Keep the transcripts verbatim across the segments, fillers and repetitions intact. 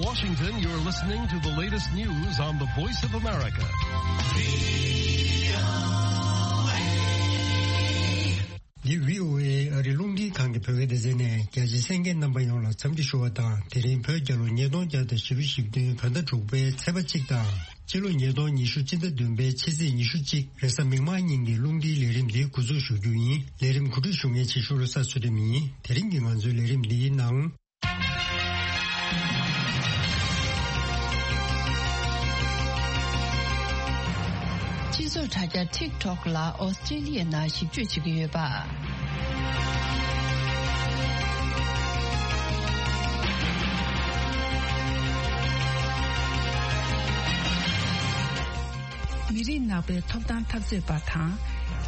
Washington, you're listening to the latest news on the Voice of America. འདི་བྷི་ཨོ་ཨེ་ཨ་རིའི་རླུང་འཕྲིན་ཁང་གི་བོད་སྐད་སྡེ་ཚན་ནས། རྒྱ་ཆེའི་གསན་མཁན་རྣམ་པ་ཡོངས་ལ་འཚམས་འདྲི་ཞུ་བ་དང་། དེ་རིང་བོད་རྒྱལ་ལོ་ཉིས་སྟོང་བརྒྱ་དང་བཞི་བཅུ་ཞེ་བདུན་བོད་ཟླ་དྲུག་པའི་ཚེས་པ་གཅིག་དང་། སྤྱི་ལོ་ཉིས་སྟོང་ཉི་ཤུ་སྤྱི་ཟླ་བདུན་པའི་ཕྱི་ཚེས་ཉི་ཤུ་གཅིག་རེས་གཟའ་མིག་དམར་ཉིན་གྱི་རླུང་འཕྲིན་ལས་རིམ་འདི་འགོ་འཛུགས་ཞུ་རྒྱུ་ཡིན། ལས་རིམ་གོ་སྒྲིག་ཞུ་མཁན་ཆེ་ཤོས་བློ་བཟང་ཚུལ་ཁྲིམས་ཡིན། དེ་རིང་གི་ང་ཚོའི་ལས་རིམ་འདིའི་ནང་། སྤྱི་ཚོགས་དྲ་རྒྱ་ཊིག་ཊོག་ལ་ཨོ་སི་ཀྲི་ལི་ཡའི་ནང་ཞིབ་དཔྱོད་བྱེད་ཀྱི་ཡོད་པ། མི་རིགས་ནག་པོའི་ཐོབ་ཐང་འཐབ་རྩོད་པ་དང་།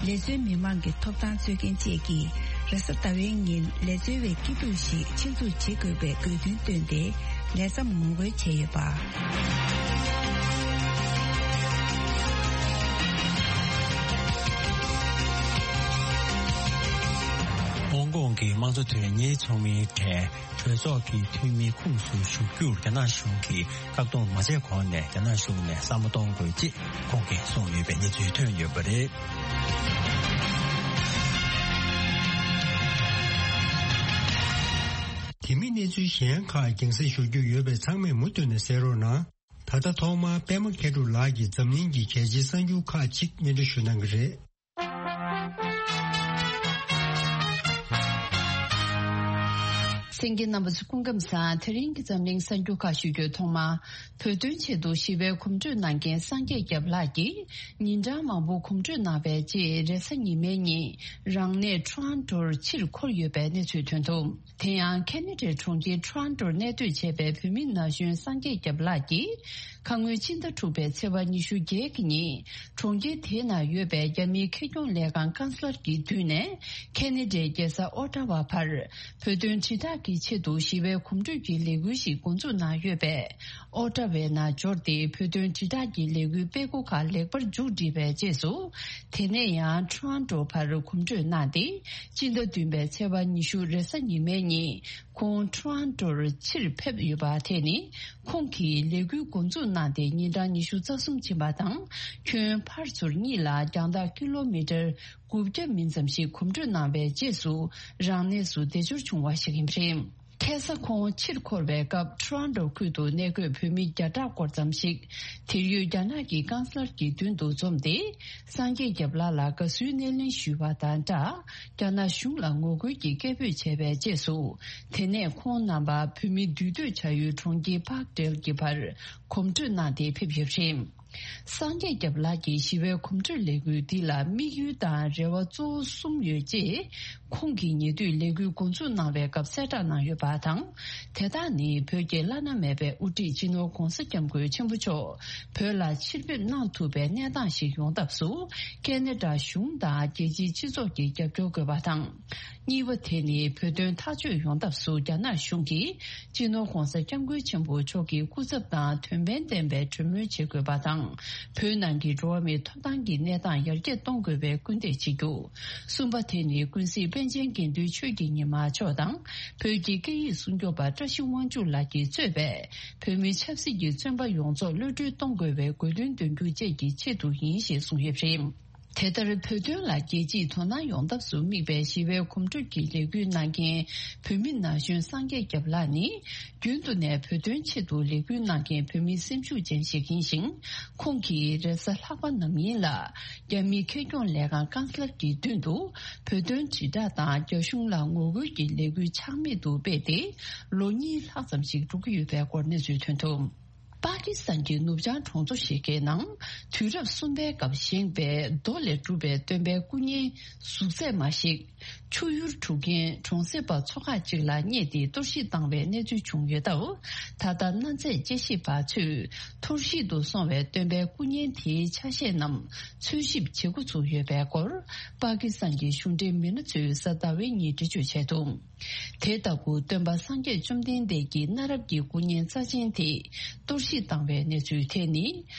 ལས་བཙོན་མི་མང་གི་ཐོབ་ཐང་རྩོད་མཁན་བཅས་ཀྱིས་རེས་གཟའ་ཟླ་བའི་ཉིན་ལས་བཙོན་པའི་སྐྱིད་སྡུག་ཞིག་ཆེད་འཛུགས་བྱེད་དགོས་པའི་དགོས་འདུན་བཏོན་ཏེ། ལས་མཚམས་ངོ་རྒོལ་བྱས་ཡོད་པ། ཧོང་ཀོང་གི་དམངས་གཙོ་དོན་གཉེར་ཚོགས་མིའི་གྲས་གྲོས་ཚོགས་ཀྱི་འཐུས་མིའི་ཁོངས་སུ་ཞུགས་རྒྱུར་རྒྱ་ནག་གཞུང་གིས་བཀག་སྡོམ་མ་བྱས་གོང་ནས་རྒྱ་ནག་གཞུང་ནས་བསམ་བློ་གཏོང་དགོས་ཅེས་ཁོང་གིས་གསུངས་ཡོད་པའི་གནས་ཚུལ་ཐོན་ཡོད་པ་རེད། དེ་མིན་གནས་ཚུལ་གཞན་ཁག་རྒྱང་སྲིང་ཞུ་རྒྱུ་ཡོད་པས་ཚང་མས་མུ་མཐུད་ནས་གསན་རོགས་གནང་། ད་ལྟ་ཐོག་མར་པད་མ་མཁས་གྲུབ་ལགས་ཀྱིས་འཛམ་གླིང་གི་གལ་ཆེའི་གསར་འགྱུར་ཁག་ཅིག་སྙན་སྒྲོན་ཞུ་གནང་གི་རེད། གསན་མཁན་རྣམ་པ་ཚོ་སྐུ་ཁམས་བཟང་། དེ་རིང་གི་འཛམ་གླིང་གསར་འགྱུར་ཁག་ཞུ་རྒྱུའི་ཐོག་མ། བོད་དོན་ཆེད་དུ་ཞི་བའི་གོམ་བགྲོད་གནང་མཁན་སངས་རྒྱས་སྐྱབས་ལགས་ཀྱིས་ཉིན་གྲངས་མང་པོ་གོམ་བགྲོད་གནང་བའི་རྗེས་རེས་གཟའ་ཉི་མའི་ཉིན་རང་གནས་ཊོ་རོན་ཊོར་ཕྱིར་འཁོར་ཡོད་པའི་གནས་ཚུལ་ཐོན་འདུག་དེ་ཡང་ཁེ་ན་ཌའི་གྲོང་ཁྱེར་ཊོ་རོན་ཊོར་གནས་སྡོད་བྱས་པའི་བོད་མི་ན་གཞོན་སངས་རྒྱས་སྐྱབས་ལགས་ཀྱིས། ཁ་སྔོན་ཕྱི་ཟླ་དྲུག་པའི་ཚེས་པ་ཉི་ཤུ་བརྒྱད་ཀྱི་ཉིན། གྲོང་ཁྱེར་དེའི་ནང་ཡོད་པའི་རྒྱ་མིའི་ཁེ་གྱོང་ལས་ཁང་ཀན་སི་ལར་གྱི་མདུན་ནས། ཁེ་ན་ཌའི་རྒྱལ་ས་ཨོ་ཊ་ཝ་བར། བོད་དོན་དྲིལ་བསྒྲགས་ཀྱི་ཆེད་དུ་ཞི་བའི་གོམ་བགྲོད་ཀྱི་ལས་འགུལ་ཞིག་འགོ་འཛུགས་གནང་ཡོད་པས། ཨོ་ཊ་ཝའི་ནང་འབྱོར་ཏེ་བོད་དོན་དྲིལ་བསྒྲགས་ཀྱི་ལས་འགུལ་སྤེལ་སྒོ་ཁག་ལེགས་པར་མཇུག་བསྒྲིལ་བའི་རྗེས་སུ། དེ་ནས་ཡང་ཊོ་རོན་ཊོ་བར་གོམ་བགྲོད་གནང་སྟེ། སྤྱི་ཟླ་བདུན་པའི་ཚེས་པ་ཉི་ཤུ་རེས་གཟའ་ཉི་མའི་ཉིན། ཁོང་ཊོ་རོན་ཊོར་ཕྱིར་ཕེབས་ཡོད་པ་དེ་ནི། ཁོང་གིས་ལས་འགུལ་འགོ་འཛུགས་གནང་སྟེ་ཉིན་གྲངས་ཉི་ཤུ་རྩ་གསུམ་ཕྱིན་པ་དང་། ཁྱོན་ཕར་ཚུར་གཉིས་ལ་རྒྱང་ཐག་ཀི་ལོ་མི་ཊར་དགུ་བརྒྱ་མིན་ཙམ་ཞིག་གོམ་བགྲོད་གནང་བའི་རྗེས་སུ། རང་གནས་སུ་བདེ་འབྱོར་བྱུང་བ་ཞིག་ཡིན་པ་རེད། ཁ་སང་ཁོང་ཕྱིར་འཁོར་བའི་སྐབས་ཊོ་རོན་ཊོ་ཁུལ་དུ་གནས་འཁོད་བོད་མི་བརྒྱ་ཕྲག་སྐོར་ཙམ་ཞིག་དེར་ཡོད་རྒྱ་ནག་གི་ཀན་སི་ལར་གྱི་མདུན་དུ་འཛོམས་ཏེ། སངས་རྒྱས་སྐྱབས་ལགས་ལ་དགའ་བསུའི་སྣེ་ལེན་ཞུས་པ་དང་སྦྲགས། རྒྱ་ནག་གཞུང་ལ་ངོ་རྒོལ་གྱི་སྐད་འབོད་བྱས་པའི་རྗེས་སུ། དེ་ནས་ཁོང་རྣམ་པ་བོད་མི་འདུས་སྡོད་བྱ་ཡུལ་གྲོང་ཁྱེར་པཱག་ཏེལ་གྱི་བར་གོམ་བགྲོད་གནང་སྟེ་ཕེབས་ཡོད་པ་རེད། སངས་རྒྱས་སྐྱབས་ལགས་ཀྱི་ཞི་བའི་གོམ་བགྲོད་ལས་འགུལ་འདི་ལ་དམིགས་ཡུལ་དང་རེ་བ་གཙོ་བོ་གསུམ་ཡོད་ཅེས། ཁོང་གིས་ཉེ་དུས་ལས་འགུལ་འགོ་འཛུགས་གནང་བའི་སྐབས་གསལ་བསྒྲགས་གནང་ཡོད་པ་དང་། དེ་དག་ནི་བོད་ཀྱི་བླ་ན་མེད་པའི་དབུ་ཁྲིད་སྤྱི་ནོར་༧གོང་ས་༧སྐྱབས་མགོན་ཆེན་པོ་མཆོག་བོད་ལ་ཕྱིར་ཕེབས་གནང་ཐུབ་པའི་གནས་སྟངས་ཤིག་ཡོང་ཐབས་སུ། ཁེ་ན་ཌ་གཞུང་དང་རྒྱལ་སྤྱིའི་སྤྱི་ཚོགས་ཀྱི་རྒྱབ་སྐྱོར་དགོས་པ་དང་། གཉིས་པ་དེ་ནི་བོད་དོན་ཐག་གཅོད་ཡོང་ཐབས་སུ་རྒྱ་ནག་གཞུང་གིས་སྤྱི་ནོར་༧གོང་ས་༧སྐྱབས་མགོན་ཆེན་པོ་མཆོག་གི་སྐུ་ཚབ་དང་དོན་ཕན་ལྡན་པའི་གྲོས་མོལ་བྱེད་དགོས་པ་དང་། བོད་ནང་གི་འགྲོ་བ་མིའི་ཐོབ་ཐང་གི་གནས་སྟངས་ཡར་རྒྱས་གཏོང་དགོས་པའི་སྐུལ་འདེད་བྱེད་རྒྱུ། གསུམ་པ་དེ་ནི་ཀུན་གཟིགས་པཎ་ཆེན་དགེ་འདུན་ཆོས་ཀྱི་ཉི་མ་མཆོག་དང་། བོད་ཀྱི་སྐད་ཡིག་སྲུང་སྐྱོབ་པ་བཀྲ་ཤིས་དབང་ཕྱུག་ལགས་ཀྱིས་གཙོས་པའི་བོད་མི་ཆབ་སྲིད་ཀྱི་བཙོན་པ་ཡོངས་རྫོགས་གློད་གྲོལ་གཏོང་དགོས་པའི་དགོས་འདུན་འདོན་རྒྱུ་བཅས་ཀྱི་ཆེད་དུ་ཡིན་ཞེས་གསུངས་ཡོད་པ་རེད། དེ་ལྟར་བོད་དོན་ལ་རྒྱལ་སྤྱིའི་དོ་སྣང་ཡོང་ཐབས་སུ་དམིགས་པའི་ཞི་བའི་གོམ་བགྲོད་ཀྱི་ལས་འགུལ་གནང་མཁན་བོད་མི་ན་གཞོན་སངས་རྒྱས་སྐྱབས་ལགས་ནི། རྒྱུན་དུ་ནས་བོད་དོན་ཆེད་དུ་ལས་འགུལ་གནང་མཁན་བོད་མི་སེམས་ཤུགས་ཅན་ཞིག་ཡིན་ཞིང་། ཁོང་གིས་རེས་གཟའ་ལྷག་པ་ནམ་ཡིན་ལ། རྒྱ་མིའི་ཁེ་གྱོང་ལས་ཁང་ཀན་སི་ལར་གྱི་མདུན་དུ། བོད་དོན་དྲིལ་བསྒྲགས་དང་རྒྱ་གཞུང་ལ་ངོ་རྒོལ་གྱི་ལས་འགུལ་ཆག་མེད་དུ་སྤེལ་ཏེ། ལོ་གཉིས་ལྷག་ཙམ་ཞིག་འགྲོ་གི་ཡོད་པའི་སྐོར་གནས་ཚུལ་ཐོན་འདུག་པ་ཀི་སི་ཐན་གྱི་ནུབ་བྱང་གྲོང་ཚོ་ཞིག་གི་ནང་། དུས་རབས་གསུམ་པའི་སྐབས་བཞེངས་པའི་རྡོ་ལས་གྲུབ་པའི་སྟོན་པའི་སྐུ་བརྙན་གཟུགས་ཚད་མ་ཞིག་ཆུ་ཡུར་འཁྲུ་མཁན་གྲོང་གསེབ་པ་ཚོ་ཁག་ཅིག་ལ་རྙེད་དེ་གཏོར་བཤིག་བཏང་བའི་གནས་ཚུལ་བྱུང་ཡོད་སྟབས། ད་ལྟ་གནའ་རྫས་དཔྱད་ཞིབ་པ་ཚོས་འཐོར་བཤིག་ཏུ་སོང་བའི་སྟོན་པའི་སྐུ་བརྙན་དེའི་ཆ་ཤས་རྣམས་འཚོལ་ཞིབ་བྱེད་འགོ་ཚུགས་ཡོད་པའི་སྐོར། པ་ཀི་སི་ཐན་གྱི་གཞུང་འབྲེལ་མི་སྣ་ཚོས་གཟའ་ཟླ་བའི་ཉིན་འགྲེལ་བརྗོད་བྱས་འདུག་དེ་ལྟ་བུ་སྟོན་པ་སངས་རྒྱས་བཅོམ་ལྡན་འདས་ཀྱི་གནའ་རབས་ཀྱི་སྐུ་བརྙན་རྩ་ཆེན་དེ་གཏོར་བཤིག་བཏང་བའི་གནས་ཚུལ་དེ་ནི།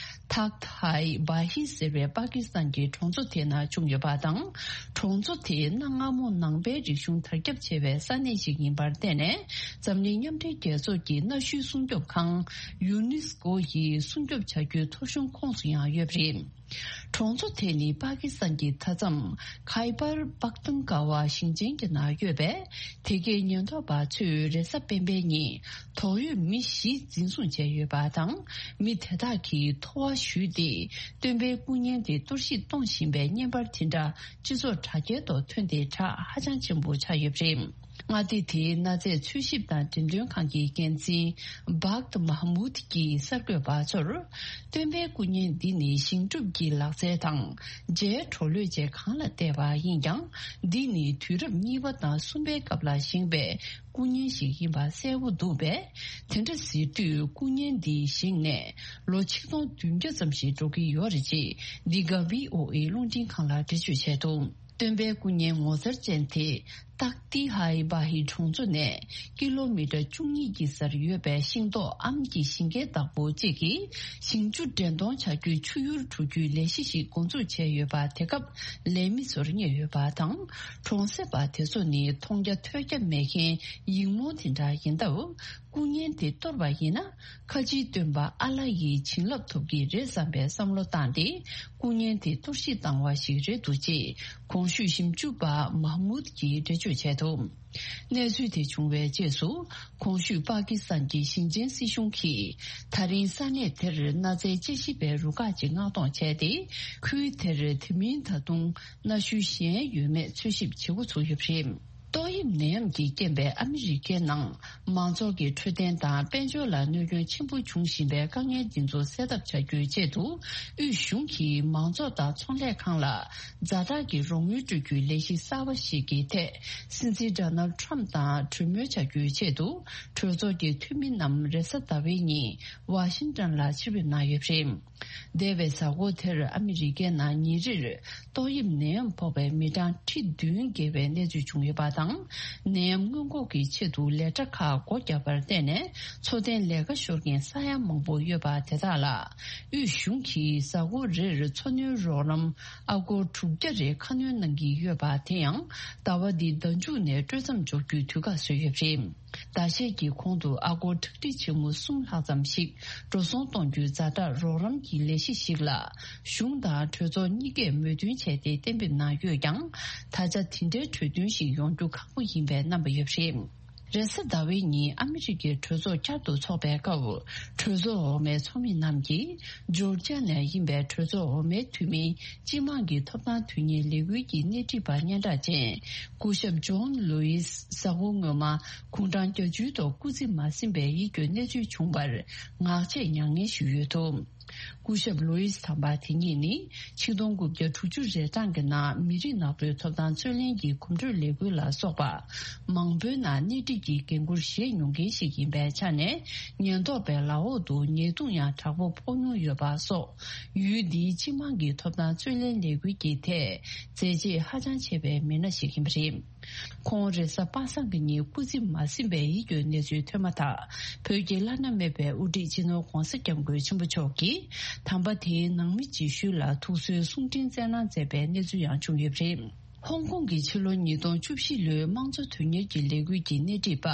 ཐག་ཐའི་བྷ་ཧི་ཟེར་བའི་པ་ཀི་སི་ཐན་གྱི་གྲོང་ཚོ་དེ་ན་བྱུང་ཡོད་པ་དང་། གྲོང་ཚོ་དེ་གནའ་སྔ་མོ་ནང་པའི་རིག་གཞུང་དར་ཁྱབ་ཆེ་བའི་ས་གནས་ཤིག་ཡིན་པར་བརྟེན་ནས། འཛམ་གླིང་མཉམ་འབྲེལ་རྒྱལ་ཚོགས་ཀྱི་གནའ་ཤུལ་སྲུང་སྐྱོབ་ཁང་ཡུ་ནེ་སི་ཀོ་ཡིས་སྲུང་སྐྱོབ་བྱ་རྒྱུའི་ཐོ་གཞུང་ཁོངས་སུ་ཡང་ཡོད་པ་རེད། གྲོང་ཚོ་དེ་ནི་པ་ཀི་སི་ཐན་གྱི་མཐའ་མཚམས་ཁའི་པར་པག་ཏུན་ཀ་བ་ཞིང་ཆེན་གྱི་ནང་ཡོད་པས། དེ་གའི་ཉེན་རྟོག་པ་ཚོས་རེས་གཟའ་སྤེན་པའི་ཉིན་དོགས་ཡོད་མི་བཞི་འཛིན་བཟུང་བྱས་ཡོད་པ་དང་། མི་དེ་དག་གིས་ཐོ་བ་བཤུས་ཏེ། སྟོན་པའི་སྐུ་བརྙན་དེ་གཏོར་བཤིག་གཏོང་བཞིན་པའི་བརྙན་པར་དེ་འདྲ་སྤྱི་ཚོགས་དྲ་རྒྱའི་ཐོག་ཐོན་ཏེ། གྲགས་ཧ་ཅང་ཆེན་པོ་ཆགས་ཡོད་པ་རེད། མངའ་སྡེ་དེའི་གནའ་རྫས་འཚོལ་ཞིབ་དང་འགྲེམས་སྟོན་ཁང་གི་འགན་འཛིན་བག་ཏི་མཱ་མུད་ཀྱིས་གསར་འགོད་པ་ཚོར། སྟོན་པའི་སྐུ་བརྙན་འདི་ནི་ཞིང་སྒྲུབ་ཀྱི་ལག་རྩལ་དང་རྗེས་གྲོགས་ལོས་བཅས་གང་ལ་བལྟས་པ་ཡིན་ཀྱང་། འདི་ནི་དུས་རབས་གཉིས་པ་དང་གསུམ་པའི་སྐབས་ལ་བཞེངས་པའི་སྐུ་བརྙན་ཞིག་ཡིན་པ་གསལ་པོ་འདུག་པས། དེ་འདྲ་ཟེར་དུས་སྐུ་བརྙན་འདི་བཞེངས་ནས་ལོ་ཆིག་སྟོང་བདུན་བརྒྱ་ཙམ་ཞིག་འགྲོ་གི་ཡོད་རེད་ཅེས་འདི་ག་བྷི་ཨོ་ཨེ་རླུང་འཕྲིན་ཁང་ལ་འགྲེལ་བརྗོད་བྱས་འདུག་སྟོན་པའི་སྐུ་བརྙན་ངོ་མཚར་ཅན་དེ་ཏག་ཏི་ཧའི་བྷ་ཧི་གྲོང་ཚོ་ནས་ཀི་ལོ་མི་ཊར་བཅུ་གཉིས་ཀྱི་སར་ཡོད་པའི་ཤིང་ཏོག་ཨམ་གྱི་ཞིང་ཁའི་བདག་པོ་གཅིག་གིས་ཞིང་ཆུ་འདྲེན་གཏོང་བྱ་རྒྱུའི་ཆུ་ཡུར་འགྲོ་རྒྱུའི་ལས་གཞི་ཞིག་འགོ་འཛུགས་བྱས་ཡོད་པ། དེ་སྐབས་ལས་མི་ཚོར་བརྙས་ཡོད་པ་དང་། གྲོང་གསེབ་པ་དེ་ཚོ་ནི་མཐོང་རྒྱ་ཐོས་རྒྱ་མེད་མཁན་ཡིག་རྨོངས་དེ་འདྲ་ཡིན་སྟབས། སྐུ་བརྙན་དེ་གཏོར་བ་ཡིན་ན། ཁ་ཆེའི་སྟོན་པ་ཨ་ལ་ཡི་བྱིན་རླབས་ཐོབ་ཀྱི་རེད་བསམ་པའི་བསམ་བློ་བཏང་སྟེ། སྐུ་བརྙན་དེ་གཏོར་བཤིག་བཏང་བ་ཞིག་རེད་འདུག་ཅེས་གོང་ཞུས་ཞིབ་འཇུག་པ་མཱ་མུད་ཀྱིས་འགྲེལ་བརྗོད་བྱས་འདུག་གནས་ཚུལ་དེ་བྱུང་བའི་རྗེས་སུ། གོང་ཞུས་པ་ཀི་སི་ཐན་གྱི་ཞིང་ཆེན་སྲིད་གཞུང་གིས། ད་རིང་ས་གནས་དེར་གནའ་རྫས་དཔྱད་ཞིབ་པའི་རུ་ཁག་ཅིག་མངགས་གཏོང་བྱས་ཏེ། ཁུལ་དེར་དེ་མིན་ད་དུང་གནའ་ཤུལ་གཞན་ཡོད་མེད་འཚོལ་ཞིབ་བྱེད་འགོ་ཚུགས་ཡོད་པ་རེད། ཏོག་དབྱིབས་ནད་ཡམས་ཀྱི་རྐྱེན་པས་ཨ་མི་རི་ཀའི་ནང་མང་ཚོགས་ཀྱི་འཕྲོད་བསྟེན་དང་དཔལ་འབྱོར་ལ་གནོད་སྐྱོན་ཆེན་པོ་འབྱུང་བཞིན་པའི་དཀའ་ངལ་འདི་ཚོ་སེལ་ཐབས་བྱ་རྒྱུའི་ཆེད་དུ། དབུས་གཞུང་གིས་མང་ཚོགས་དང་ཚོང་ལས་ཁང་ལ་ཛ་དྲག་གི་རོགས་དངུལ་སྤྲོད་རྒྱུའི་ལས་གཞི་གསར་པ་ཞིག་གི་ཐད། སྲིད་འཛིན་ཌོ་ནལ་ཌི་ཊརམ་ཕི་དང་གྲོས་མོལ་བྱ་རྒྱུའི་ཆེད་དུ། གྲོས་ཚོགས་ཀྱི་འཐུས་མི་རྣམས་རེས་གཟའ་ཟླ་བའི་ཉིན་ཝ་ཤིང་ཊོན་ལ་ཕྱིར་འབུད་གནང་ཡོད་པ་རེད། འདས་པའི་གཟའ་འཁོར་དེར་ཨ་མི་རི་ཀའི་ནང་ཉིན་རེར་ཏོག་དབྱིབས་ནད་ཡམས་ཕོག་པའི་མི་གྲངས་ཁྲི་བདུན་བརྒལ་བའི་གནས་ཚུལ་བྱུང་ཡོད་པ་དང་། ནད་ཡམས་སྔོན་འགོག་གི་ཆེད་དུ་ལས་གྲྭ་ཁག་སྒོ་བརྒྱབ་པར་བརྟེན་ནས། འཚོ་རྟེན་ལས་ཀ་ཤོར་མཁན་ས་ཡ་མང་པོ་ཡོད་པ་དེ་དག་ལ། དབུས་གཞུང་གིས་གཟའ་འཁོར་རེར་འཚོ་སྣོན་རོགས་རམ་ཨ་སྒོར་དྲུག་བརྒྱ་རེ་ཁ་སྣོན་གནང་གི་ཡོད་པ། དེ་ཡང་ཟླ་བ་འདིའི་ཟླ་མཇུག་ནས་སྤྲོད་མཚམས་འཇོག་རྒྱུའི་དུས་བཀག་བཟོས་ཡོད་པ་རེད། ཟླ་ཤས་ཀྱི་གོང་དུ་ཨ་སྒོར་ཁྲག་ཁྲིག་ཆེན་མོ་གསུམ་ལྷག་ཙམ་ཞིག་འགྲོ་སོང་གཏོང་རྒྱུའི་ཛ་དྲག་རོགས་རམ་གྱི་ལས་གཞི་ཞིག་ལ། གཞུང་དང་གྲོས་ཚོགས་གཉིས་ཀས་མོས་མཐུན་བྱས་ཏེ་གཏན་འབེབས་གནང་ཡོད་ཀྱང་། ད་ཆ་དེ་འདྲའི་གྲོས་མཐུན་ཞིག་ཡོང་རྒྱུ་ཁག་པོ་ཡིན་པའི་རྣམ་པ་ཡོད་པ་རེད། རེས་གཟའ་ཟླ་བའི་ཉིན་ཨ་མི་རི་ཀའི་གྲོས་ཚོགས་བསྐྱར་དུ་འཚོགས་པའི་སྐབས། གྲོས་ཚོགས་འོག་མའི་ཚོགས་མི་རྣམས་ཀྱིས་ཇོར་ཇ་ནས་ཡིན་པའི་གྲོས་ཚོགས་འོག་མའི་འཐུས་མི། སྤྱི་དམངས་ཀྱི་ཐོབ་ཐང་དོན་གཉེར་ལས་འགུལ་གྱི་སྣེ་ཁྲིད་པ་སྙན་གྲགས་ཅན། སྐུ་ཞབས་ཇོན་ལུའིས་གཟའ་འཁོར་སྔོན་མ་དགུང་གྲངས་བརྒྱད་ཅུའི་ཐོག་སྐུ་ཚེ་མ་ཟིན་པའི་ཡིད་སྐྱོའི་གནས་ཚུལ་བྱུང་བར། ངག་བཅད་མྱ་ངན་ཞུས་ཡོད་འདུག་སྐུ་ཞབས་ལུའིས་དམ་པ་དེ་ཉིད་ནི། ཆིག་སྟོང་དགུ་བརྒྱ་དྲུག་ཅུ་རེ་གྲངས་ཀྱི་ནང་མི་རིགས་ནག་པོའི་ཐོབ་ཐང་རྩོད་ལེན་གྱི་གོམ་བགྲོད་ལས་འགུལ་ལ་སོགས་པ། མང་པོའི་ནང་སྣེ་ཁྲིད་ཀྱི་འགན་འཁུར་བཞེས་མྱོང་མཁན་ཞིག་ཡིན་པའི་ཆ་ནས། ཉེན་རྟོག་པའི་ལག་འོག་ཏུ་ཉེས་རྡུང་ཡང་དྲག་པོ་ཕོག་མྱོང་ཡོད་པ་སོགས། ཡུལ་འདིའི་སྤྱི་དམངས་ཀྱི་ཐོབ་ཐང་རྩོད་ལེན་ལས་འགུལ་གྱི་ཐད་མཛད་རྗེས་ཧ་ཅང་ཆེ་བའི་མི་སྣ་ཞིག་ཡིན་པ་རེད། ཁོང་རེས་གཟའ་པ་སངས་ཀྱི་ཉིན་སྐུ་ཚེ་མ་ཟིན་པའི་ཡིད་སྐྱོའི་གནས་ཚུལ་ཐོན་མ་ཐག་བོད་ཀྱི་བླ་ན་མེད་པའི་དབུ་ཁྲིད་སྤྱི་ནོར་༧གོང་ས་༧སྐྱབས་མགོན་ཆེན་པོ་མཆོག་གིས་དམ་པ་དེའི་ནང་མི་ཅིག་ཤུལ་ལ་ཐུགས་གསོའི་གསུང་འཕྲིན་བསྩལ་གནང་མཛད་པའི་གནས་ཚུལ་ཡང་བྱུང་ཡོད་པ་རེད། ཧོང་ཀོང་གི་ཕྱི་ལོ་ཉིས་སྟོང་བཅུ་བཞི་ལོའི་དམངས་གཙོ་དོན་གཉེར་གྱི་ལས་འགུལ་གྱི་སྣེ་ཁྲིད་པ་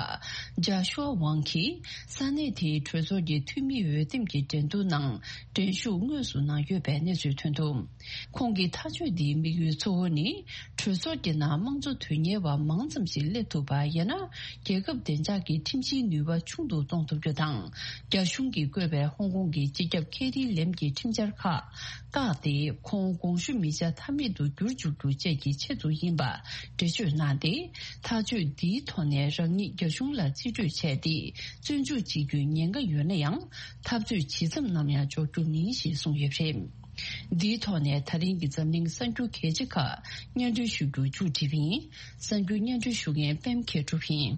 ཇཱ་ཤུའ་ཝང་གིས་ས་གནས་དེའི་གྲོས་ཚོགས་ཀྱི་འཐུས་མི་འོས་འདེམས་ཀྱི་འགྲན་བསྡུར་ནང་འགྲན་ཞུགས་དངོས་སུ་གནང་ཡོད་པའི་གནས་ཚུལ་ཐོན་འདུག་ཁོང་གི་ཐག་གཅོད་འདིའི་དམིགས་ཡུལ་གཙོ་བོ་ནི། གྲོས་ཚོགས་ཀྱི་ནང་དམངས་གཙོ་དོན་གཉེར་བ་མང་ཙམ་ཞིག་སླེབས་ཐུབ་པ་ཡིན་ན། རྒྱལ་ཁབ་བདེ་འཇགས་ཀྱི་ཁྲིམས་གཞིའི་ནུས་པ་ཆུང་དུ་གཏོང་ཐུབ་རྒྱུ་དང་། རྒྱ་གཞུང་གིས་བསྐོས་པའི་ཧོང་ཀོང་གི་སྤྱི་ཁྱབ་ཁེ་རི་ལེམ་གྱི་ཁྲིམས་འཆར་ཁག་བཀག་སྟེ། ཁོང་དགོངས་ཞུ་མི་བྱ་ཐབས་མེད་དུ་གྱུར་བཅུག་རྒྱུ་བཅས་ཀྱི་ཆེད་དུ་ཡིན་པ་འགྲེལ་བརྗོད་གནང་སྟེ། ཐག་གཅོད་འདིའི་ཐོག་ནས་རང་ཉིད་རྒྱ་གཞུང་ལ་རྩིས་སྤྲོད་བྱས་ཏེ། བཙོན་འཇུག་བྱེད་རྒྱུའི་ཉེན་ཁ་ཡོད་ན་ཡང་། འཐབ་རྩོད་ཇི་ཙམ་ནམ་ཡང་འཇོག་རྒྱུ་མིན་ཞེས་གསུངས་ཡོད་པ་རེད། འདིའི་ཐོག་ནས་ད་རིང་གི་འཛམ་གླིང་གསར་འགྱུར་གལ་ཆེ་ཁག་སྙན་སྒྲོན་ཞུ་རྒྱུ་མཇུག་བསྒྲིལ་བ་ཡིན། གསར་འགྱུར་སྙན་སྒྲོན་ཞུ་མཁན་པད་མ་མཁས་གྲུབ་ཡིན།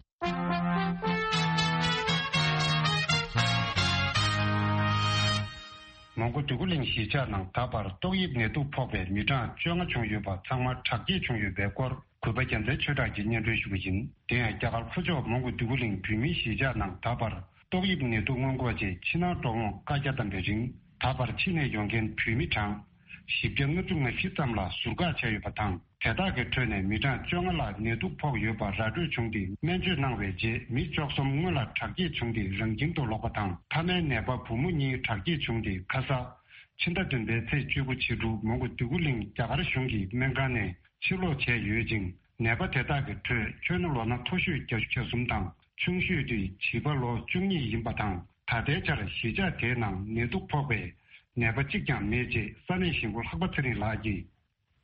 མོན་གྷོ་འདོད་རྒུ་གླིང་གཞིས་ཆགས་ནང་ད་བར་ཏོག་དབྱིབས་ནད་དུག་ཕོག་པའི་མི་གྲངས་བཅོ་ལྔ་བྱུང་ཡོད་པ་ཚང་མ་དྲག་སྐྱེད་བྱུང་ཡོད་པའི་སྐོར། གུས་པ་རྒྱལ་མཚན་ཆོས་གྲགས་ཀྱིས་སྙན་སྒྲོན་ཞུ་གི་ཡིན། དེ་ཡང་རྒྱ་གར་ལྷོ་ཕྱོགས་མོན་གྷོ་འདོད་རྒུ་གླིང་བོད་མིའི་གཞིས་ཆགས་ནང་ད་བར་ཏོག་དབྱིབས་ནད་དུག་སྔོན་འགོག་ཆེད་ཕྱི་ནང་འགྲོ་འོང་བཀའ་རྒྱ་བཏང་བའི་རིང་ ད་བར་ཕྱི་ནས་ཡོང་མཁན་བོད་མི་གྲངས་བཞི་བརྒྱ་ལྔ་བཅུ་ང་བཞི་ཙམ་ལ་ཟུར་བཀག་བྱས་ཡོད་པ་དང་། དེ་དག་གི་ཁྲོད་ནས་མི་གྲངས་བཅོ་ལྔ་ལ་ནད་དུག་ཕོག་ཡོད་པ་ར་སྤྲོད་བྱུང་སྟེ། སྨན་བཅོས་གནང་བའི་རྗེས་མི་བཅུ་གསུམ་སྔོན་ལ་དྲག་སྐྱེད་བྱུང་སྟེ་རང་ཁྱིམ་དུ་ལོག་པ་དང་། མཐའ་མའི་ནད་པ་བུ་མོ་གཉིས་དྲག་སྐྱེད་བྱུང་སྟེ་ཁ་ས། ཕྱི་ཟླ་བདུན་པའི་ཚེས་བཅུ་དགུ་ཕྱི་དྲོ་མོན་གྷོ་འདོད་རྒུ་གླིང་རྒྱ་གར་གཞུང་གི་སྨན་ཁང་ནས་ཕྱིར་ལོག་བྱས་ཡོད་ཅིང་། ནད་པ་དེ་དག་གི་ཁྲོད་ཁྱོན་ནས་ལོ་ན་མཐོ་ཤོས་བརྒྱད་ཅུ་གྱ་གསུམ་དང་། ཆུང་ཤོས་དེ་བྱིས་པ་ལོ་བཅུ་གཉིས་ཡིན་པ་དང་། ད་ལྟའི་ཆར་གཞིས་ཆགས་དེའི་ནང་ནད་དུག་ཕོག་པའི་ནད་པ་གཅིག་ཀྱང་མེད་ཅེས་ས་གནས་གཞིས་འགོ་ལྷག་པ་ཚེ་རིང་ལགས་ཀྱིས།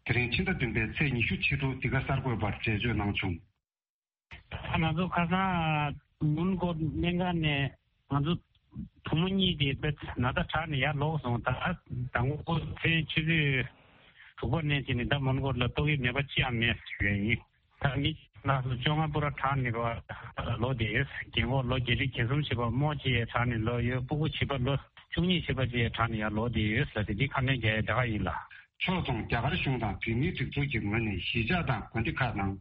དེ་རིང་ཕྱི་ཟླ་བདུན་པའི་ཚེས་ཉི་ཤུ་ཕྱི་དྲོ་འདི་ག་གསར་འགོད་པར་འགྲེལ་བརྗོད་གནང་བྱུང་། ད་ང་ཚོ་ཁ་སང་མོན་གྷོ་སྨན་ཁང་ནས་ང་ཚོ་བུ་མོ་གཉིས་དེ་དཔེ་ན་ཚ་དྲག་ནས་ཡར་ལོག་སོང་། ད་དང་པོ་ཚེས་ཆུ་ཚོད་དྲུག་པ་ནས་བྱས་ནས་ད་མོན་གྷོ་ལ་ཏོག་དབྱིབས་ནད་པ་ཅི་ཡང་མེད་ཟེར་བ་ཡིན། ད་མི་ལ་སོ་བཅོ་ལྔ་པུ་ར་དྲག་ནས་རོ་ལོ་དེ་རྒན་གོག་ལོ་བརྒྱད་ཁྲི་བརྒྱད་གསུམ་བྱས་པ་རྨོ་ཅི་ཡས་དྲག་ནས་ལོ་ཡོད། སྤུ་གུ་བྱིས་པ་ལོ་བཅུ་གཉིས་བྱས་པ་ཅི་ཡས་དྲག་ནས་ཡར་ལོ་དེ་ཡོད་ཟེར་ཏེ་འདི་ཁ་སྣོན་རྒྱག་ཡས་དེ་ག་ཡིན་ལ། ཕྱོགས་མཚུངས་རྒྱ་གར་གཞུང་དང་བོད་མིའི་སྒྲིག་འཛུགས་ཀྱི་ངོས་ནས་གཞིས་ཆགས་དང་དགོན་སྡེ་ཁག་ནང་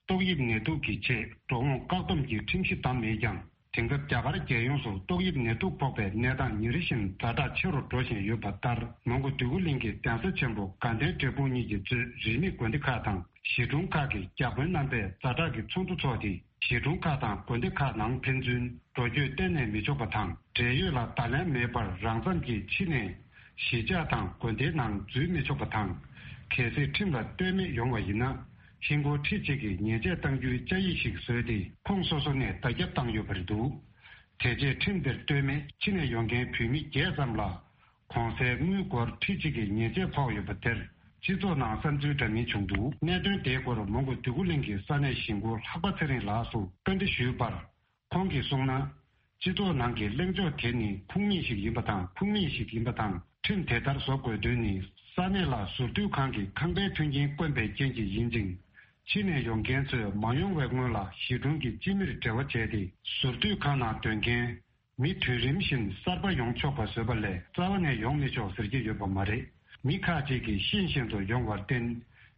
ཏོག་དབྱིབས་ནད་དུག་གི་ཆེད་འགྲོ་འོང་བཀག་སྡོམ་གྱི་ཁྲིམས་གཞི་བསྡམས་མེད་ཀྱང་། དེང་སྐབས་རྒྱ་གར་རྒྱལ་ཡོངས་སུ་ཏོག་དབྱིབས་ནད་དུག་ཕོག་པའི་གནས་སྟངས་ཉིན་རེ་བཞིན་ཛ་དྲག་ཆེ་རུ་འགྲོ་བཞིན་ཡོད་པ་ལྟར། མོན་གྷོ་འདོད་རྒུ་གླིང་གི་གདན་ས་ཆེན་པོ་དགའ་ལྡན་འབྲས་སྤུངས་གཉིས་ཀྱིས་གཙོས་རིས་མེད་དགོན་སྡེ་ཁག་དང་གཞིས་གྲོང་ཁག་གི་བརྒྱ་དཔོན་རྣམ་པས་ཛ་དྲག་གི་ཚོགས་འདུ་འཚོགས་ཏེ། གཞིས་གྲོང་ཁག་དང་དགོན་སྡེ་ཁག་ནང་ཕན་ཚུན་འགྲོ་སྐྱོད་གཏན་ནས་མི་ཆོག་པ་དང་། འབྲེལ་ཡོད་ལ་བརྡ་ལན་མེད་པར་རང་འཚམས་ཀྱིས་ཕྱི་ནས་གཞིས་ཆགས་དང་དགོན་སྡེའི་ནང་འཛུལ་མི་ཆོག་པ་དང་། གལ་སྲིད་ཁྲིམས་ལ་ལྟོས་མེད་ཡོང་བ་ཡིན་ན། ཧིན་སྒོར་ཁྲི་གཅིག་གི་ཉེས་ཆད་གཏང་རྒྱུའི་བཅའ་ཡིག་ཞིག་བཟོས་ཏེ། ཁོངས་སོ་སོ་ནས་བརྡ་ཁྱབ་བཏང་ཡོད་པ་རེད་འདུག་དེ་རྗེས་ཁྲིམས་དེར་ལྟོས་མེད་ཕྱི་ནས་ཡོང་མཁན་བོད་མི་བརྒྱད་ཙམ་ལ། གོང་གསལ་དངུལ་སྒོར་ཁྲི་གཅིག་གི་ཉེས་ཆད་ཕོག་ཡོད་པ་དེར། སྤྱི་ཚོགས་ནང་བསམ་ཚུལ་འདྲ་མིན་བྱུང་འདུག་གནད་དོན་དེའི་སྐོར་མོན་གྷོ་འདོད་རྒུ་གླིང་གི་ས་གནས་གཞིས་འགོ་ལྷག་པ་ཚེ་རིང་ལགས་སུ་བཀའ་འདྲི་ཞུས་པར། ཁོང་གིས་གསུངས་ན། སྤྱི་ཚོགས་ནང་གི་གླེང་ཕྱོགས་དེ་ནི་ཁུངས་མེད་ཞིག་ཡིན་པ་དང་། ཁུངས་མེད་ཞིག་ཡིན་པ་དང་། ཁྲིམས་དེ་ལྟར་བཟོ་དགོས་དོན་ནི། ས་གནས་ལ་ཟུར་འདུས་ཁང་གི་ཁང་པའི་མཐུན་རྐྱེན་དཀོན་པའི་རྐྱེན་གྱིས་ཡིན་ཅིང་། ཕྱི་ནས་ཡོང་མཁན་ཚོས་མ་ཡོང་བའི་སྔོན་ལ་གཞིས་གྲོང་གི་སྤྱི་མིར་འབྲེལ་བ་བྱས་ཏེ། ཟུར་འདུས་ཁང་ནང་སྡོད་མཁན་མི་དུས་རིམ་བཞིན་གསར་པ་ཡོང་ཆོག་པ་བཟོས་པ་ལས། རྩ་བ་ནས་ཡོང་མི་ཆོག་ཟེར་གྱི་ཡོད་པ་མ་རེད། མི་ཁག་ཅིག་གིས་ཤེས་བཞིན་དུ་ཡོང་བར་བརྟེན།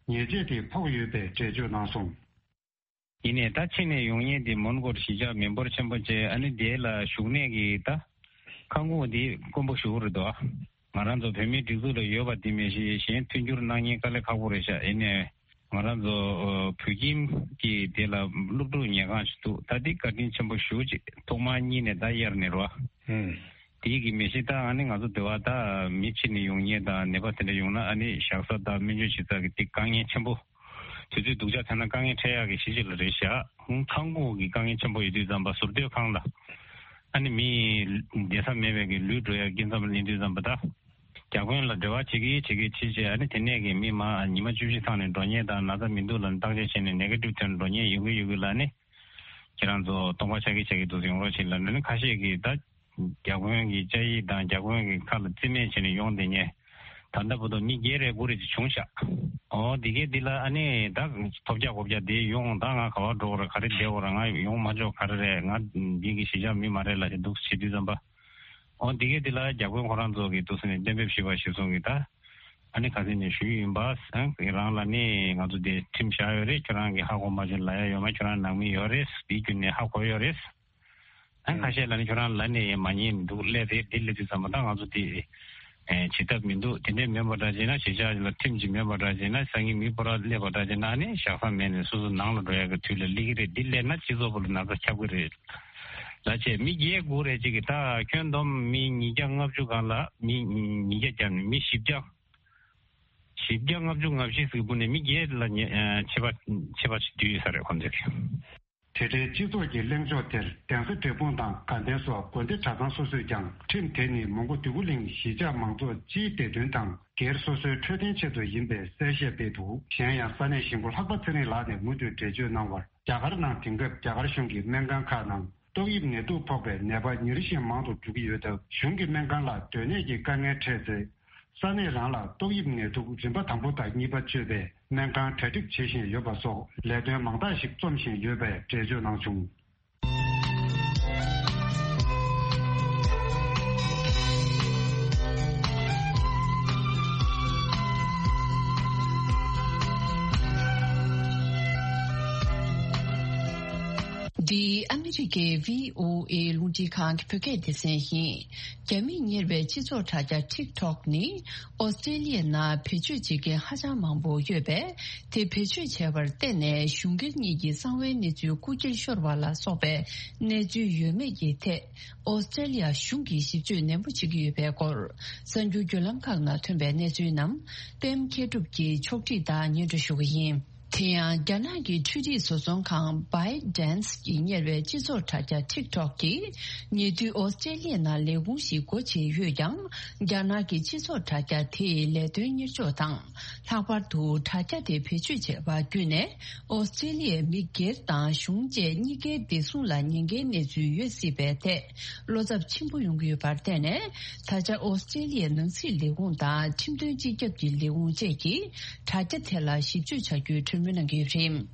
ཉེས་ཆད་དེ་ཕོག་ཡོད་པའི་འགྲེལ་བརྗོད་གནང་སོང་། ཡིན་ནའི་ད་ཕྱི་ནས་ཡོང་མཁན་དེ་མོན་གྷོར་གཞིས་ཆགས་མི་འབོར་ཆེན་པོ་བྱས། ཨ་ནི་དེ་ལ་བཞུགས་གནས་ཀྱི་ད་ཁང་ཁོངས་དེ་དཀོན་པོ་ཞེ་པོ་རེད་དོ། ང་རང་ཚོ་བོད་མིའི་སྒྲིག་འཛུགས་ལ་ཡོད་པ་དེ་མིན་ཞིག་གཞན་མཐུན་འགྱུར་གནང་མཁན་དཀའ་ལས་ཁག་པོ་རེད་ཤག་ཡིན་ནའི་ང་རང་ཚོ་བོད་ཁྱིམ་གྱི་དེ་ལ་སློབ་ཕྲུག་ཉལ་ཁང་ཞིག་འདུག་ད་དེ་བཀའ་དྲིན་ཆེན་པོ་ཞེ་པོ་ཅིག་ཐོག་མར་གཉིས་ནས་ད་གཡར་ནས་རོ། ཨུམ། དེ་གི་མི་ཤེས། ད་ཨ་ནི་ང་ཚོ་འདི་བ་ད་མི་ཕྱི་ནས་ཡོང་མཁན་དང་ནད་པ་དེ་འདྲ་ཡོང་ན། ཨ་ནི་བཞག་ས་དང་སྨན་བཅོས་བྱེད་ས་གི་དེ་དཀའ་ངལ་ཆེན་པོ། དུས་ཚོད་སྡུག་ཅག་ཐེབས་ན་དཀའ་ངལ་འཕྲད་ཡག་གི་གཞི་ཅིག་ལ་རེད་ཤག་ཁང་ཁོངས་ཀྱི་དཀའ་ངལ་ཆེན་པོ་ཡོད་དུས་ཙམ་པ། ཟུར་སྡོད་ཁང་ལ་ཨ་ནི་མི་བསྡད་ས་མེད་པའི་གི་ལུས་འགྲོ་ཡག་རྐྱེན་ཙམ་ལ་སླེབས་དུས་ཙམ་པ། ད་བརྒྱ་དཔོན་ལ་འབྲེལ་བ་བྱེད་ཀྱི་བྱེད་ཀྱི་བྱེད་བྱེད། ཨ་ནི་དེ་ནས་གི་མི་མ་ཉི་མ་བཅུ་བཞི་ཚང་ནས་འགྲོ་མཁན་དང་། ན་ཚ་མི་འདུག་ལབ་ནས་བརྟག་དཔྱད་བྱས་ནས་ནེ་གེ་ཊིབ་ཐོན་འགྲོ་མཁན་ཡོད་གི་ཡོད་གི་ལ་ནི། ཁྱེད་རང་ཚོ་སྟོང་པ་ཆགས་ཀྱི་ཆགས་ཀྱི་འདུག་ཡོང་རོགས་བྱེད་ལབ་ནས་ནི། ཁ་ཤས་ཀྱིས་ད་བརྒྱ་དཔོན་གྱི་བཅའ་ཡིག་དང་བརྒྱ་དཔོན་གྱི་ཁ་ལ་རྩིས་མེད་བྱས་ནས་ཡོང་བསྡད་མཁན། ད་ལྟ་བར་དུ་མི་བརྒྱད་རེ་དགུ་རེ་ཅིག་བྱུང་ཤག་འོ་དེ་གས་འདི་ལ་ཨ་ནི་ད་ཐོབ་རྒྱག་གོ་རྒྱག་དེ་ཡོང་། ད་ང་ག་པར་འགྲོ་དགོས་རེད། ག་རེ་བསྡད་དགོས་རེད། ང་ཡོང་མ་ཆོག་ག་རེ་རེད། ང་འདི་གི་གཞིས་ཆགས་མི་མ་རེད་ལབ་བྱས་འདུག་བྱེད་དུས་ཙམ་པ། འོ་འདི་གས་འདི་ལ་བརྒྱ་དཔོན་ཁོ་རང་ཚོ་གིས་འདུག་སེ་ནས་གཏན་འབེབས་ཞུས་པ་གཞིར་བཟུང་གིས་ད། ཨ་ནི་ཁ་སང་ནས་ཞུས་ཡིན་པ། ཨ་རང་ལ་ནི་ང་ཚོ་དེ་ཁྲིམས་བཞག་ཡོད་རེད། ཁྱོད་རང་གིས་ཧ་གོ་མ་བྱུང་ལབ་ཡ་ཡོད་མ། ཁྱོད་རང་ནང་མི་ཡོད་རེད། དེའི་བརྒྱུད་ནས་ཧ་གོ་ཡོད་རེད། ཨ་ཁ་ཤས་ལ་ནི་ཁྱོད་རང་ལ་ནི་མ་ཉན་འདུག་ལས་རེད། འདི་ལས་དུས་ཙམ་པ་ད་ང་ཚོ་དེ་ཨེ་བྱེད་ཐབས་མི་འདུག་དེ་འདྲས་མེད་པ་འདྲ་བྱས་ན། གཞིས་ཆགས་ལ་ཁྲིམས་ཀྱི་མེད་པ་འདྲ་བྱས་ན། སང་ཉིན་མི་སྤོ་ར་སླེབས་པ་འདྲ་བྱས་ན། ཨ་ནི་བཞག་ས་མེད་ནས་སོ་སོ་ནང་ལ་འགྲོ་ཡ་གི་དུས་ལ་སླེབས་ཀྱི་རེད། འདི་སླེབས་ན་སྤྱི་ཚོགས་པོ་ལ་ན་ཚ་ཁྱབ་ཀྱི་རེད། ལ་བྱས་མི་བརྒྱད་དགུ་རེ་གཅིག་གིས་ད་ཁྱོན་བསྡོམས་མི་ཉིས་བརྒྱ་ལྔ་བཅུ་སྒང་ལ། མི་ཉིས་བརྒྱ་བརྒྱབ་ནས་མི་བཞི་བརྒྱ། བཞི་བརྒྱ་ལྔ་བཅུ་ང་བཞི་ཟིག་བུ་ནས་མི་བརྒྱད་ལ་ཉེ་ཨ་ཆད་པ་ཆད་པ་ཞིག་བསྡུས་ཡོད་ས་རེད་ཁོང་ཚོས། དེ་འདྲའི་སྤྱི་ཚོགས་ཀྱི་གླེང་ཕྱོགས་དེར་གདན་ས་འབྲས་སྤུངས་དང་དགའ་ལྡན་སོགས་དགོན་སྡེ་གྲྭ་ཚང་སོ་སོས་ཀྱང་། ཁྲིམས་དེ་ནི་མོན་གྷོ་འདོད་རྒུ་གླིང་གཞིས་ཆགས་མང་ཚོགས་སྤྱིའི་བདེ་དོན་དང་སྒེར་སོ་སོའི་འཕྲོད་བསྟེན་ཆེད་དུ་ཡིན་པའི་གསལ་བཤད་སྤེལ་འདུག་གཞན་ཡང་ས་གནས་གཞིས་འགོ་ལྷག་པ་ཚེ་རིང་ལགས་ནས་མུ་མཐུད་འགྲེལ་བརྗོད་གནང་བར། རྒྱ་གར་ནང་དེང་སྐབས་རྒྱ་གར་གཞུང་གི་སྨན་ཁང་ཁག་ནང་ཏོག་དབྱིབས་ནད་དུག་ཕོག་པའི་ནད་པ་ཉིན་རེ་བཞིན་མང་དུ་འགྲོ་གི་ཡོད་སྟབས། གཞུང་གི་སྨན་ཁང་ལ་སྡོད་གནས་ཀྱི་དཀའ་ངལ་འཕྲད་ཚེ། ས་གནས་རང་ལ་ཏོག་དབྱིབས་ནད་དུག་རིམ་པ་དང་པོ་དང་གཉིས་པ་བཅོས་པའི་སྨན་ཁང་གྲ་སྒྲིག་བྱེད་བཞིན་ཡོད་པ་སོགས་ལས་དོན་མང་དག་ཞིག་རྩོམ་བཞིན་ཡོད་པའི་འགྲེལ་བརྗོད་གནང་བྱུང་། འདི་ཨ་མི་རི་ཀའི་བྷི་ཨོ་ཨེ་རླུང་འཕྲིན་ཁང་གི་བོད་སྐད་སྡེ་ཚན་ཡིན། རྒྱ་མིས་གཉེར་བའི་སྤྱི་ཚོགས་དྲ་རྒྱ་ཊིག་ཊོག་ནི་ཨོ་སི་ཀྲེ་ལི་ཡའི་ནང་བེད་སྤྱོད་བྱེད་མཁན་ཧ་ཅང་མང་པོ་ཡོད་པས། དེ་བེད་སྤྱོད་བྱས་པར་བརྟེན་ནས་གཞུང་སྒེར་གཉིས་ཀྱི་གསང་བའི་གནས་ཚུལ་རྐུ་འཁྱེར་ཤོར་བ་ལ་སོགས་པའི་གནས་ཚུལ་ཡོད་མེད་ཀྱི་ཐད། ཨོ་སི་ཀྲེ་ལི་ཡ་གཞུང་གིས་ཞིབ་དཔྱོད་ནན་པོ་བྱེད་ཀྱི་ཡོད་པའི་སྐོར། གསར་འགྱུར་བརྒྱུད་ལམ་ཁག་ནང་ཐོན་པའི་གནས་ཚུལ་རྣམས་པད་མ་མཁས་གྲུབ་ཀྱིས་ཕྱོགས་སྒྲིག་དང་སྙན་སྒྲོན་ཞུ་གི་ཡིན། དེ་ཡང་རྒྱ་ནག་གི་འཕྲུལ་རིག་བཟོ་ཚོང་ཁང་བྷའི་ཌན་སི་གིས་གཉེར་བའི་སྤྱི་ཚོགས་དྲ་རྒྱ་ཊིག་ཊོག་གིས་ཉེ་དུས་ཨོ་སི་ཀྲེ་ལི་ཡའི་ནང་ལས་ཁུངས་ཤིག་སྒོ་ཕྱེ་ཡོད་ཀྱང་། རྒྱ་ནག་གི་སྤྱི་ཚོགས་དྲ་རྒྱ་དེའི་ལས་དོན་གཉེར་ཕྱོགས་དང་། ལྷག་པར་དུ་དྲ་རྒྱ་དེ་བེད་སྤྱོད་བྱས་པ་བརྒྱུད་ནས། ཨོ་སི་ཀྲེ་ལི་ཡའི་མི་སྒེར་དང་གཞུང་བཅས་གཉིས་ཀའི་བདེ་སྲུང་ལ་ཉེན་ཁའི་གནས་ཚུལ་ཡོད་སྲིད་པའི་ཐད་བློ་འཚབ་ཆེན་པོ་ཡོང་གི་ཡོད་པར་བརྟེན་ནས། ད་ཆ་ཨོ་སི་ཀྲེ་ལི་ཡའི་ནང་སྲིད་ལས་ཁུངས་དང་ཁྲིམས་དོན་སྤྱི་ཁྱབ་ཀྱི་ལས་ཁུངས་བཅས་ཀྱིས་དྲ་རྒྱ་དེ་ལ་ཞིབ་དཔྱོད་བྱ་རྒྱུའི་གྲོས་མོལ་གནང་གི་ཡོད་པ་རེད།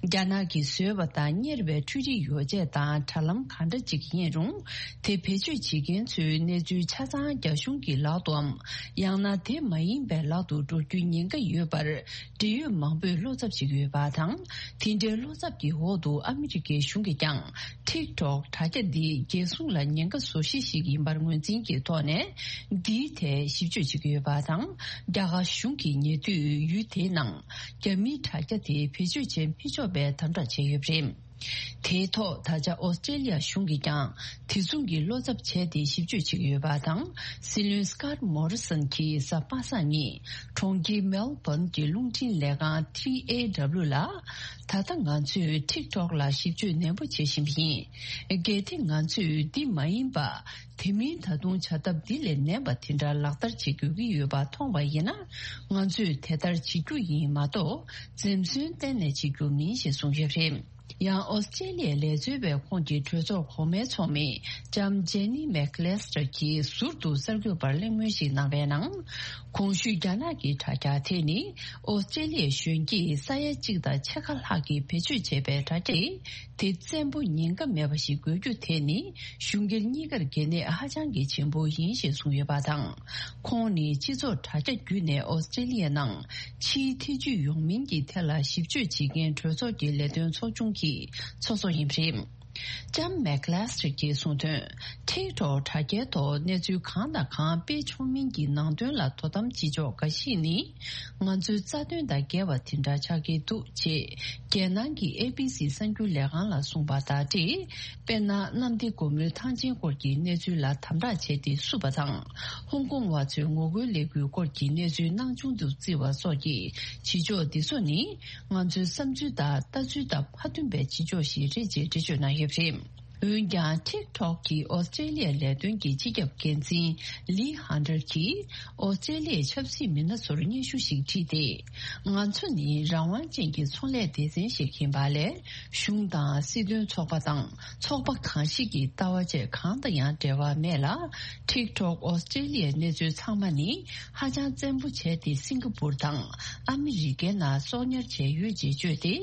རྒྱ་ནག་གིས་བཟོས་པ་དང་གཉེར་བའི་འཕྲུལ་རིག་ཡོ་བྱད་དང་དྲ་ལམ་གང་འདྲ་ཅིག་ཡིན་རུང་། དེ་བེད་སྤྱོད་བྱེད་མཁན་ཚོའི་གནས་ཚུལ་ཆ་ཚང་རྒྱ་གཞུང་གི་ལག་ཏུའམ། ཡང་ན་དེ་མ་ཡིན་པའི་ལག་ཏུ་འགྲོ་རྒྱུའི་ཉེན་ཁ་ཡོད་པར། འབྲེལ་ཡོད་མང་པོས་བློ་འཚབ་བྱེད་ཀྱི་ཡོད་པ་དང་། དེ་འདྲའི་བློ་འཚབ་ཀྱི་འོག་ཏུ་ཨ་མི་རི་ཀའི་གཞུང་གིས་ཀྱང་། ཊིག་ཊོག་དྲ་རྒྱ་འདི་རྒྱལ་སྲུང་ལ་ཉེན་ཁ་བཟོ་གཞི་ཞིག་ཡིན་པར་ངོས་འཛིན་གྱི་ཐོག་ནས། འདིའི་ཐད་ཞིབ་དཔྱོད་བྱེད་ཀྱི་ཡོད་པ་དང་། རྒྱ་གར་གཞུང་གིས་ཉེ་དུས་ཡུལ་དེའི་ནང་། རྒྱ་མིའི་དྲ་རྒྱ་དེ་བེད་སྤྱོད་བྱེད་མི་ཆོག་པའི་དམ་དྲག་བྱས་ཡོད་པ་རེད། དེའི་ཐོག་ད་ཆ་ཨོ་སི་ཀྲེ་ལི་ཡ་གཞུང་གིས་ཀྱང་དེ་མཚུངས་ཀྱི་བློ་འཚབ་བྱས་ཏེ་ཞིབ་དཔྱོད་བྱེད་ཀྱི་ཡོད་པ་དང་། སྲིད་བློན་སི་ཀོཊ་མོ་རི་སོན་གྱིས་གཟའ་པ་སངས་ཉིན་གྲོང་ཁྱེར་མེལ་བྷོན་གྱི་རླུང་འཕྲིན་ལས་ཁང་ཊི་ཨེ་ཌབ་ལིའུ་ལ། ད་ལྟ་ང་ཚོས་ཊིག་ཊོག་ལ་ཞིབ་དཔྱོད་ནན་པོ་བྱེད་བཞིན་པ་ཡིན། གལ་ཏེ་ང་ཚོས་འདི་མ་ཡིན་པ། དེ་མིན་ད་དུང་བྱ་ཐབས་འདི་ལས་ངན་པ་དེ་འདྲ་ལག་བསྟར་བྱེད་དགོས་ཀྱི་ཡོད་པ་མཐོང་བ་ཡིན་ན། ང་ཚོས་དེ་ལྟར་བྱེད་རྒྱུ་ཡིན་མ་གཏོགས། འཛེམ་ཟོན་གཏན་ནས་བྱེད་རྒྱུ་མིན་ཞེས་གསུངས་ཡོད་པ་རེད། ཡང་ཨོ་སི་ཀྲེ་ལི་ཡའི་ལས་བཟོ་བའི་ཁོངས་ཀྱི་གྲོས་ཚོགས་གོང་མའི་ཚོགས་མི་ལྕམ་ཇེ་ནི་མེག་ལེ་སི་ཊར་གྱིས་ཟུར་དུ་གསར་འགོད་པར་གླེང་མོལ་ཞིག་གནང་བའི་ནང་། གོང་ཞུས་རྒྱ་ནག་གི་དྲ་རྒྱ་དེ་ནི་ཨོ་སི་ཀྲེ་ལི་ཡའི་གཞོན་སྐྱེས་ས་ཡ་གཅིག་དང་ཕྱེད་ཀ་ལྷག་གིས་བེད་སྤྱོད་བྱས་པའི་དྲ་རྒྱ་ཡིན། དེ་བཙན་པོ་ཉེན་ཁ་མེད་པ་ཞིག་དགོས་རྒྱུ་དེ་ནི་གཞུང་སྒེར་གཉིས་ཀར་གལ་གནད་ཧ་ཅང་གི་ཆེན་པོ་ཡིན་ཞེས་གསུངས་ཡོད་པ་དང་། ཁོང་ནི་སྤྱི་ཚོགས་དྲ་རྒྱ་བརྒྱུད་ནས་ཨོ་སི་ཀྲེ་ལི་ཡའི་ནང་ཕྱིའི་ཐེ་ཇུས་ཡོང་མིན་གྱི་ཐད་ལ་ཞིབ་དཔྱོད་བྱེད་མཁན་གྲོས་ཚོགས་ཀྱི་ལས་དོན་ཚོགས་ཆུང་གི་ཚོགས་གཙོ་ཡིན་པ་རེད། ལྕམ་མེག་ལེ་སི་ཊར་གྱིས་གསུངས་དོན། ཊིག་ཊོག་དྲ་རྒྱའི་ཐོག་གནས་ཚུལ་གང་དང་གང་སྤེལ་ཆོག་མིན་གྱི་ནང་དོན་ལ་དོ་དམ་བྱེད་ཕྱོགས་འགའ་ཞིག་ནི། ང་ཚོའི་རྩ་དོན་དང་འགལ་བ་དེ་འདྲ་ཆགས་ཀྱི་འདུག་ཅེས་རྒྱལ་ནང་གི་ཨེ་བི་སི་གསར་འགྱུར་ལས་ཁང་ལ་གསུངས་པ་དང་འབྲེལ། དཔེར་ན། གནམ་བདེ་སྒོ་མོའི་ཐང་ཆེན་སྐོར་གྱི་གནས་ཚུལ་ལ་དམ་དྲག་བྱས་ཏེ་བསུབས་པ་དང་། ཧོང་ཀོང་བ་ཚོའི་ངོ་རྒོལ་ལས་འགུལ་སྐོར་གྱི་གནས་ཚུལ་སྣང་ཆུང་དུ་བརྩི་བ་སོགས་ཀྱི་བྱེད་ཕྱོགས་འདི་ཚོ་ནི། ང་ཚོའི་བསམ་ཚུལ་དང་ལྟ་ཚུལ་དང་མ་མཐུན་པའི་བྱེད་ཕྱོགས་ཤིག་རེད་ཅེས་འགྲེལ་བརྗོད་གནང་ཡོད་པ་རེད། འོན་ཀྱང་། ཊིག་ཊོག་གི་ཨོ་སི་ཀྲེ་ལི་ཡ་ལས་དོན་གྱི་སྤྱི་ཁྱབ་འགན་འཛིན་ལི་ཧན་ཏར་གྱིས། ཨོ་སི་ཀྲེ་ལི་ཡའི་ཆབ་སྲིད་མི་སྣ་ཚོར་སྙན་ཞུ་ཞིག་བྲིས་ཏེ། ང་ཚོ་ནི་རང་དབང་ཅན་གྱི་ཚོང་ལས་སྡེ་ཚན་ཞིག་ཡིན་པ་ལས། གཞུང་དང་སྲིད་དོན་ཚོགས་པ་དང་ཚོགས་པ་གང་ཞིག་གི་ལྟ་བ་བཅས་གང་དང་ཡང་འབྲེལ་བ་མེད་ལ། ཊིག་ཊོག་ཨོ་སི་ཀྲེ་ལི་ཡའི་གནས་ཚུལ་ཚང་མ་ནི་ཧ་ཅང་བཙན་པོ་བྱས་ཏེ་སིང་ག་པུར་དང་ཨ་མི་རི་ཀའི་ནང་གསོག་ཉར་བྱས་ཡོད་ཅེས་བརྗོད་དེ།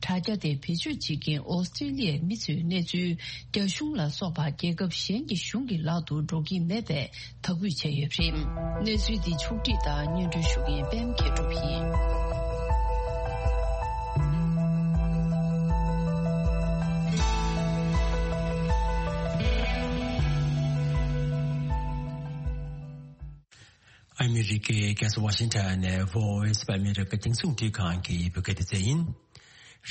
དྲ་རྒྱ་དེ་བེད་སྤྱོད་བྱེད་མཁན་ཨོ་སི་ཀྲེ་ལི་ཡའི་མི་ཚོའི་གནས་ཚུལ་རྒྱ་གཞུང་ལ་སོགས་པ་རྒྱལ་ཁབ་གཞན་གྱི་གཞུང་གི་ལག་ཏུ་འགྲོ་གི་མེད་པའི་དག་འབུལ་བྱས་ཡོད་པ་རེད། གནས་ཚུལ་འདི་ཕྱོགས་བསྒྲིགས་དང་སྙན་སྒྲོན་ཞུ་མཁན་པད་མ་མཁས་གྲུབ་ཡིན། ཨ་མི་རི་ཀའི་རྒྱལ་ས་ཝ་ཤིང་ཊོན་ནས་Voice of America་རྒྱང་སྲིང་རླུང་འཕྲིན་ཁང་གི་བོད་སྐད་སྡེ་ཚན་ཡིན།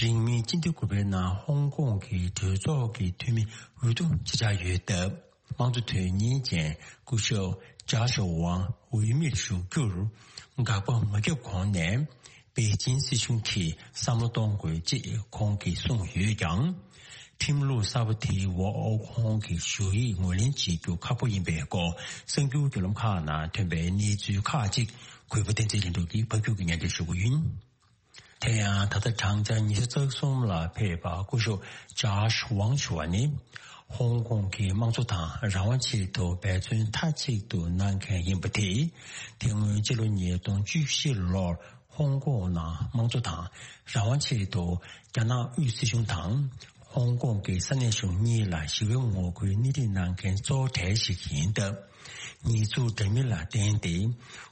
རིང་མིན་སྤྱི་ཟླ་དགུ་པའི་ནང་ཧོང་ཀོང་གི་གྲོས་ཚོགས་ཀྱི་འཐུས་མི་འོས་བསྡུ་བྱེད་འཆར་ཡོད་སྟབས། དམངས་གཙོ་དོན་གཉེར་ཅན་སྐུ་ཞབས་ཇཱ་ཤ་ཝང་འོས་མིར་ཞུགས་རྒྱུར་དགག་པ་མ་བརྒྱབ་གོང་ནས། པེ་ཅིན་སྲིད་གཞུང་གིས་བསམ་བློ་གཏོང་དགོས་ཅེས་ཁོང་གིས་གསུངས་ཡོད་ཀྱང་། ཁྲིམས་ལུགས་གསར་པ་དེའི་འོག་ཁོང་གི་ཞུ་ཡིག་ངོས་ལེན་བྱེད་རྒྱུ་ཁག་པོ་ཡིན་པའི་སྐོར་གསར་འགྱུར་བརྒྱུད་ལམ་ཁག་ནང་ཐོན་པའི་གནས་ཚུལ་ཁག་ཅིག་གུས་པ་བསྟན་འཛིན་ལྷུན་གྲུབ་ཀྱིས་ཕབ་སྒྱུར་གྱིས་སྙན་སྒྲོན་ཞུ་གི་ཡིན། དེ་ཡང་ད་ལྟ་བགྲང་བྱ་ཉི་ཤུ་རྩ་གསུམ་ལ་ཕེབས་པ་སྐུ་ཞབས་ཇཱ་ཤ་ཝང་ཞུ་བ་ནི། ཧོང་ཀོང་གི་དམངས་གཙོ་དང་རང་དབང་ཆེད་དུ་འབད་བརྩོན་མཐའ་གཅིག་ཏུ་གནང་མཁན་ཡིན་པ་དེས། དེ་སྔོན་ཕྱི་ལོ་ཉིས་སྟོང་བཅུ་བཞི་ལོར་ཧོང་ཀོང་ནང་དམངས་གཙོ་དང་རང་དབང་ཆེད་དུ་རྒྱ་ནག་དབུས་སྲིད་གཞུང་དང་། ཧོང་ཀོང་གི་ས་གནས་གཞུང་གཉིས་ལ་ཞི་བའི་ངོ་རྒོལ་སྣེ་ཁྲིད་གནང་མཁན་གཙོ་བོ་གྲས་ཤིག་ཡིན་སྟབས། ཉེས་འཛུགས་འདྲ་མིན་ལ་བརྟེན་ཏེ།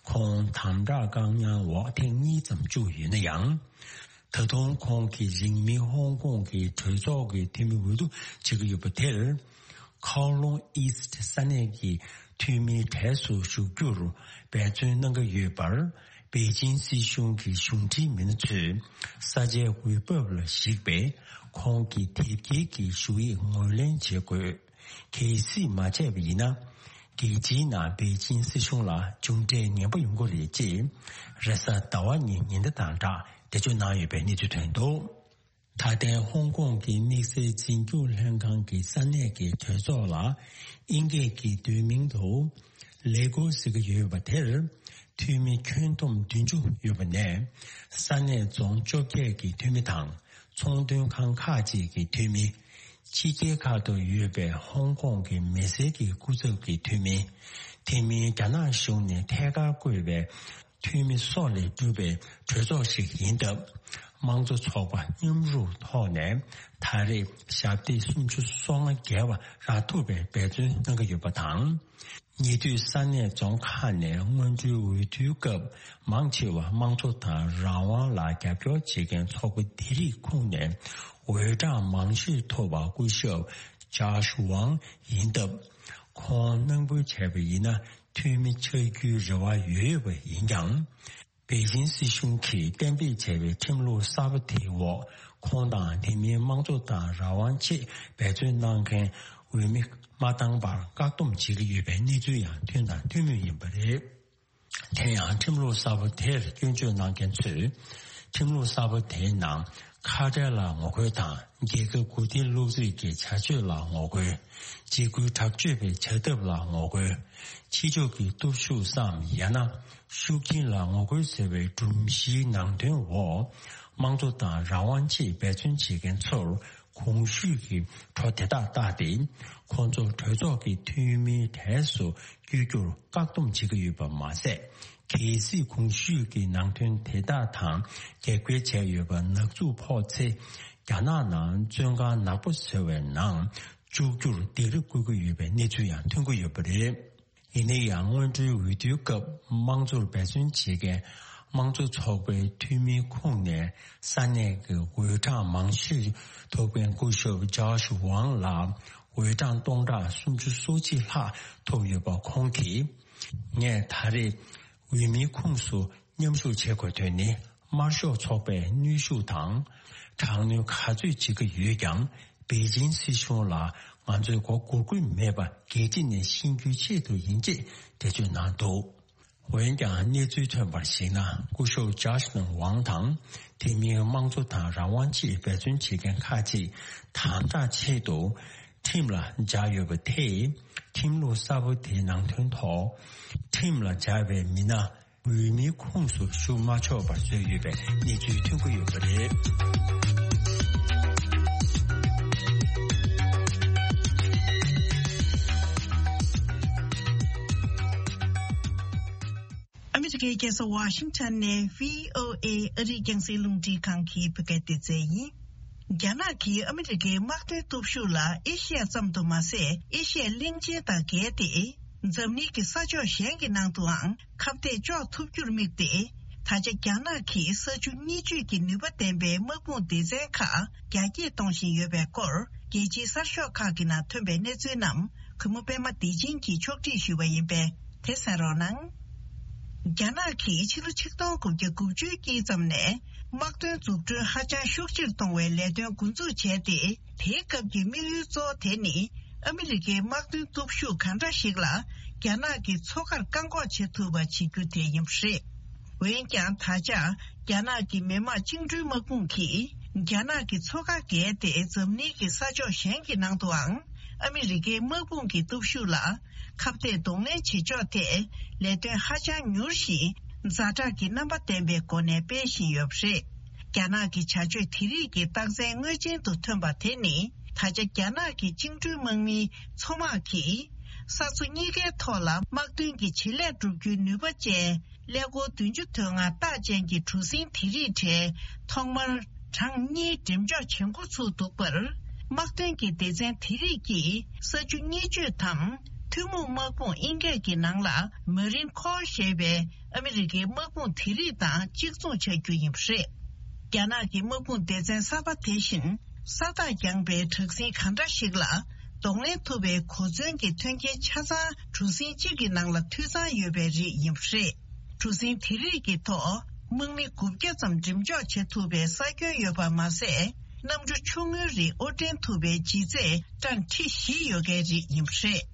ཁོང་དམ་དྲག་བཀག་ཉར་འོག་ཐེངས་གཉིས་ཙམ་བཅུག་ཡོད་ན་ཡང་། ད་དུང་ཁོང་གིས་རིང་མིན་ཧོང་ཀོང་གི་གྲོས་ཚོགས་ཀྱི་འཐུས་མི་འོས་བསྡུ་བྱེད་ཀྱི་ཡོད་པ་དེར། ཁའོ་ལུང་ཨིསྟ་ས་གནས་ཀྱི་འཐུས་མིའི་གྲས་སུ་ཞུགས་རྒྱུར་འབད་བརྩོན་གནང་གི་ཡོད་པར། པེ་ཅིང་སྲིད་གཞུང་གི་གཞུང་འབྲེལ་མི་སྣ་ཚོས་ས་ཆའི་འོས་བབ་ལ་གཞིགས་པའི་ཁོང་གི་དེབ་སྐྱེལ་གྱི་ཞུ་ཡིག་ངོས་ལེན་བྱེད་དགོས། གལ་སྲིད་མ་བྱས་པ་ཡིན་ན། རྒྱལ་སྤྱིའི་ནང་པེ་ཅིང་སྲིད་གཞུང་ལ་མཇུག་འབྲས་ངན་པ་ཡོང་གི་རེད་ཅེས། རེས་གཟའ་ཟླ་བ་ཉིན་ཉེན་བརྡ་དང་སྦྲགས་འགྲེལ་བརྗོད་གནང་ཡོད་པའི་གནས་ཚུལ་ཐོན་འདུག་ད་ལྟའི་ཧོང་ཀོང་གི་དམིགས་བསལ་འཛིན་སྐྱོང་ལྷན་ཁང་གི་ས་གནས་ཀྱི་གྲོས་ཚོགས་ལ། དབྱིན་སྐད་ཀྱི་བསྡུས་མིང་དུ། ལེ་གོ་ཟེར་གྱི་ཡོད་པ་དེར། འཐུས་མི་ཁྱོན་བསྡོམས་བདུན་ཅུ་ཡོད་པ་ནས། ས་གནས་རྫོང་བཅོ་བརྒྱད་ཀྱི་འཐུས་མི་དང་། ཚོང་དོན་ཁང་ཁག་ཅིག་གི་འཐུས་མི། ཕྱི་རྒྱལ་ཁག་ཏུ་ཡོད་པའི་ཧོང་ཀོང་གི་མི་སེར་གྱི་སྐུ་ཚབ་ཀྱི་འཐུས་མི། དེ་མིན་རྒྱ་ནག་གཞུང་ནས་ཐད་ཀར་བསྐོས་པའི་འཐུས་མི་སོགས་ལས་གྲུབ་པའི་གྲོས་ཚོགས་ཤིག་ཡིན་སྟབས། དམངས་གཙོ་ཚོགས་པ་མཉམ་རུབ་ཐོག་ནས་ད་རེས་ཞབས་སྟེགས་སུམ་ཅུ་སོ་ལྔ་བརྒལ་བ་རག་ཐུབ་པའི་འབད་བརྩོན་གནང་གི་ཡོད་པ་དང་། ཉེ་དུས་ས་གནས་རྫོང་ཁག་ནས་སྔོན་འགྲོའི་འོས་བསྡུའི་སྐབས་མང་ཆེ་བ་དམངས་གཙོ་དང་རང་དབང་ལ་རྒྱབ་སྐྱོར་བྱེད་མཁན་ཚོགས་པ་དེ་རིགས་ཁོངས་ནས་འོས་གྲངས་མང་ཤོས་ཐོབ་པ་སྐུ་ཞབས་ཇཱཤ་ཝང་ཡིན་སྟབས། ཁོང་གནང་འབུལ་བྱས་པ་ཡིན་ན་འཐུས་མི་ཆགས་རྒྱུའི་རེ་བ་ཡོད་ཡོད་པ་ཡིན་ཀྱང་། པེ་ཅིང་སྲིད་གཞུང་གིས་གཏན་འབེབས་བྱས་པའི་ཁྲིམས་ལུགས་གསར་པ་དེའི་འོག་ཁོང་དང་དེ་མིན་དམངས་གཙོ་དང་རང་དབང་ཆེད་འབད་བརྩོན་གནང་མཁན་འོས་མི་མ་བཏང་བར་བཀག་སྡོམ་བྱེད་ཀྱི་ཡོད་པའི་གནས་ཚུལ་ཡང་ཐོན་དང་ཐོན་མུས་ཡིན་པ་རེད། དེ་ཡང་ཁྲིམས་ལུགས་གསར་པ་དེར་སྐྱོན་བརྗོད་གནང་མཁན་ཚོས། ཁྲིམས་ལུགས་གསར་པ་དེའི་ནང་ཁ་བྲལ་ལ་ངོ་རྒོལ་དང་རྒྱལ་ཁབ་མགོ་རྟིང་སློག་རྩིས་ཀྱི་བྱ་སྤྱོད་ལ་ངོ་རྒོལ། འཇིགས་སྐུལ་དྲག་སྤྱོད་པའི་བྱ་ཐབས་ལ་ངོ་རྒོལ། ཕྱི་ཕྱོགས་ཀྱི་སྟོབས་ཤུགས་སམ་ཡང་ན་ཤུགས་རྐྱེན་ལ་ངོ་རྒོལ་ཟེར་བའི་སྒྲོམ་གཞིའི་ནང་དོན་འོག་དམངས་གཙོ་དང་རང་དབང་ཆེད་འབད་བརྩོན་བྱེད་མཁན་ཚོར་གོང་ཞུས་ཀྱི་གྲོས་དེ་དག་བཏགས་ཏེ། ཁོང་ཚོ་གྲོས་ཚོགས་ཀྱི་འཐུས་མིའི་གྲས་སུ་བསྐྱོད་རྒྱུར་བཀག་སྡོམ་བྱེད་ཀྱི་ཡོད་པ་མ་ཟད། གལ་སྲིད་གོང་ཞུས་ཀྱི་ནང་དོན་དེ་དག་དང་འགལ་འཁེལ་བྱས་ཡོད་པ་ནག་འཛུགས་ཕོག་ཚེ། རྒྱ་ནག་ནང་བཙོན་ཁང་ནག་པོ་ཟེར་བའི་ནང་འཇུག་རྒྱུར་སྡིགས་ར་བསྐུལ་གྱི་ཡོད་པའི་གནས་ཚུལ་ཡང་ཐོན་གྱི་ཡོད་པ་རེད། ཡིན་ན་ཡང་། སྔོན་འགྲོའི་འོས་བསྡུའི་སྐབས་དམངས་གཙོར་འབད་བརྩོན་བྱེད་མཁན་དམངས་གཙོ་ཚོགས་པའི་འཐུས་མིའི་ཁོངས་ནས་ས་གནས་ཀྱི་འོས་གྲངས་མང་ཤོས་ཐོབ་མཁན་སྐུ་ཞབས་ཇཱཤ་ཝང་ལ་འོས་གྲངས་སྟོང་ཕྲག་སུམ་ཅུ་སོ་གཅིག་ལྷག་ཐོབ་ཡོད་པ། ཁོང་གིས། ངས་ད་རེས་འོས་མིའི་ཁོངས་སུ་མཉམ་ཞུགས་བྱེད་དགོས་དོན་ནི། དམར་ཤོག་ཚོགས་པས་གནོན་ཤུགས་དང་དྲག་གནོན་ག་ཚོད་བྱེད་ཀྱི་ཡོད་ཀྱང་། པེ་ཅིང་སྲིད་གཞུང་ལ་ང་ཚོས་མགོ་སྒུར་དགོས་མེད་པ་རྒྱལ་སྤྱི་ནས་ཤེས་རྒྱུའི་ཆེད་དུ་ཡིན་ཅེས་འགྲེལ་བརྗོད་གནང་འདུག་འོན་ཀྱང་། གནས་ཚུལ་ཐོན་པར་གཞིགས་ན། སྐུ་ཞབས་ཇཱཤ་ཝང་དང་། དེ་མིན་དམངས་གཙོ་དང་རང་དབང་ཆེད་འབད་བརྩོན་བྱེད་མཁན་ཁག་ཅིག་དམ་དྲག་ཆེད་དུ་ཁྲིམས་ལ་སྦྱར་ཡོད་པ་དེས། ཁྲིམས་ལུགས་གསར་པ་དེའི་ནང་དོན་ཐོག་ཁྲིམས་ལ་སྦྱར་བའི་མི་སྣ་འོས་མིའི་ཁོངས་སུ་ཞུགས་མ་ཆོག་པར་བཟོས་ཡོད་པའི་གནས་ཚུལ་ཐོན་གྱི་ཡོད་པ་རེད། ཨ་མི་རི་ཀའི་རྒྱལ་ས་ཝ་ཤིང་ཊོན་ནས་བྷི་ཨོ་ཨེ་ཨ་རིའི་རྒྱང་སྲིང་རླུང་འཕྲིན་ཁང་གི་བོད་སྐད་སྡེ་ཚན་ཡིན། རྒྱ་ནག་གིས་ཨ་མི་རི་ཀའི་དམག་དོན་སྟོབས་ཤུགས་ལ་ཨེ་ཤི་ཡ་ཙམ་དུ་མ་ཟད། ཨེ་ཤི་ཡའི་གླིང་ཆེན་དང་བརྒལ་ཏེ། འཛམ་གླིང་གི་ས་ཕྱོགས་གཞན་གྱི་ནང་དུའང་ཁ་གཏད་གཅོག་ཐུབ་རྒྱུར་དམིགས་ཏེ། ད་ཆ་རྒྱ་ནག་གིས་ས་ཆུ་གཉིས་གཅོད་ཀྱི་ནུས་པ་ལྡན་པའི་དམག་དཔུང་སྡེ་ཚན་ཁག་རྒྱ་སྐྱེད་གཏོང་བཞིན་ཡོད་པའི་སྐོར། རྒྱལ་སྤྱིའི་གསར་ཤོག་ཁག་གི་ནང་ཐོན་པའི་གནས་ཚུལ་རྣམས། གུས་མོ་པད་མ་བདེ་ཆེན་གྱིས་ཕྱོགས་སྒྲིག་ཞུས་པ་ཡིན་པས། དེ་གསན་རོགས་གནང་། རྒྱ་ནག་གིས་ཕྱི་ལོ་ཆིག་སྟོང་དགུ་བརྒྱ་དགུ་བཅུའི་དཀྱིལ་ཙམ་ནས། དམག་དོན་འཛུགས་སྐྲུན་ཧ་ཅང་ཤུགས་ཆེར་གཏོང་བའི་ལས་དོན་འགོ་འཛུགས་བྱས་ཏེ། དེའི་སྐབས་ཀྱི་དམིགས་ཡུལ་གཙོ་བོ་དེ་ནི། ཨ་མི་རི་ཀའི་དམག་དོན་སྟོབས་ཤུགས་གང་འདྲ་ཞིག་ལ། རྒྱ་ནག་གི་མཚོ་ཁར་བཀག་འགོག་བྱེད་ཐུབ་པ་བྱེད་རྒྱུ་དེ་ཡིན་པ་རེད། འོན་ཀྱང་། ད་ཆ། རྒྱ་ནག་གི་མི་དམངས་བཅིངས་འགྲོལ་དམག་དཔུང་གིས། རྒྱ་ནག་གི་མཚོ་ཁ་བརྒལ་ཏེ། འཛམ་གླིང་གི་ས་ཕྱོགས་གཞན་གྱི་ནང་དུའང་། ཨ་མི་རི་ཀའི་དམག་དཔུང་གི་སྟོབས་ཤུགས་ལ། ཁ་གཏད་གདོང་ལེན་བྱེད་ཕྱོགས་ཐད། ལས་དོན་ཧ་ཅང་མྱུར་ཞིང་། ཛ་དྲག་གི་རྣམ་པ་ལྡན་པའི་སྒོ་ནས་སྤེལ་བཞིན་ཡོད་པ་རེད། རྒྱ་ནག་གི་བྱ་སྤྱོད་དེ་རིགས་ཀྱི་རྟགས་མཚན་དངོས་ཅན་དུ་ཐོན་པ་དེ་ནི། ད་ཆ་རྒྱ་ནག་གི་བཅིངས་འགྲོལ་དམག་མིའི་མཚོ་དམག་གིས། ས་མཚོ་གཉིས་ཀའི་ཐོག་ལ་དམག་དོན་གྱི་བྱེད་ལས་སྒྲུབ་རྒྱུའི་ནུས་པ་ཅན། ཀླད་ཀོར་བདུན་ཅུ་དོན་ལྔ་རྟགས་ཅན་གྱི་གྲུ་གཟིངས་དེ་རིགས་གྲས་ཐོག་མར་གྲངས་གཉིས་འགྲེམས་འཇོག་བྱེད་འགོ་ཚུགས་འདུག་པར། དམག་དོན་གྱི་སྡེ་ཚན་དེ་རིགས་ཀྱིས་ས་ཆུ་གཉིས་གཅོད་དམ་ཐུན་མོང་དམག་དཔུང་ཨིན་སྐད་ཀྱི་ནང་ལ་མ་རིན་ཁོར་ཞེས་པའི་ཨ་མི་རི་ཀའི་དམག་དཔུང་དེ་རིགས་དང་གཅིག་མཚུངས་ཆགས་རྒྱུ་ཡིན་པ་རེད། རྒྱ་ནག་གི་དམག་དཔུང་སྡེ་ཚན་གསར་པ་དེ་བཞིན་ས་ཐག་རྒྱང་པའི་དྲག་ཟིང་གང་འདྲ་ཞིག་ལ་གདོང་ལེན་ཐུབ་པའི་གོ་མཚོན་གྱི་མཐུན་རྐྱེན་ཆ་ཚང་གྲུ་གཟིངས་གཅིག་གི་ནང་ལ་འཐུས་ཚང་ཡོད་པའི་རིགས་ཡིན་པ་རེད། གྲུ་གཟིངས་དེ་རིགས་ཀྱི་ཐོག་དམག་མི་དགུ་བརྒྱ་ཙམ་འགྲེམས་འཇོག་བྱེད་ཐུབ་པའི་ས་ཁྱོན་ཡོད་པ་མ་ཟད། གནམ་གྲུ་ཆུང་ངུའི་རིགས་དབོར་འདྲེན་ཐུབ་པའི་ལྗིད་ཚད་ཊོན་ཁྲི་བཞི་ཡོད་མཁན་རིགས་ཡིན་པ་རེད།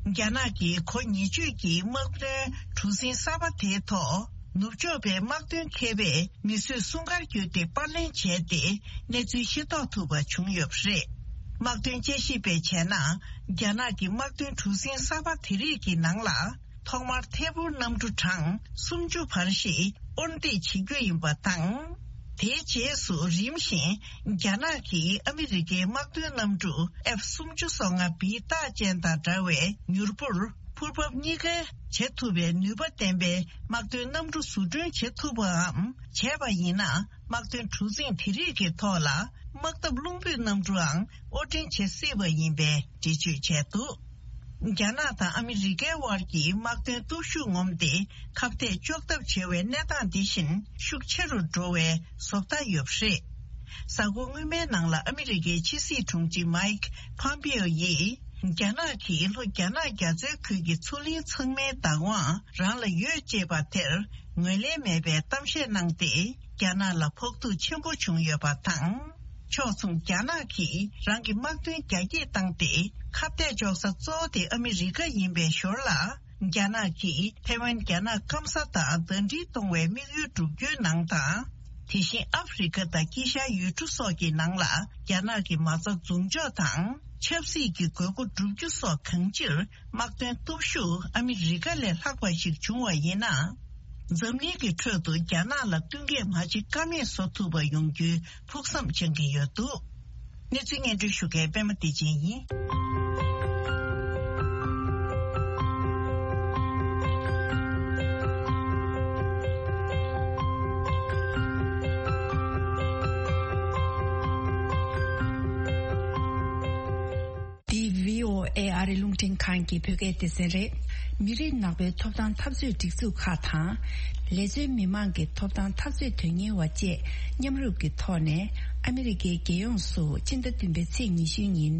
རྒྱ་ནག་གི་གོ་ཉེ་སྤྱོད་ཀྱི་དམག་དོན་གྲུ་གཟིངས་གསར་པ་དེའི་ཐོག་ནུབ་ཕྱོགས་པའི་དམག་དོན་མཁས་པས་མི་གསོད་སྲུང་སྐར་བརྒྱུད་དེ་པར་ལེན་བྱས་ཏེ་གནས་ཚུལ་ཤེས་རྟོགས་ཐུབ་པ་བྱུང་ཡོད་པ་རེད། དམག་དོན་དཔྱད་ཞིབ་པས་བྱས་ན། རྒྱ་ནག་གི་དམག་དོན་གྲུ་གཟིངས་གསར་པ་དེ་རིགས་ཀྱི་ནང་ལ། ཐོག་མར་ཐད་འཕུར་གནམ་གྲུ་གྲངས་སུམ་ཅུ་བར་ཞིག་དབོར་འདེགས་བྱེད་རྒྱུ་ཡིན་པ་དང་། དེའི་རྗེས་སུ་རིམ་བཞིན་རྒྱ་ནག་གིས་ཨ་མི་རི་ཀའི་དམག་དོན་གནམ་གྲུ་ཨེཕ་སུམ་ཅུ་སོ་ལྔ་བི་རྟགས་ཅན་དང་འདྲ་བའི་མྱུར་འཕུར་འཕུར་འབབ་གཉིས་ཀ་བྱེད་ཐུབ་པའི་ནུས་པ་ལྡན་པའི་དམག་དོན་གནམ་གྲུ་བཟོ་སྐྲུན་བྱེད་ཐུབ་པའམ་བྱས་པ་ཡིན་ན། དམག་དོན་གྲུ་གཟིངས་དེ་རིགས་ཀྱི་ཐོག་ལ་དམག་འཐབ་རླུང་བུས་གནམ་གྲུའང་དབོར་འདྲེན་བྱེད་སྲིད་པ་ཡིན་པའི་འགྲེལ་བརྗོད་བྱས་འདུག་རྒྱ་ནག་དང་ཨ་མི་རི་ཀའི་དབར་གྱི་དམག་དོན་སྟོབས་ཤུགས་ངོམ་སྟེ་ཁ་གཏད་གཅོག་ཐབས་བྱེད་པའི་གནས་སྟངས་འདི་བཞིན་ཤུགས་ཆེ་རུ་འགྲོ་བའི་བཟོ་ལྟ་ཡོད་པ་རེད། གཟའ་འཁོར་སྔོན་མའི་ནང་ལ་ཨ་མི་རི་ཀའི་ཕྱི་སྲིད་དྲུང་ཆེ་མའིག་ཕམ་པེའོ་ཡིས་རྒྱ་ནག་གིས་ལྷོ་རྒྱ་ནག་རྒྱ་མཚོའི་ཁུལ་གྱི་མཚོ་གླིང་ཚང་མའི་བདག་དབང་རང་ལ་ཡོད་ཅེས་པ་དེར་ངོས་ལེན་མེད་པའི་གཏམ་བཤད་གནང་སྟེ། རྒྱ་ནག་ལ་ཕོག་ཐུག་ཆེན་པོ་བྱུང་ཡོད་པ་དང་། ཕྱོགས་མཚུངས་རྒྱ་ནག་གིས་རང་གི་དམག་དོན་རྒྱ་སྐྱེད་བཏང་སྟེ་ཁ་གཏད་གཅོག་ས་གཙོ་བོ་དེ་ཨ་མི་རི་ཀ་ཡིན་པའི་ཞོར་ལ། རྒྱ་ནག་གིས་ཐེ་ཝན་རྒྱ་ནག་སྐམ་ས་དང་ཟླ་སྒྲིལ་གཏོང་བའི་དམིགས་ཡུལ་བསྒྲུབ་རྒྱུའི་ནང་དང་། དེ་བཞིན་ཨ་ཧྥེ་རི་ཁ་དང་དཀྱིལ་ཤར་ཡུལ་གྲུ་སོགས་ཀྱི་ནང་ལ་རྒྱ་ནག་གི་མ་རྩ་འཛུགས་འཇོག་དང་ཆབ་སྲིད་ཀྱི་དགོས་མཁོ་བསྒྲུབ་རྒྱུ་སོགས་གང་ཅིར། དམག་དོན་སྟོབས་ཤུགས་ཨ་མི་རི་ཀ་ལས་ལྷག་པ་ཞིག་བྱུང་བ་ཡིན་ན། འཛམ་གླིང་གི་ཁྲོད་དུ་རྒྱ་ནག་ལ་བསྟུན་མཁས་མ་བྱེད་ཀ་མེད་བཟོ་ཐུབ་པ་ཡོང་རྒྱུའི་ཕུགས་བསམ་འཆང་གི་ཡོད་འདུག་གནས་ཚུལ་སྙན་སྒྲོན་ཞུ་མཁན་པད་མ་བདེ་ཆེན་ཡིན། འདི་བྷི་ཨོ་ཨེ་ཨ་རི་རླུང་འཕྲིན་ཁང་གི་བོད་སྐད་སྡེ་ཚན་རེད། མི་རིགས་ནག་པོའི་ཐོབ་ཐང་འཐབ་རྩོད་སྒྲིག་འཛུགས་ཁག་དང་། ལས་བཟོའི་མི་མང་གི་ཐོབ་ཐང་འཐབ་རྩོད་དོན་གཉེར་བ་བཅས་མཉམ་རུབ་ཀྱི་ཐོག་ནས་ཨ་མི་རི་ཀའི་རྒྱལ་ཡོངས་སུ་ཕྱི་ཟླ་བདུན་པའི་ཚེས་ཉི་ཤུའི་ཉིན།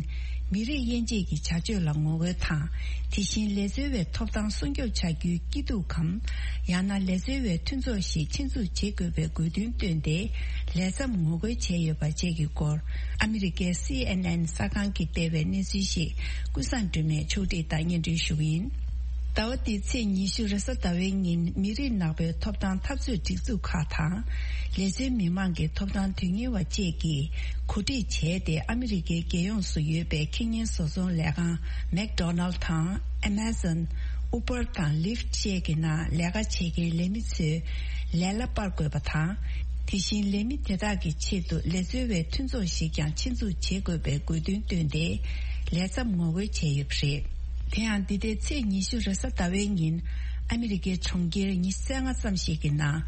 མི་རིགས་དབྱེ་འབྱེད་ཀྱི་བྱ་སྤྱོད་ལ་ངོ་རྒོལ་དང་། དེ་བཞིན་ལས་བཟོ་བའི་ཐོབ་ཐང་སྲུང་སྐྱོབ་བྱ་རྒྱུའི་སྐྱིད་སྡུག་གམ། ཡང་ན་ལས་བཟོ་བའི་མཐུན་ཚོགས་ཤིག་ཆེད་འཛུགས་བྱེད་དགོས་པའི་དགོས་འདུན་བཏོན་ཏེ། ལས་མཚམས་ངོ་རྒོལ་བྱས་ཡོད་པ་བཅས་ཀྱི་སྐོར། ཨ་མི་རི་ཀའི་སི་ཨེན་ཨེན་གསར་ཁང་གིས་སྤེལ་བའི་གནས་ཚུལ་ཞིག་ཀུན་བཟང་སྒྲོལ་མས་ཕྱོགས་སྒྲིག་དང་སྙན་སྒྲོན་ཞུ་གི་ཡིན། ཟླ་བ་འདིའི་ཚེས་ཉི་ཤུ་རེས་གཟའ་ཟླ་བའི་ཉིན་མི་རིགས་ནག་པོའི་ཐོབ་ཐང་འཐབ་རྩོད་སྒྲིག་འཛུགས་ཁག་དང་། ལས་བཟོའི་མི་མང་གི་ཐོབ་ཐང་དོན་གཉེར་བ་བཅས་ཀྱིས་གོ་སྒྲིག་བྱས་ཏེ། ཨ་མི་རི་ཀའི་རྒྱལ་ཡོངས་སུ་ཡོད་པའི་ཁེ་ཉེན་བཟོ་ཚོང་ལས་ཁང་མེག་ཌོ་ནལ་དང་། ཨེ་མ་ཛོན། ཨུ་བར་དང་ལིཕ་བཅས་ཀྱི་ནང་ལས་ཀ་བྱེད་མཁན་ལས་མི་ཚོའི་ལས་གླ་སྤར་དགོས་པ་དང་། དེ་བཞིན་ལས་མི་དེ་དག་གི་ཆེད་དུ་ལས་བཟོ་བའི་མཐུན་ཚོགས་ཤིག་ཀྱང་ཆེད་འཛུགས་བྱེད་དགོས་པའི་དགོས་འདུན་བཏོན་ཏེ། ལས་མཚམས་ངོ་རྒོལ་བྱས་ཡོད་པ་རེད། དེ་ཡང་འདི་ཟླའི་ཚེས་ཉི་ཤུ་རེས་གཟའ་ཟླ་བའི་ཉིན། ཨ་མི་རི་ཀའི་གྲོང་ཁྱེར་ཉི་ཤུ་རྩ་ལྔ་ཙམ་ཞིག་གི་ནང་།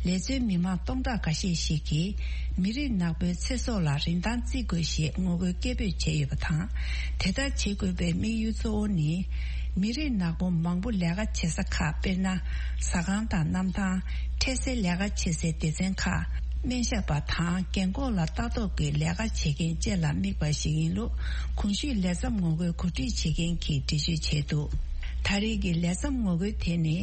ལས་བཟོའི་མི་མང་སྟོང་ཕྲག་འགའ་ཤས་ཤིག་གིས། མི་རིགས་ནག་པོའི་ཚེ་སྲོག་ལ་རིན་ཐང་བརྩི་དགོས་ཞེས་ངོ་རྒོལ་སྐད་འབོད་བྱས་ཡོད་པ་དང་། དེ་ལྟར་བྱེད་དགོས་པའི་དམིགས་ཡུལ་གཙོ་བོ་ནི། མི་རིགས་ནག་པོ་མང་པོ་ལས་ཀ་བྱེད་ས་ཁག་དཔེར་ན། ཟ་ཁང་དང་གནམ་ཐང་། འཕྲལ་སེལ་ལས་ཀ་བྱེད་སའི་སྡེ་ཚན་ཁག་སྨན་ཞབས་པ་དང་རྒན་འཁོགས་ལ་ལྟ་རྟོག་གི་ལས་ཀ་བྱེད་མཁན་བཅས་ལ་དམིགས་པ་ཞིག་ཡིན་ལུགས། གོང་ཞུས་ལས་མཚམས་ངོ་རྒོལ་གོ་སྒྲིག་བྱེད་མཁན་གྱིས་འགྲེལ་བརྗོད་བྱས་འདུག་ད་རེས་ཀྱི་ལས་མཚམས་ངོ་རྒོལ་དེ་ནི།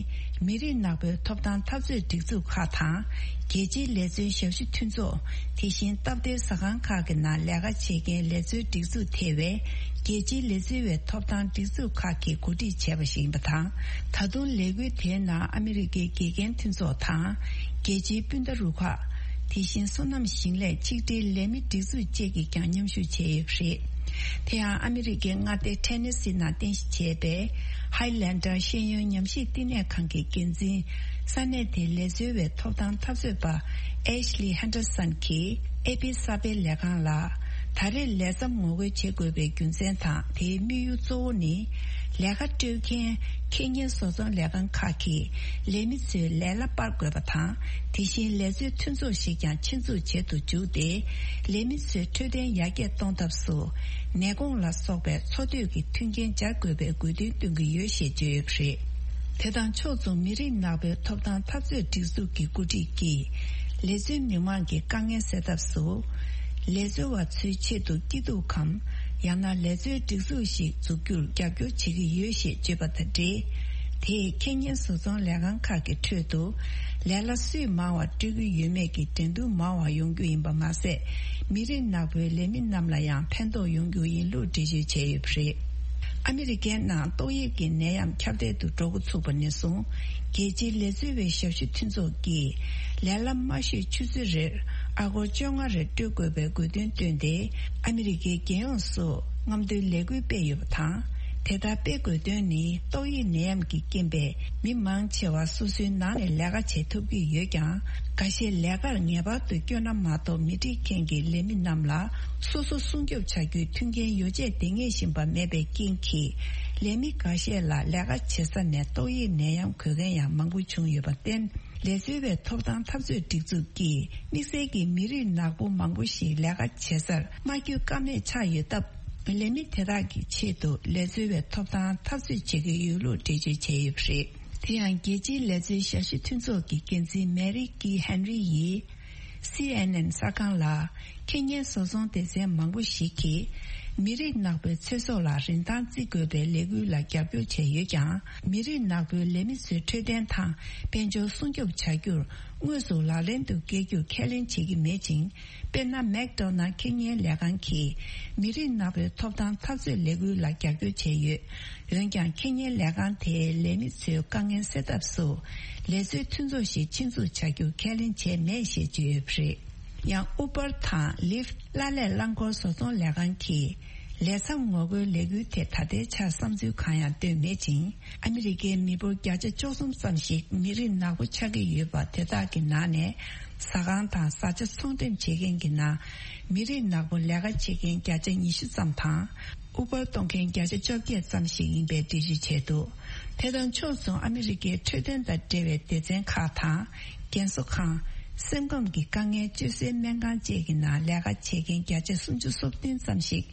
མི་རིགས་ནག་པོའི་ཐོབ་ཐང་འཐབ་རྩོད་སྒྲིག་འཛུགས་ཁག་དང་། རྒྱལ་སྤྱིའི་ལས་བརྩོན་ཞབས་ཞུ་མཐུན་ཚོགས། དེ་བཞིན་སྟབས་བདེའི་ཟ་ཁང་ཁག་གི་ནང་ལས་ཀ་བྱེད་མཁན་ལས་བཟོའི་སྒྲིག་འཛུགས་ཐེ་བའི་རྒྱལ་སྤྱིའི་ལས་བཟོ་བའི་ཐོབ་ཐང་སྒྲིག་འཛུགས་ཁག་གིས་གོ་སྒྲིག་བྱས་པ་ཞིག་ཡིན་པ་དང་། ད་དུང་ལས་འགུལ་དེའི་ནང་ཨ་མི་རི་ཀའི་དགེ་རྒན་མཐུན་ཚོགས་དང་། རྒྱལ་སྤྱིའི་སྤུན་ཟླ་རུ་ཁག་དེ་བཞིན་སོ་ནམ་ཞིང་ལས་ཆིག་སྒྲིལ་ལས་མི་སྒྲིག་འཛུགས་བཅས་ཀྱིས་ཀྱང་མཉམ་ཞུགས་བྱས་ཡོད་པ་རེད། དེ་ཡང་ཨ་མི་རི་ཀའི་མངའ་སྡེ་ཐེ་ནེ་སི་ནང་རྟེན་གཞི་བྱས་པའི་ཧའི་ལན་ཌར་ཤེས་ཡོན་ཉམས་ཞིབ་བསྟི་གནས་ཁང་གི་འགན་འཛིན། ས་གནས་དེའི་ལས་བཟོ་བའི་ཐོབ་ཐང་འཐབ་རྩོད་པ་ཨེཤ་ལི་ཧན་ཌར་སན་གྱིས་ཨེ་པི་གསར་སྤེལ་ལས་ཁང་ལ། ད་རེས་ལས་མཚམས་ངོ་རྒོལ་བྱེད་དགོས་པའི་རྒྱུ་མཚན་དང་། དེའི་དམིགས་ཡུལ་གཙོ་བོ་ནི། ལས་ཀ་སྤྲོད་མཁན་ཁེ་ཉེན་བཟོ་ཚོང་ལས་ཁང་ཁག་གིས་ལས་མི་ཚོའི་ལས་གླ་སྤར་དགོས་པ་དང་། དེ་བཞིན་ལས་བཟོའི་མཐུན་ཚོགས་ཤིག་ཀྱང་ཆེད་འཛུགས་བྱེད་དུ་འཇུག་སྟེ། ལས་མི་ཚོའི་འཕྲོད་བསྟེན་ཡར་རྒྱས་གཏོང་ཐབས་སུ། ནད་གོང་ལ་སོགས་པའི་འཚོ་སྡོད་ཀྱི་མཐུན་རྐྱེན་སྦྱར་དགོས་པའི་དགོས་འདུན་བཏོན་གྱི་ཡོད་ཞེས་བརྗོད་ཡོད་པ་རེད། དེ་དང་ཕྱོགས་མཚུངས་མི་རིགས་ནག་པོའི་ཐོབ་ཐང་འཐབ་རྩོད་སྒྲིག་འཛུགས་ཀྱི་འགོ་ཁྲིད་ཀྱིས། ལས་བཟོའི་མི་མང་གི་དཀའ་ངལ་སེལ་ཐབས་སུ། ལས་བཟོ་བ་ཚོའི་ཆེད་དུ་སྐྱིད་སྡུག་གམ། ཡང་ན་ལས་བཟོའི་སྒྲིག་འཛུགས་ཤིག་འཛུགས་རྒྱུར་རྒྱབ་སྐྱོར་བྱེད་ཀྱི་ཡོད་ཞེས་བརྗོད་པ་དང་འབྲེལ། དེས་ཁེ་ཉེན་བཟོ་ཚོང་ལས་ཁང་ཁག་གི་ཁྲོད་དུ། ལས་གླ་སུས་མང་བ་སྤྲོད་ཀྱི་ཡོད་མེད་ཀྱི་འགྲན་བསྡུར་མང་བ་ཡོང་རྒྱུ་ཡིན་པ་མ་ཟད། མི་རིགས་ནག་པོའི་ལས་མི་རྣམས་ལ་ཡང་ཕན་ཐོགས་ཡོང་རྒྱུ་ཡིན་ལུགས་འགྲེལ་བརྗོད་བྱས་ཡོད་པ་རེད། ཨ་མི་རི་ཀའི་ནང་ཏོག་དབྱིབས་ཀྱི་ནད་ཡམས་ཁྱབ་གདལ་དུ་འགྲོ་འགོ་ཚུགས་པ་ནས་བཟུང་། རྒྱལ་སྤྱིའི་ལས་བཟོ་བའི་ཞབས་ཞུ་མཐུན་ཚོགས་ཀྱིས། ལས་གླ་མ་ཤོད་ཆུ་ཚོད་རེར་ཨ་སྒོར་བཅོ་ལྔ་རེ་སྤྲོད་དགོས་པའི་དགོས་འདུན་བཏོན་ཏེ། ཨ་མི་རི་ཀའི་རྒྱལ་ཡོངས་སུ་རྔམ་སྟོན་ལས་འགུལ་སྤེལ་ཡོད་པ་དང་། དེ་ལྟར་སྤེལ་དགོས་དོན་ནི། ཏོག་དབྱིབས་ནད་ཡམས་ཀྱི་རྐྱེན་པས། མི་མང་ཆེ་བ་སོ་སོའི་ནང་ནས་ལས་ཀ་བྱེད་ཐུབ་ཀྱི་ཡོད་ཀྱང་། འགའ་ཤས་ལས་ཀར་ངེས་པར་དུ་བསྐྱོད་ན་མ་གཏོགས། མི་འགྲིག་མཁན་གྱི་ལས་མི་རྣམས་ལ་སོ་སོ་སྲུང་སྐྱོབ་བྱ་རྒྱུའི་མཐུན་རྐྱེན་ཡོ་བྱད་འདང་ངེས་བཞིན་པ་མེད་པའི་རྐྱེན་གྱིས། ལས་མི་འགའ་ཤས་ལ་ལས་ཀ་བྱེད་ས་ནས་ཏོག་དབྱིབས་ནད་ཡམས་འགོས་མཁན་ཡང་མང་པོ་བྱུང་ཡོད་པར་བརྟེན། ལས་བཟོ་བའི་ཐོབ་ཐང་འཐབ་རྩོད་སྒྲིག་འཛུགས་ཀྱིས། དམིགས་བསལ་གྱིས་མི་རིགས་ནག་པོ་མང་པོ་ཞིག་ལས་ཀ་བྱེད་སར་མ་བསྐྱོད་ཀ་མེད་ཆགས་ཡོད་སྟབས། ལས་མི་དེ་དག་གི་ཆེད་དུ་ལས་བཟོ་བའི་ཐོབ་ཐང་འཐབ་རྩོད་བྱེད་ཀྱི་ཡོད་ལུགས་འགྲེལ་བརྗོད་བྱས་ཡོད་པ་རེད། དེ་ཡང་། རྒྱལ་སྤྱིའི་ལས་བཟོའི་ཞབས་ཞུ་མཐུན་ཚོགས་ཀྱི་འགན་འཛིན་མེ་རི་ཀི་ཧན་རི་ཡིས། སི་ཨེན་ཨེན་གསར་ཁང་ལ། ཁེ་ཉེན་བཟོ་ཚོང་སྡེ་ཚན་མང་པོ་ཞིག་གིས། མི་རིགས་ནག་པོའི་ཚེ་སྲོག་ལ་རིན་ཐང་བརྩི་དགོས་པའི་ལས་འགུལ་ལ་རྒྱབ་སྐྱོར་བྱས་ཡོད་ཀྱང་། མི་རིགས་ནག་པོའི་ལས་མི་ཚོའི་འཕྲོད་བསྟེན་དང་དཔལ་འབྱོར་སྲུང་སྐྱོབ་བྱ་རྒྱུར། དངོས་སུ་ལག་ལེན་དུ་བསྐྱལ་རྒྱུར་ཁས་ལེན་བྱེད་ཀྱི་མེད་ཅིང་། དཔེར་ན། མེག་ཌོ་ནལ་ཁེ་ཉེན་ལས་ཁང་གིས་མི་རིགས་ནག་པོའི་ཐོབ་ཐང་འཐབ་རྩོད་ལས་འགུལ་ལ་རྒྱབ་སྐྱོར་བྱས་ཡོད། འོན་ཀྱང་། ཁེ་ཉེན་ལས་ཁང་དེའི་ལས་མི་ཚོའི་དཀའ་ངལ་སེལ་ཐབས་སུ། ལས་བཟོའི་མཐུན་ཚོགས་ཤིག་ཆེད་འཛུགས་བྱ་རྒྱུ་ཁས་ལེན་བྱས་མེད་ཞེས་བརྗོད་ཡོད་པ་རེད། ཡང་། ཨུ་བར་དང་ལིཕ། གླ་ལས་རླངས་འཁོར་བཟོ་ཚོང་ལས་ཁང་གིས། ལས་མཚམས་ངོ་རྒོལ་ལས་འགུལ་ཐད་ད་ལྟའི་ཆར་བསམ་ཚུལ་གང་ཡང་བཏོན་མེད་ཅིང་། ཨ་མི་རི་ཀའི་མི་འབོར་བརྒྱ་ཆ་བཅུ་གསུམ་ཙམ་ཞིག་མི་རིགས་ནག་པོ་ཆགས་ཀྱི་ཡོད་པ། དེ་དག་གི་ནང་ནས་ཟ་ཁང་དང་བཟའ་བཅའ་ཚོང་འགྲེམས་བྱེད་མཁན་གྱི་ནང་མི་རིགས་ནག་པོ་ལས་ཀ་བྱེད་མཁན་བརྒྱ་ཆ་ཉི་ཤུ་ཙམ་དང་། ཨུ་བར་གཏོང་མཁན་བརྒྱ་ཆ་བཅོ་བརྒྱད་ཙམ་ཞིག་ཡིན་པའི་འགྲེལ་བརྗོད་བྱས་འདུག་དེ་དང་ཕྱོགས་མཚུངས། ཨ་མི་རི་ཀའི་འཕྲོད་བསྟེན་དང་འབྲེལ་བའི་སྡེ་ཚན་ཁག་དང་། རྒན་གསོ་ཁང་། སེམས་ཁམས་ཀྱི་དཀའ་ངལ་བཅོས་སའི་སྨན་ཁང་བཅས་ཀྱི་ནང་ལས་ཀ་བྱེད་མཁན་བརྒྱ་ཆ་སུམ་ཅུ་སོ་བདུན་ཙམ་ཞིག་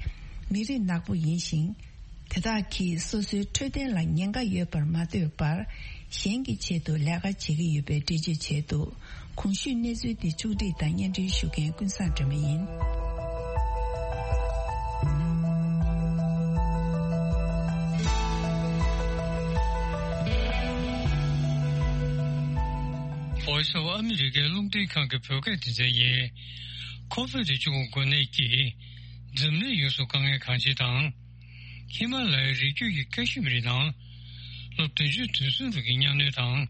མི་རིགས་ནག་པོ་ཡིན་ཞིང་། དེ་དག་གིས་སོ་སོའི་འཕྲོད་བསྟེན་ལ་ཉེན་ཁ་ཡོད་པར་མ་ལྟོས་པར། གཞན་གྱི་ཆེད་དུ་ལས་ཀ་བྱེད་ཀྱི་ཡོད་པའི་འགྲེལ་བརྗོད་བྱས་འདུག་གོང་ཞུས་གནས་ཚུལ་འདི་ཕྱོགས་སྒྲིག་དང་སྙན་སྒྲོན་ཞུ་མཁན་ཀུན་བཟང་སྒྲོལ་མ་ཡིན། Voice of America རླུང་འཕྲིན་ཁང་གི་བོད་སྐད་སྡེ་ཚན་ཡིན། ཁོ་ཝིཌ་བཅུ་དགུ་འགོས་ནད་ཀྱིས་འཛམ་གླིང་ཡོངས་སུ་དཀའ་ངལ་གང་ཆེ་དང་། ཧི་མ་ལ་ཡའི་རི་རྒྱུད་ཀྱི་ཀ་ཤི་མིར་ནང་ལོ་བདུན་ཅུ་དོན་གསུམ་རིང་གི་གཉའ་གནོན་དང་།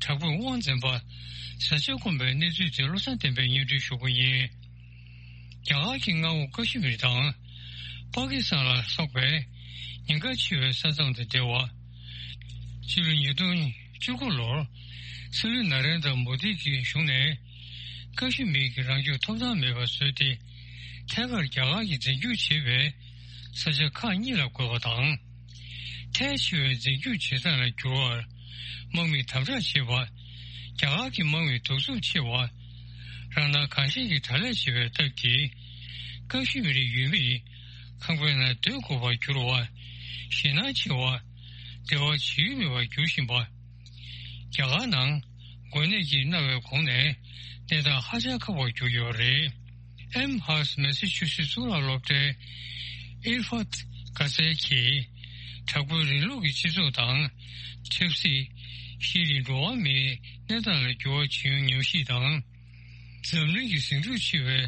དྲག་པོས་དབང་འཛིན་པ་བཟའ་བཅའ་སྐོམ་པའི་གནས་ཚུལ་དེ་བློ་བཟང་བསྟན་པས་སྙན་སྒྲོན་ཞུ་གི་ཡིན། རྒྱ་གར་གྱི་མངའ་འོག་ཀ་ཤི་མིར་དང་། པ་ཀི་སི་ཐན་ལ་སོགས་པའི་ཉེན་ཁ་ཆེ་བའི་ས་མཚམས་དང་འབྲེལ་བ། ཕྱི་ལོ་ཉིས་སྟོང་བཅུ་དགུ་ལོར་སྲིད་བློན་ན་རེན་དྲ་མོ་དི་གི་གཞུང་ནས་ཀ་ཤི་མིར་གྱི་རང་སྐྱོང་ཐོབ་ཐང་མེད་པར་བཟོས་ཏེ། ཐད་ཀར་རྒྱ་གར་གྱིས་འཛིན་སྐྱོང་བྱེད་པའི་ས་ཆ་ཁག་གཉིས་ལ་བགོས་པ་དང་། ཐལ་ཆེ་བའི་འཛིན་སྐྱོང་བྱེད་སྟངས་ལ་འགྱུར་བར་དམག་མིས་དམ་དྲག་བྱེད་པ། རྒྱ་གར་གྱི་དམག་མིས་གདུག་རྩུབ་ཆེ་བ། རང་སྣང་གང་ཤར་གྱི་དྲག་ལས་བྱེད་པའི་སྟབས་ཀྱིས། ཀ་ཤི་མིར་ཡུལ་མིས་ཁང་པའི་ནང་སྡོད་དགོས་པར་གྱུར་བ། ཞེད་སྣང་ཆེ་བ། འབྲེལ་བ་བྱེད་ཡུལ་མེད་པར་འགྱུར་བཞིན་པ། རྒྱ་གར་ནང་འགོས་ནད་ཀྱིས་མནར་བའི་གོང་ནས་གནས་སྟངས་ཧ་ཅང་ཁག་པར་གྱུར་ཡོད་རེད། ཨེམ་ཧར་སི་མེ་སི་ཆུ་སི་གཙུག་ལག་སློབ་གྲྭའི་ཨིར་ཧྥ་ཏ་གྷ་ཟེ་གྱིས། དྲག་པོའི་རིང་ལུགས་ཀྱི་སྤྱི་ཚོགས་དང་། ཆབ་སྲིད། ཤེས་རིག་འགྲོ་བ་མིའི་གནས་སྟངས་ལ་འགྱུར་བ་ཕྱིན་ཡོང་ཉམས་ཞིབ་དང་། འཛམ་གླིང་གི་ཟིང་འཁྲུག་ཆེ་བའི་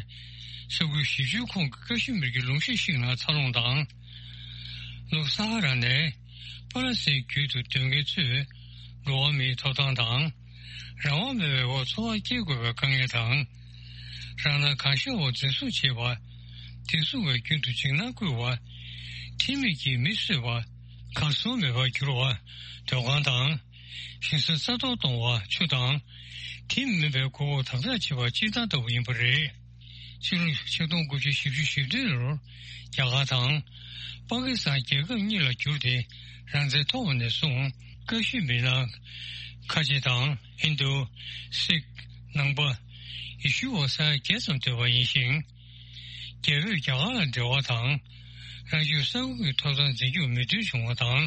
ས་ཁུལ་བཞི་བཅུའི་ཁོངས་ཀྱི་ཀ་ཤི་མིར་གྱི་ལུང་གཤིས་ཤིག་ནང་འཚར་ལོངས་དང་། ལྷོ་ས་ཧ་ར་ནས་པ་ལ་སིའི་རྒྱུད་དུ་སྡོད་མཁན་ཚོས་འགྲོ་བ་མིའི་ཐོབ་ཐང་དང་། རང་དབང་མེད་པའི་འོག་འཚོ་བ་སྐྱེལ་དགོས་པའི་དཀའ་ངལ་དང་། རང་སྣང་གང་ཤར་འོག་འཛིན་བཟུང་བྱེད་པ། དེ་བཟུང་བའི་རྒྱུན་དུ་འཇིགས་སྣང་བསྐུལ་བ། ཁྲིམས་མེད་ཀྱིས་མི་གསོད་པ། གར་སོང་མེད་པར་གྱུར་བ། སྡོད་ཁང་དང་། ཞིང་ས་རྩ་གཏོར་གཏོང་བ། ཆུ་དང་། དེ་མིན་པའི་མགོ་སྐོར་དམ་དྲག་བྱེད་པ་སྤྱིར་བཏང་ལྟ་བུ་ཡིན་པ་རེད། ཕྱི་ལོ་ཆིག་སྟོང་དགུ་བརྒྱ་བཞི་བཅུ་ཞེ་བདུན་ལོར་རྒྱ་གར་དང་། པ་ཀི་སི་ཐན་རྒྱལ་ཁབ་གཉིས་ལ་གྱུར་ཏེ་རང་བཙན་ཐོབ་པ་ནས་བཟུང་། ཀ་ཤི་མིར་ནང་ཁ་ཆེ་དང་ཧིན་རྡུ། སིག་ནང་པ། ཡེ་ཤུ་བ་ས་ཡ་བརྒྱད་ཙམ་སྡོད་པ་ཡིན་ཞིང་། རྒྱ་བོད་རྒྱ་གར་ལ་འབྲེལ་བ་དང་། རང་སྐྱོང་ས་ཁུལ་གྱི་ཐོབ་ཐང་འཛིན་སྐྱོང་མོས་མཐུན་བྱུང་བ་དང་།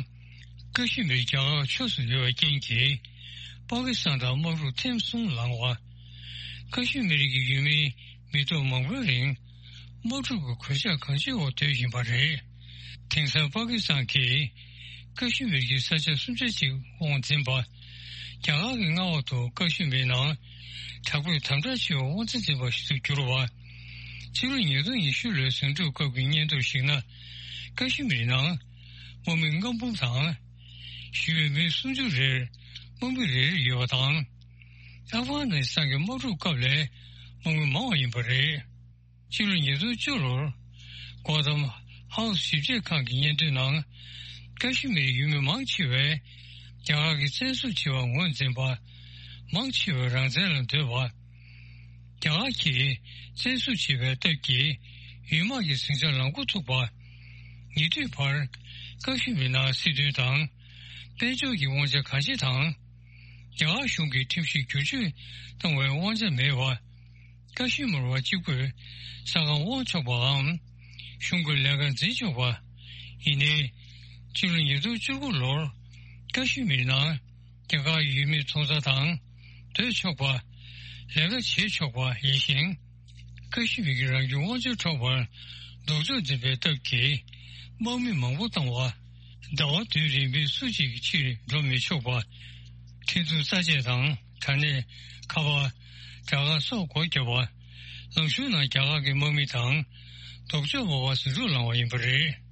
ཀ་ཤི་མིར་རྒྱ་གར་ཕྱོགས་སུ་ཡོད་པའི་རྐྱེན་གྱིས། པ་ཀི་སི་ཐན་དང་དམག་འཁྲུག་ཐེངས་གསུམ་ལངས་པ། ཀ་ཤི་མིར་གྱི་ཡུལ་མིའི་མི་ཐོག་མང་པོའི་རིང་དམག་འཁྲུག་གི་གོད་ཆག་གང་ཆེ་འོག་སྡོད་བཞིན་པ་རེད། དེང་སང་པ་ཀི་སི་ཐན་གྱིས་ཀ་ཤི་མིར་གྱི་ས་ཆ་སུམ་ཆ་གཅིག་དབང་འཛིན་པ། རྒྱ་གར་གྱི་མངའ་འོག་ཏུ་ཀ་ཤི་མིར་ནང་དྲག་པོས་དམ་དྲག་ཆེ་བའི་དབང་ཆ་འཛིན་པ་ཞིག་ཏུ་གྱུར་བ། ཕྱི་ལོ་ཉིས་སྟོང་ཉི་ཤུ་ལོའི་ཟིང་འཁྲུག་སྐབས་ཀྱི་སྙན་ཐོར་ཞིག་ན། ཀ་ཤི་མིར་ནང་དམག་མི་ལྔ་འབུམ་དང་། ཞི་བའི་མི་སུམ་ཅུ་རེར་དམག་མི་རེ་རེ་ཡོད་པ་དང་། ཨབ་གྷ་ནི་སི་ཐན་གྱི་དམག་འཁྲུག་སྐབས་ལས་དམག་མི་མང་བ་ཡིན་པ་རེད། ཕྱི་ལོ་ཉིས་སྟོང་བཅུ་ལོར་གོ་ཐམ་ཧའུ་སི་ཞིབ་དཔྱད་ཁང་གི་སྙན་ཐོའི་ནང་། ཀ་ཤི་མིར་ཡུལ་མི་མང་ཆེ་བས་རྒྱ་གར་གྱིས་བཙན་བཟུང་བྱས་པ་ངོས་འཛིན་པ། མང་ཆེ་བས་རང་བཙན་ལ་འདོད་པ། རྒྱ་གར་གྱིས་བཙན་བཟུང་བྱས་པའི་སྟབས་ཀྱིས་ཡུལ་དམག་གི་ཟིང་ཆ་ལངས་འགོ་ཚུགས་པ། ཉེ་དུས་བར་ཀ་ཤི་མིར་ནང་སྲིད་དོན་དང་། དཔལ་འབྱོར་གྱི་དབང་ཆ་གང་ཆེ་དང་། རྒྱ་གར་གཞུང་གིས་ཁྲིམས་གཞི་བསྒྱུར་བཅོས་བཏང་བའི་དབང་ཆ་མེད་པ། ཀ་ཤི་མིར་བ་གཅིག་པུས་ས་ཁང་དབང་ཆོག་པའམ། གཞུང་གི་ལས་ཀ་འཛིན་ཆོག་པ། ཡིན་ནའི། ཕྱི་ལོ་ཉིས་སྟོང་བཅུ་དགུ་ལོར་ཀ་ཤི་མིར་ནང་རྒྱ་གར་ཡུལ་མིའི་ཚོང་རྫས་དང་སྡོད་ཆོག་པ། ལས་ཀ་བྱེད་ཆོག་པ་ཡིན་ཞིང་། ཀ་ཤི་མིར་གྱི་རང་སྐྱོང་དབང་ཆ་འཕྲོག་པར་ལྡོག་ཕྱོགས་འཛིན་པའི་སྟབས་ཀྱིས་དམག་མི་མང་པོ་བཏང་བ། ཟླ་བ་བདུན་རིང་མི་སུ་གཅིག་ཕྱིར་འགྲོ་མི་ཆོག་པ། འཕྲིན་ཐུང་རྩ་ཆེ་དང་དྲ་གནས། ཁ་པར། དྲ་སྒར་སོགས་སྒོ་བརྒྱབ་པ། ལམ་གཞུང་ནང་རྒྱ་གར་གྱི་དམག་མི་དང་ལྡོག་ཕྱོགས་མང་བ་ཟིང་འཁྲུག་ལངས་པ་ཡིན་པ་རེད།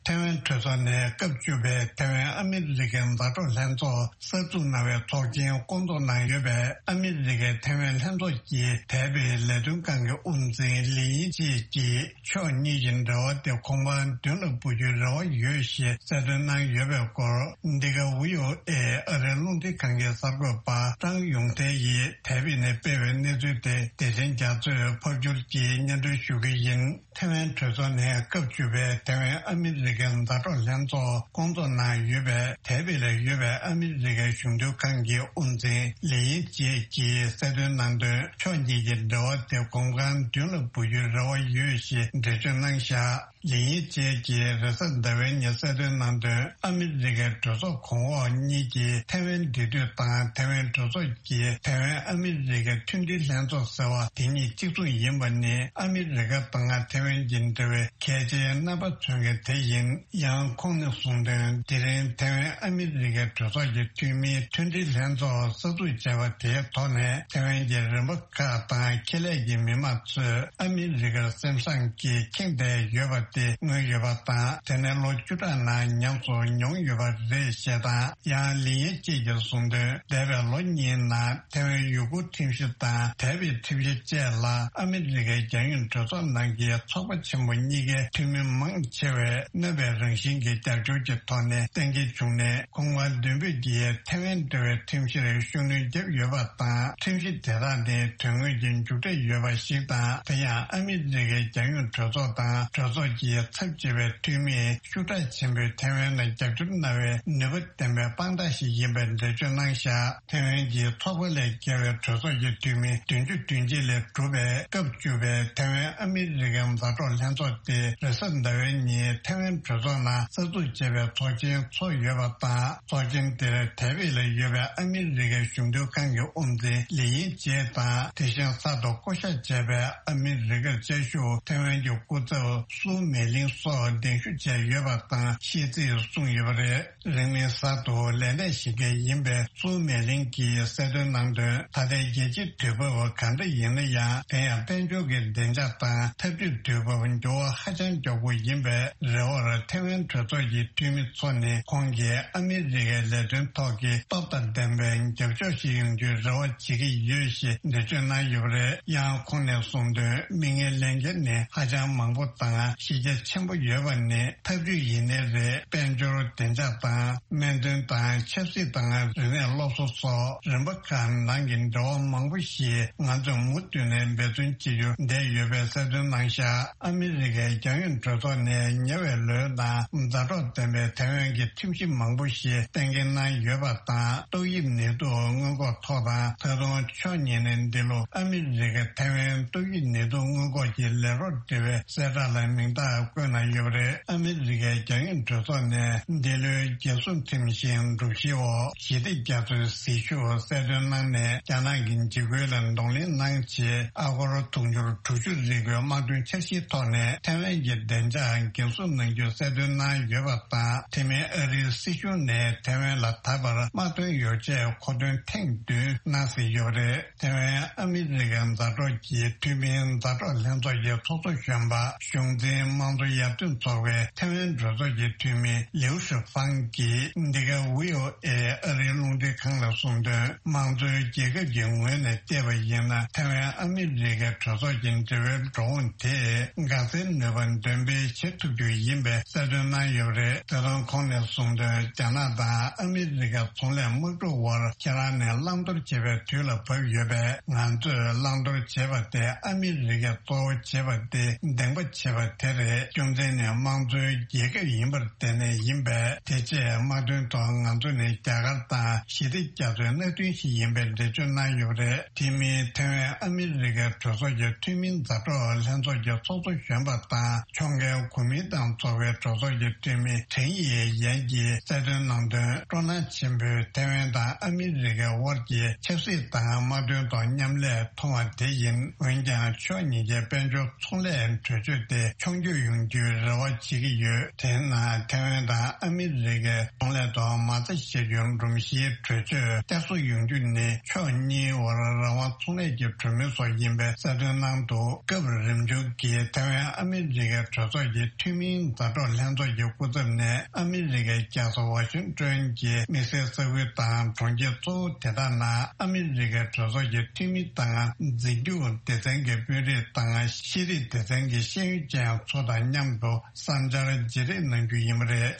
ཐེ་ཝན་གྲོས་ཚོགས་ནས་སྐབས་བཅུ་པའི་ཐེ་ཝན་ཨ་མི་རི་ཀའི་མཛའ་གྲོགས་ལྷན་ཚོགས་གསར་འཛུགས་གནང་བའི་ཚོགས་ཆེན་སྐོང་ཚོགས་གནང་ཡོད་པས། ཨ་མི་རི་ཀའི་ཐེ་ཝན་ལྷན་ཚོགས་ཀྱི་འདས་པའི་ལས་དོན་ཁང་གི་དབུ་འཛིན་ལི་ཡིན་ཅེ་གྱིས་ཕྱོགས་གཉིས་ཀྱི་འབྲེལ་བ་དེ་གོང་འཕེལ་མདུན་ལ་འབུད་རྒྱུའི་རེ་བ་ཡོད་ཞེས་གསལ་སྟོན་གནང་ཡོད་པའི་སྐོར། འདི་ག་ཝི་ཨོ་ཨེ་ཨ་རིའི་རླུང་འཕྲིན་ཁང་གི་གསར་འགོད་པ་ཀྲང་ཡུང་ཐའེ་ཡིས་དེབ་ནས་སྤེལ་བའི་གནས་ཚུལ་དེ་བདེ་ཆེན་རྒྱ་མཚོས་ཕབ་སྒྱུར་གྱིས་སྙན་སྒྲོན་ཞུ་གི་ཡིན། ཐེ་ཝན་གྲོས་ཚོགས་ནས་སྐབས་བཅུ་པའི་ཐེ་ཝན་ཨ་མི་རི་ཀའི་མཛའ་གྲོགས་ལྷན་ཚོགས་སྐོང་ཚོགས་གནང་ཡོད་པའི་དེབ་ལ་ཡོད་པའི་ཨ་མི་རི་ཀའི་གཞུང་དོན་ཁང་གི་དབུ་འཛིན་ལི་ཡིན་ཅེ་གྱིས་གསལ་སྟོན་གནང་དོན། ཕྱོགས་གཉིས་ཀྱི་འབྲེལ་བ་དེ་གོང་འཕེལ་མདུན་ལ་འབུད་རྒྱུའི་རེ་བ་ཡོད་ཞེས་འགྲེལ་བརྗོད་གནང་བཞག་ལི་ཡིན་ཅེ་གྱིས་རེས་གཟའ་ཟླ་བའི་ཉིན་གསལ་སྟོན་གནང་དོན། ཨ་མི་རི་ཀའི་གྲོས་ཚོགས་གོང་འོག་གཉིས་ཀྱིས་ཐེ་ཝན་འབྲེལ་མཐུད་དང་ཐེ་ཝན་གྲོས་ཚོགས་ཀྱིས་ཐེ་ཝན་ཨ་མི་རི་ཀའི་མཐུན་སྒྲིལ་ལྷན་ཚོགས་ཟེར་བ་དེ་གཉིས་གཅིག་མཚུངས་ཡིན་པ་ནི། ཨ་མི་རི་ཀ་དང་ཐེ་ཝན་གྱི་འབྲེལ་བའི་གལ་ཆེའི་རྣམ་པ་མཚོན་མཁན་དེ་ཡིན། ཡང་ཁོང་ནས་གསུངས་དོན། དེ་རིང་ཐེ་ཝན་ཨ་མི་རི་ཀའི་གྲོས་ཚོགས་ཀྱི་འཐུས་མིའི་མཐུན་སྒྲིལ་ལྷན་ཚོགས་གསར་འཛུགས་བྱས་པ་དེའི་ཐོག་ནས། ཐེ་ཝན་གྱི་རིམ་པ་ཁག་དང་ཁེ་ལས་ཀྱི་མི་མང་ཚོས་ཨ་མི་རི་ཀར་སེམས་བཟང་གིས་ཁེངས་བསྡད་ཡོད་པ་དེ་མངོན་ཡོད་པ་དང་། དེ་ནི་ལོ་བཅུ་ཕྲག་ནང་ཉམས་སུ་མྱོང་ཡོད་པ་རེད་ཞེས་དང་། ཡང་ལི་ཡིན་ཅེ་གྱིས་གསུངས་དོན། འདས་པའི་ལོ་གཉིས་ནང་ཐེ་ཝན་ཡུ་གུར་ཁྲིམས་གཞི་དང་འདས་པའི་ཁྲིམས་གཞི་བཅས་ལ་ཨ་མི་རི་ཀའི་རྒྱལ་ཡོངས་གྲོས་ཚོགས་ནང་གི་ཚོགས་པ་ཆེན་པོ་གཉིས་ཀའི་འཐུས་མི་མང་ཆེ་བས་གནོད་པའི་རང་བཞིན་གྱི་རྒྱབ་སྐྱོར་གྱི་ཐོག་ནས་གཏན་འཁེལ་བྱུང་ནས། ཁོང་མ་མདུན་སྤོས་ཀྱིས་ཐེ་ཝན་འབྲེལ་བའི་ཁྲིམས་གཞིར་ཤུགས་སྣོན་བརྒྱབ་ཡོད་པ་དང་། ཁྲིམས་གཞི་དེ་དག་ནི་དོན་དངོས་ཀྱི་མཇུག་འབྲས་ཡོད་པ་ཞིག་དང་། དེ་ཡང་ཨ་མི་རི་ཀའི་རྒྱལ་ཡོངས་གྲོས་ཚོགས་དང་གྲོས་ཚོགས་ཀྱི་ཚབ་བྱེད་པའི་འཐུས་མིས་ཤུགས་དྲག་ཆེན་པོས་ཐེ་ཝན་ལ་རྒྱབ་སྐྱོར་གནང་བའི་ནུས་པ་ལྡན་པའི་དཔང་རྟགས་ཤིག་ཡིན་པའི་འགྲེལ་བརྗོད་གནང་བཞག་ཐེ་ཝན་གྱི་ཚོགས་པ་ལས་བརྒལ་བའི་གྲོས་ཚོགས་ཀྱི་འཐུས་མི་བདུན་ཅུ་དོན་གཅིག་ལས་གྲུབ་པའི་སྐབས་བཅུ་པའི་ཐེ་ཝན་ཨ་མི་རི་ཀའི་མཛའ་གྲོགས་ལྷན་ཚོགས་དེ་རེས་གཟའ་ཟླ་བའི་ཉིན་ཐེ་ཝན་གྲོས་ཚོགས་ནང་གསར་འཛུགས་བྱས་པའི་ཚོགས་ཆེན་འཚོགས་ཡོད་པ་དང་། ཚོགས་ཆེན་དེར་དེ་བས་ལ་ཡོད་པའི་ཨ་མི་རི་ཀའི་གཞུང་དོན་ཁང་གི་དབུ་འཛིན་ལི་ཡིན་ཅེ་དང་། དེ་བཞིན་གསར་དུ་བསྐོ་བཞག་བྱས་པའི་ཨ་མི་རི་ཀར་བཅའ་བཞུགས་ཐེ་ཝན་གྱི་སྐུ་ཚབ་སུའུ་མེ་ལིང་སོགས་གདན་ཞུ་བྱས་ཡོད་པ་དང་། ཤེས་ཚིག་གསུངས་ཡོད་པ་རེད། རིང་མིན་གསར་དུ་ལས་གནས་བཞེས་མཁན་ཡིན་པའི་སུའུ་མེ་ལིང་གིས་གསལ་སྟོན་གནང་དོན། ད་ལྟའི་རྒྱལ་སྤྱིའི་དུས་བབ་གང་འདྲ་ཡིན་ན་ཡང་། དེ་ཡང་དཔལ་འབྱོར་གྱི་བདེ་འཇགས་དང་འཐབ་ཇུས་དུས་བབ་འགྱུར་བ་ཧ་ཅང་མགྱོགས་པོ་ཡིན་པའི་རེ་བར། ཐེ་ཝན་གྲོས་ཚོགས་ཀྱི་འཐུས་མི་ཚོ་ནི་ཁོང་གིས་ཨ་མི་རི་ཀའི་ལས་དོན་ཐོག་གི་སྟོབས་དང་ལྡན་པའི་རྒྱབ་སྐྱོར་ཞིག་ཡོང་རྒྱུའི་རེ་བ་བྱེད་ཀྱི་ཡོད་ཞེས་འགྲེལ་བརྗོད་གནང་ཡོད་པ་རེད། ཡང་ཁོང་ནས་གསུངས་དོན། མིག་སྔའི་ལས་འགན་ནི་ཧ་ཅང་མང་པོ་དང་། གཞི་ རྒྱ་ཆེན་པོ་ཡོད་པ་ནི་ཐབས་ཇུས་ཡིན་ནའི་རེད། དཔལ་འབྱོར་བདེ་འཇགས་དང་སྨན་དོན་དང་ཆབ་སྲིད་དང་རིག་གནས་སློབ་གསོ་སོགས་རིམ་པ་ཁག་ནང་གི་འབྲེལ་བ་མང་པོ་ཞིག་ང་ཚོས་མུ་མཐུད་ནས་འབད་བརྩོན་བྱེད་རྒྱུ་བསྡད་ཡོད་པའི་གསལ་སྟོན་གནང་ཤག་ཨ་མི་རི་ཀའི་རྒྱང་ཡོལ་གྲོས་ཚོགས་ནས་ཉེ་བའི་ལོའི་ནང་མཛའ་གྲོགས་ལྡན་པའི་ཐའེ་ཝན་གྱི་ཁྲིམས་གཞི་མང་པོ་ཞིག་གཏན་འཁེལ་གནང་ཡོད་པ་དང་། ཏོག་དབྱིབས་ནད་དུག་སྔོན་འགོག་ཐོག་དང་། ད་དུང་ཕྱོགས་གཉིས་ནས་འདི་ལོ་ཨ་མི་རི་ཀ་ཐའེ་ཝན་ཏོག་དབྱིབས་ནད་དུག་སྔོན་འགོག་གི་ལས་རོགས་འབྲེལ་བའི་གསལ་བསྒྲགས་ལ་མིང་རྟགས་བཀོད་གནང་ཡོད་པ་རེད། ཨ་མི་རི་ཀའི་རྒྱང་ཡོལ་གྲོས་ཚོགས་ནས་འདི་ལོའི་རྒྱལ་སྲུང་ཁྲིམས་བཞིན་སྒྲོམ་གཞིའི་འོག་ཞི་བདེ་རྒྱ་མཚོའི་ཟིལ་ཤུགས་གསལ་སྟོན་གནང་ནས། རྒྱ་ནག་གི་འཇིགས་སྐུལ་ལ་གདོང་ལེན་གནང་ཆེད། ཨ་སྒོར་དུང་ཕྱུར་དྲུག་ཅུ་རེ་དགུའི་དམག་དོན་འཆར་གཞིའི་ཐོག་ནས་ཐའེ་ཝན་གྱི་བདེ་འཇགས་འགན་སྲུང་གནང་རྒྱུ་གསལ་སྟོན་གནང་ཡོད་པ་དང་། དེ་མིན་ཨ་རིའི་སྲིད་གཞུང་ནས་ཐའེ་ཝན་ལ་ད་བར་དམག་དོན་ཡོ་བྱད་མཁོ་འདོན་ཐེངས་བདུན་གནང་ཟིན་ཡོད་པ་རེད། ཐའེ་ཝན་ཨ་མི་རི་ཀའི་མཛའ་གྲོགས་ཀྱི་འཐུས་མིའི་མཛའ་གྲོགས་ལྷན་ཚོགས་ཀྱི་ཚོགས་གཙོ་གཞོན་པ་གཞུང་འཛིན་དམངས་གཙོ་ཡར་ཐོན་ཚོགས་པའི་ཐའེ་ཝན་གྲོས་ཚོགས་ཀྱི་འཐུས་མི་ལིའུ་ཧྲི་ཧྥང་གིས་འདི་ག་ཝི་ཨོ་ཨེ་ཨ་རིའི་རླུང་འཕྲིན་ཁང་ལ་གསུངས་དོན། དམངས་གཙོའི་རྒྱལ་ཁབ་ཀྱི་ངོས་ནས་བལྟས་པ་ཡིན་ན། ཐའེ་ཝན་ཨ་མི་རི་ཀའི་གྲོས་ཚོགས་ཀྱི་འབྲེལ་བའི་འགྲོ་འོང་དེས་འགག་རྩའི་ནུས་པ་འདོན་སྤེལ་བྱེད་ཐུབ་རྒྱུ་ཡིན་པའི་གསལ་སྟོན་གནང་ཡོད་པ་རེད། ད་དུང་ཁོང་ནས་གསུངས་དོན། རྒྱ་ནག་དང་ཨ་མི་རི་ཀ་ཚོང་ལས་དམག་འཁྲུག་བར་ཁྱེད་རང་ནས་བླང་དོར་བྱེད་པའི་དུས་ལ་བབ་ཡོད་པས། ང་ཚོས་བླང་དོར་བྱེད་པ་དེ་ཨ་མི་རི་ཀས་གཙོ་བོ་བྱེད་པ་དེ་འདེང་པ་བྱེད་པ་དེ་རེད། རྒྱུ་མཚན་ནི་དམངས་གཙོའི་རྒྱལ་ཁབ་ཡིན་པར་བརྟེན་ནས་ཡིན་པས། དེ་རྗེས་དམག་དོན་ཐོག་ང་ཚོ་ནི་རྒྱ་གར་དང་ཞི་བདེ་རྒྱ་མཚོའི་མནའ་མཐུན་ཞིག་ཡིན་པའི་འགྲེལ་བརྗོད་གནང་ཡོད་པ་རེད། དེ་མིན་ཐའེ་ཝན་ཨ་མི་རི་ཀའི་གྲོས་ཚོགས་ཀྱི་འཐུས་མིའི་མཛའ་གྲོགས་ལྷན་ཚོགས་ཀྱི་ཚོགས་གཙོ་གཞོན་པ་དང་། ཕྱོགས་འགལ་གོ་མིན་ཏང་ཚོགས་པའི་གྲོས་ཚོགས་ཀྱི་འཐུས་མི་ཁྲེན་ཡེ་ཡན་གྱིས་གསལ་སྟོན་གནང་དོན། སྤྲོ་སྣང་ཆེན་པོས་ཐའེ་ཝན་དང་ཨ་མི་རི་ཀའི་དབར་གྱི་ཆབ་སྲིད་དང་དམག་དོན་ཐོག་མཉམ་ལས་མཐོང་བ་དེ་ཡིན། འོན་ཀྱང་ཕྱོགས་གཉིས་ཀའི་དཔལ་འབྱོར་ཚོང་ལས་གྲོས་ཆོད་དེ་མཆོང་སྐྱོད་ཡོང་རྒྱུའི་རེ་བ་བྱེད་ཀྱི་ཡོད། དེས་ན་ཐའེ་ཝན་དང་ཨ་མི་རི་ཀའི་ཚོང་ལས་ཐོག་མ་རྩ་བཞག་རྒྱུའི་སྒྲོམ་གཞིའི་གྲོས་ཆོད་བསྐྱར་གསོ་ཡོང་རྒྱུ་ནི་ཕྱོགས་གཉིས་དབར་རང་དབང་ཚོང་ལས་ཀྱི་གྲོས་མོལ་སོགས་ཡིན་པའི་གསལ་སྟོན་གནང་འདུག་སྐབས་རིམ་བྱུང་གིས་ཐའེ་ཝན་ཨ་མི་རི་ཀའི་གྲོས་ཚོགས་ཀྱི་འཐུས་མིའི་མཛའ་གྲོགས་ལྷན་ཚོགས་ཀྱི་སྐུ་ཚབ་ནས་ཨ་མི་རི་ཀའི་རྒྱལ་ས་ཝ་ཤིང་ཊོན་གྱི་དམིགས་བསལ་ས་ཁུལ་དང་གྲོང་ཁྱེར་གཙོ་བོ་དེ་དག་ནང་ཨ་མི་རི་ཀའི་གྲོས་ཚོགས་ཀྱི་འཐུས་མི་དང་། འཛིན་སྐྱོང་སྡེ་ཚན་གྱི་དཔོན་རིགས་དང་། ཤེས་རིག་སྡེ་ཚན་གྱི་ཤེས་ཡོན་ཅན་ཚོ་དང་མཉམ་དུ་བསམ་འཆར་བརྗེ་རེས་གནང་རྒྱུ་ཡིན་པ་རེད།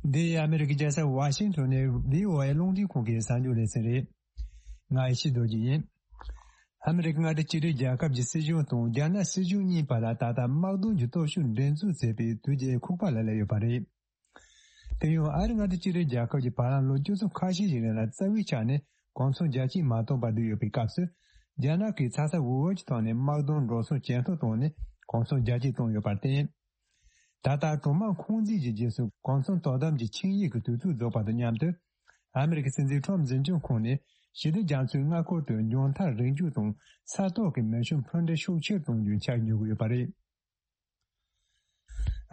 འདི་ཨ་མི་རི་ཀའི་རྒྱལ་ས་ཝ་ཤིང་ཊོན་ནས་ཝི་ཨོ་ཨེ་རླུང་འཕྲིན་ཁང་གི་གསར་འགྱུར་ལེ་ཚན་རེད། ང་ཡེ་ཤེས་རྡོ་རྗེ་ཡིན། ཨ་མི་རི་ཀ་མངའ་སྡེ་གཅིག་སྒྲིལ་རྒྱལ་ཁབ་ཀྱི་སྲིད་གཞུང་དང་རྒྱ་ནག་སྲིད་གཞུང་གཉིས་བར་ལ་ད་ལྟ་དམག་དོན་གྱི་སྟོབས་ཤུགས་འགྲན་རྩོད་བྱེད་པའི་དུས་བཅད་ཁུག་པ་ལ་སླེབས་ཡོད་པ་རེད། དེ་ཡང་ཨ་རི་མངའ་སྡེ་གཅིག་སྒྲིལ་རྒྱལ་ཁབ་ཀྱིས་བར་ལམ་ལོ་བཅུ་ཚོ་ཁ་ཤས་ཤིག་རིང་ལ་རྩ་བའི་ཆ་ནས་གོང་མཚམས་རྒྱ་སྐྱེད་མ་གཏོང་བར་བསྡད་ཡོད་པའི་སྐབས་སུ། རྒྱ་ནག་གིས་ཚ་ཚ་འུར་འུར་གྱི་ཐོག་ནས་དམག་དོན་འགྲོ་སོང་ཇེ་མཐོར་བཏང་ནས་གོང་མཚམས་རྒྱ་སྐྱེད་བཏང་ཡོད་པར་བརྟེན། ད་ལྟ་གྲོང་དམག་ཁུང་འཛིན་གྱི་རྗེས་སུ་གོང་མཚམས་དོ་དམ་གྱི་ཆིངས་ཡིག་གི་དུས་ཚོད་རྫོགས་པ་དང་མཉམ་དུ། ཨ་མི་རི་ཀའི་སྲིད་འཛིན་ཁྲོམ་འཛིན་སྐྱོང་ཁོངས་ནས་ཞི་བདེ་རྒྱ་མཚོའི་མངའ་ཁུལ་དུ་མཇུག་མཐར་རིག་འཇུག་དང་ས་ཐོག་གི་མེ་ཤུགས་འཕུར་མདེལ་ཤུགས་ཆེར་གཏོང་རྒྱུའི་འཆར་འགོད་ཀྱི་ཡོད་པ་རེད།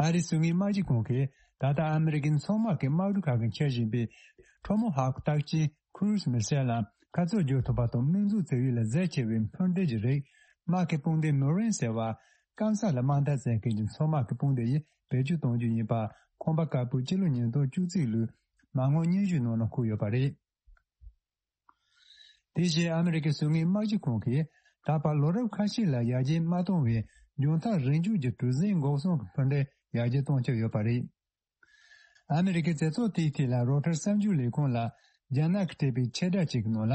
ཨ་རིའི་ཟུར་ངན་དམག་སྤྱི་ཁང་གིས་ད་ལྟ་ཨ་མི་རི་ཀའི་མཚོ་དམག་གི་དམག་གྲུ་ཁག་གིས་འཁྱེར་བཞིན་པའི་ཁྲོ་མོ་ཧོག་རྟགས་ཅན་ཀུ་རུ་ཛི་མི་སེལ་ལ་ཁ་ཚུར་བསྒྱུར་ཐུབ་པ་དང་། མིང་འཛུགས་བྱ་ཡུལ་ལ་གཟི་ཆེ་བའི་འཕུར་མདེལ་གྱི་རིགས། དམག་གི་དཔུང་སྡེ་མོ་རིན་ཟེར་བ། སྐམ་ས་ལ་དམག་འཐབ་བྱེད་མཁན་གྱི་མཚོ་དམག་གི་དཔུང་སྡེ་ཡིས་བེད་སྤྱོད་གཏོང་རྒྱུ་ཡིན་པ། ཁང་པ་དཀར་པོས་སྤྱི་ལོ་ཉིས་སྟོང་བཅུ་གཅིག་ལོའི་མ་དངུལ་སྙན་ཞུའི་ནང་ལ་འཁོད་ཡོད་པ་རེད། དེ་བཞིན་ཨ་མི་རི་ཀའི་ཟུར་ངན་དམག་སྤྱི་ཁང་གིས་ད་བར་ལོ་རབས་ཁ་ཤས་ལ་ཡར་རྒྱས་མ་བཏང་བའི་མཇུག་མཐར་རིག་འཇུག་གི་གྲུ་གཟིངས་འགོག་སྲུང་གི་འཕུར་མདེལ་ཡར་རྒྱས་གཏོང་འཆར་ཡོད་པ་རེད། ཨ་མི་རི་ཀའི་རྩེ་ཚོགས་དེའི་ཐད་ལ་རོ་ཊར་གསར་འགྱུར་ལས་ཁུངས་ལ་རྒྱ་ནག་གིས་སྤྲད་པའི་ཕྱིར་བསྒྲགས་ཅིག་གི་ནང་ལ།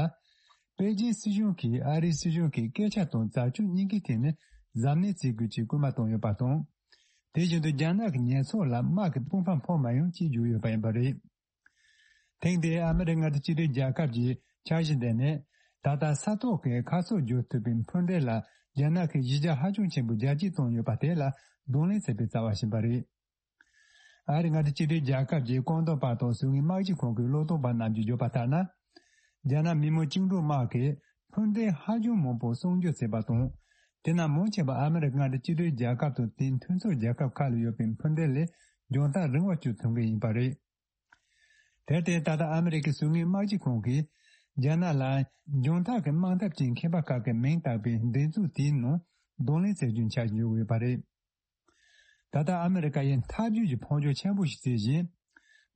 པེ་ཅིན་སྲིད་གཞུང་གིས་ཨ་རིའི་སྲིད་གཞུང་གི་སྐད་ཆ་དང་བྱ་སྤྱོད་གཉིས་ཀའི་ཐད་ནས་གཟབ་ནན་བྱེད་དགོས་ཅེས་སྐུལ་མ་བཏང་ཡོད་པ་དང་། དེ་བཞིན་དུ་རྒྱ་ནག་གི་ཉེས་ཚབས་ལ་དམག་གི་དཔུང་འཕར་ཕོག་མ་ཡོང་ཅེས་བརྗོད་ཡོད་པ་ཡིན་པ་རེད། ཐེངས་འདིའི་ཨ་མི་རི་ཀ་མངའ་སྡེ་གཅིག་སྒྲིལ་རྒྱལ་ཁབ་ཀྱི་འཆར་གཞི་འདི་ནི། ད་ལྟ་ས་ཐོག་གི་ཁ་ཕྱོགས་བསྒྱུར་ཐུབ་པའི་འཕུར་མདེལ་ལ་རྒྱ་ནག་གིས་གཞི་རྒྱ་ཧ་ཅང་ཆེན་པོ་རྒྱ་སྐྱེད་བཏང་ཡོད་པ་དེ་ལ་གདོང་ལེན་བྱེད་པའི་རྩ་བ་ཞིག་ཡིན་པ་རེད། ཨ་རི་མངའ་སྡེ་གཅིག་སྒྲིལ་རྒྱལ་ཁབ་ཀྱི་རྐང་འདོན་པ་དང་ཟུར་ངན་དམག་སྤྱི་ཁང་གི་བློ་སྟོན་པ་རྣམས་ཀྱིས་བརྗོད་པ་ལྟར་ན། རྒྱ་ནག་མི་དམངས་བཅིངས་འགྲོལ་དམག་གིས་འཕུར་མདེལ་ཧ་ཅང་མང་པོ་གསོག་འཇོག་བྱས་པ་དང་། དེ་ནང་མང་ཆེ་བ་ཨ་མི་རི་ཀ་མངའ་སྡེ་གཅིག་སྒྲིལ་རྒྱལ་ཁབ་དང་དེའི་མཐུན་ཕྱོགས་རྒྱལ་ཁབ་ཁག་ལ་ཡོད་པའི་འཕུར་མདེལ་ལས་མཇུག་མཐར་རིང་བ་སྤྱོད་ཐུབ་མཁན་ཡིན་པ་རེད། དེར་བརྟེན་ད་ལྟ་ཨ་མི་རི་ཀའི་ཟུར་ངན་དམག་སྤྱི་ཁང་གིས་རྒྱ་ནག་ལ་མཇུག་མཐར་གྱི་དམག་འཐབ་ཀྱི་མཁས་པ་ཁག་གི་མིང་བཏགས་པའི་འགྲན་རྩོད་དེའི་ནང་གདོང་ལེན་བྱེད་རྒྱུའི་འཆར་གཞི་ཡོད་ཡོད་པ་རེད། ད་ལྟ་ཨ་མི་རི་ཀ་ཡིས་འཐབ་ཇུས་ཀྱི་འཕོ་འགྱུར་ཆེན་པོ་ཞིག་བྱེད་བཞིན།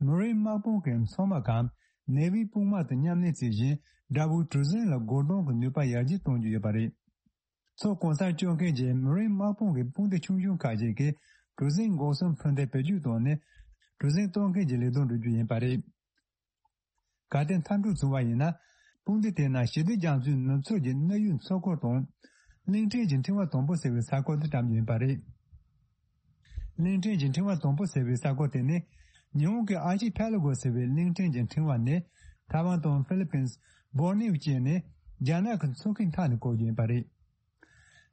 མུ་རེའི་དམག་དཔུང་གི་མཚོ་དམག་གམ་ ནེ་ཝིའི་དཔུང་དམག་དང་མཉམ་ལས་བྱེད་བཞིན། དགྲ་བོའི་གྲུ་གཟིངས་ལ་རྒོལ་རྡུང་གི་ནུས་པ་ཡར་རྒྱས་གཏོང་རྒྱུ་ཡོད་པ་རེད། མཚོ་གང་སར་སྐྱོད་མཁན་གྱི་མ་རིན་དམག་དཔུང་གི་དཔུང་སྡེ་ཆུང་ཆུང་ཁག་ཅིག་གིས་གྲུ་གཟིངས་འགོག་སྲུང་འཕུར་མདེལ་བེད་སྤྱོད་བཏང་ནས། གྲུ་གཟིངས་གཏོར་མཁན་གྱི་ལས་དོན་སྒྲུབ་རྒྱུ་ཡིན་པ་རེད། གལ་ཏེ་མཐའ་གྲུ་བྱུང་བ་ཡིན་ན། དཔུང་སྡེ་དེ་ནང་ཞི་བདེ་རྒྱ་མཚོའི་ནུབ་ཕྱོགས་ཀྱི་གནས་ཡུལ་མཚོ་འཁོར་དང་། གླིང་ཕྲན་གྱི་ཕྲེང་བ་དང་པོ་ཟེར་བའི་ས་ཁུལ་དུ་བཀྲམ་རྒྱུ་ཡིན་པ་རེད། གླིང་ཕྲན་གྱི་ཕྲེང་བ་དང་པོ་ཟེར་བའི་ས་ཁུལ་དེ་ནི། ཉི་ཧོང་གི་ཨར་ཅི་ཕེ་ལ་གོ་ཟེར་བའི་གླིང་ཕྲན་གྱི་ཕྲེང་བ་ནས། ཐའེ་ཝན་དང་ཧྥི་ལི་པིན། སྦོར་ནེའུ་བཅས་ནས། རྒྱ་ནག་གི་མཚོ་ཁའི་མཐའ་ནས་བཀོད་རྒྱུ་ཡིན་པ་རེད།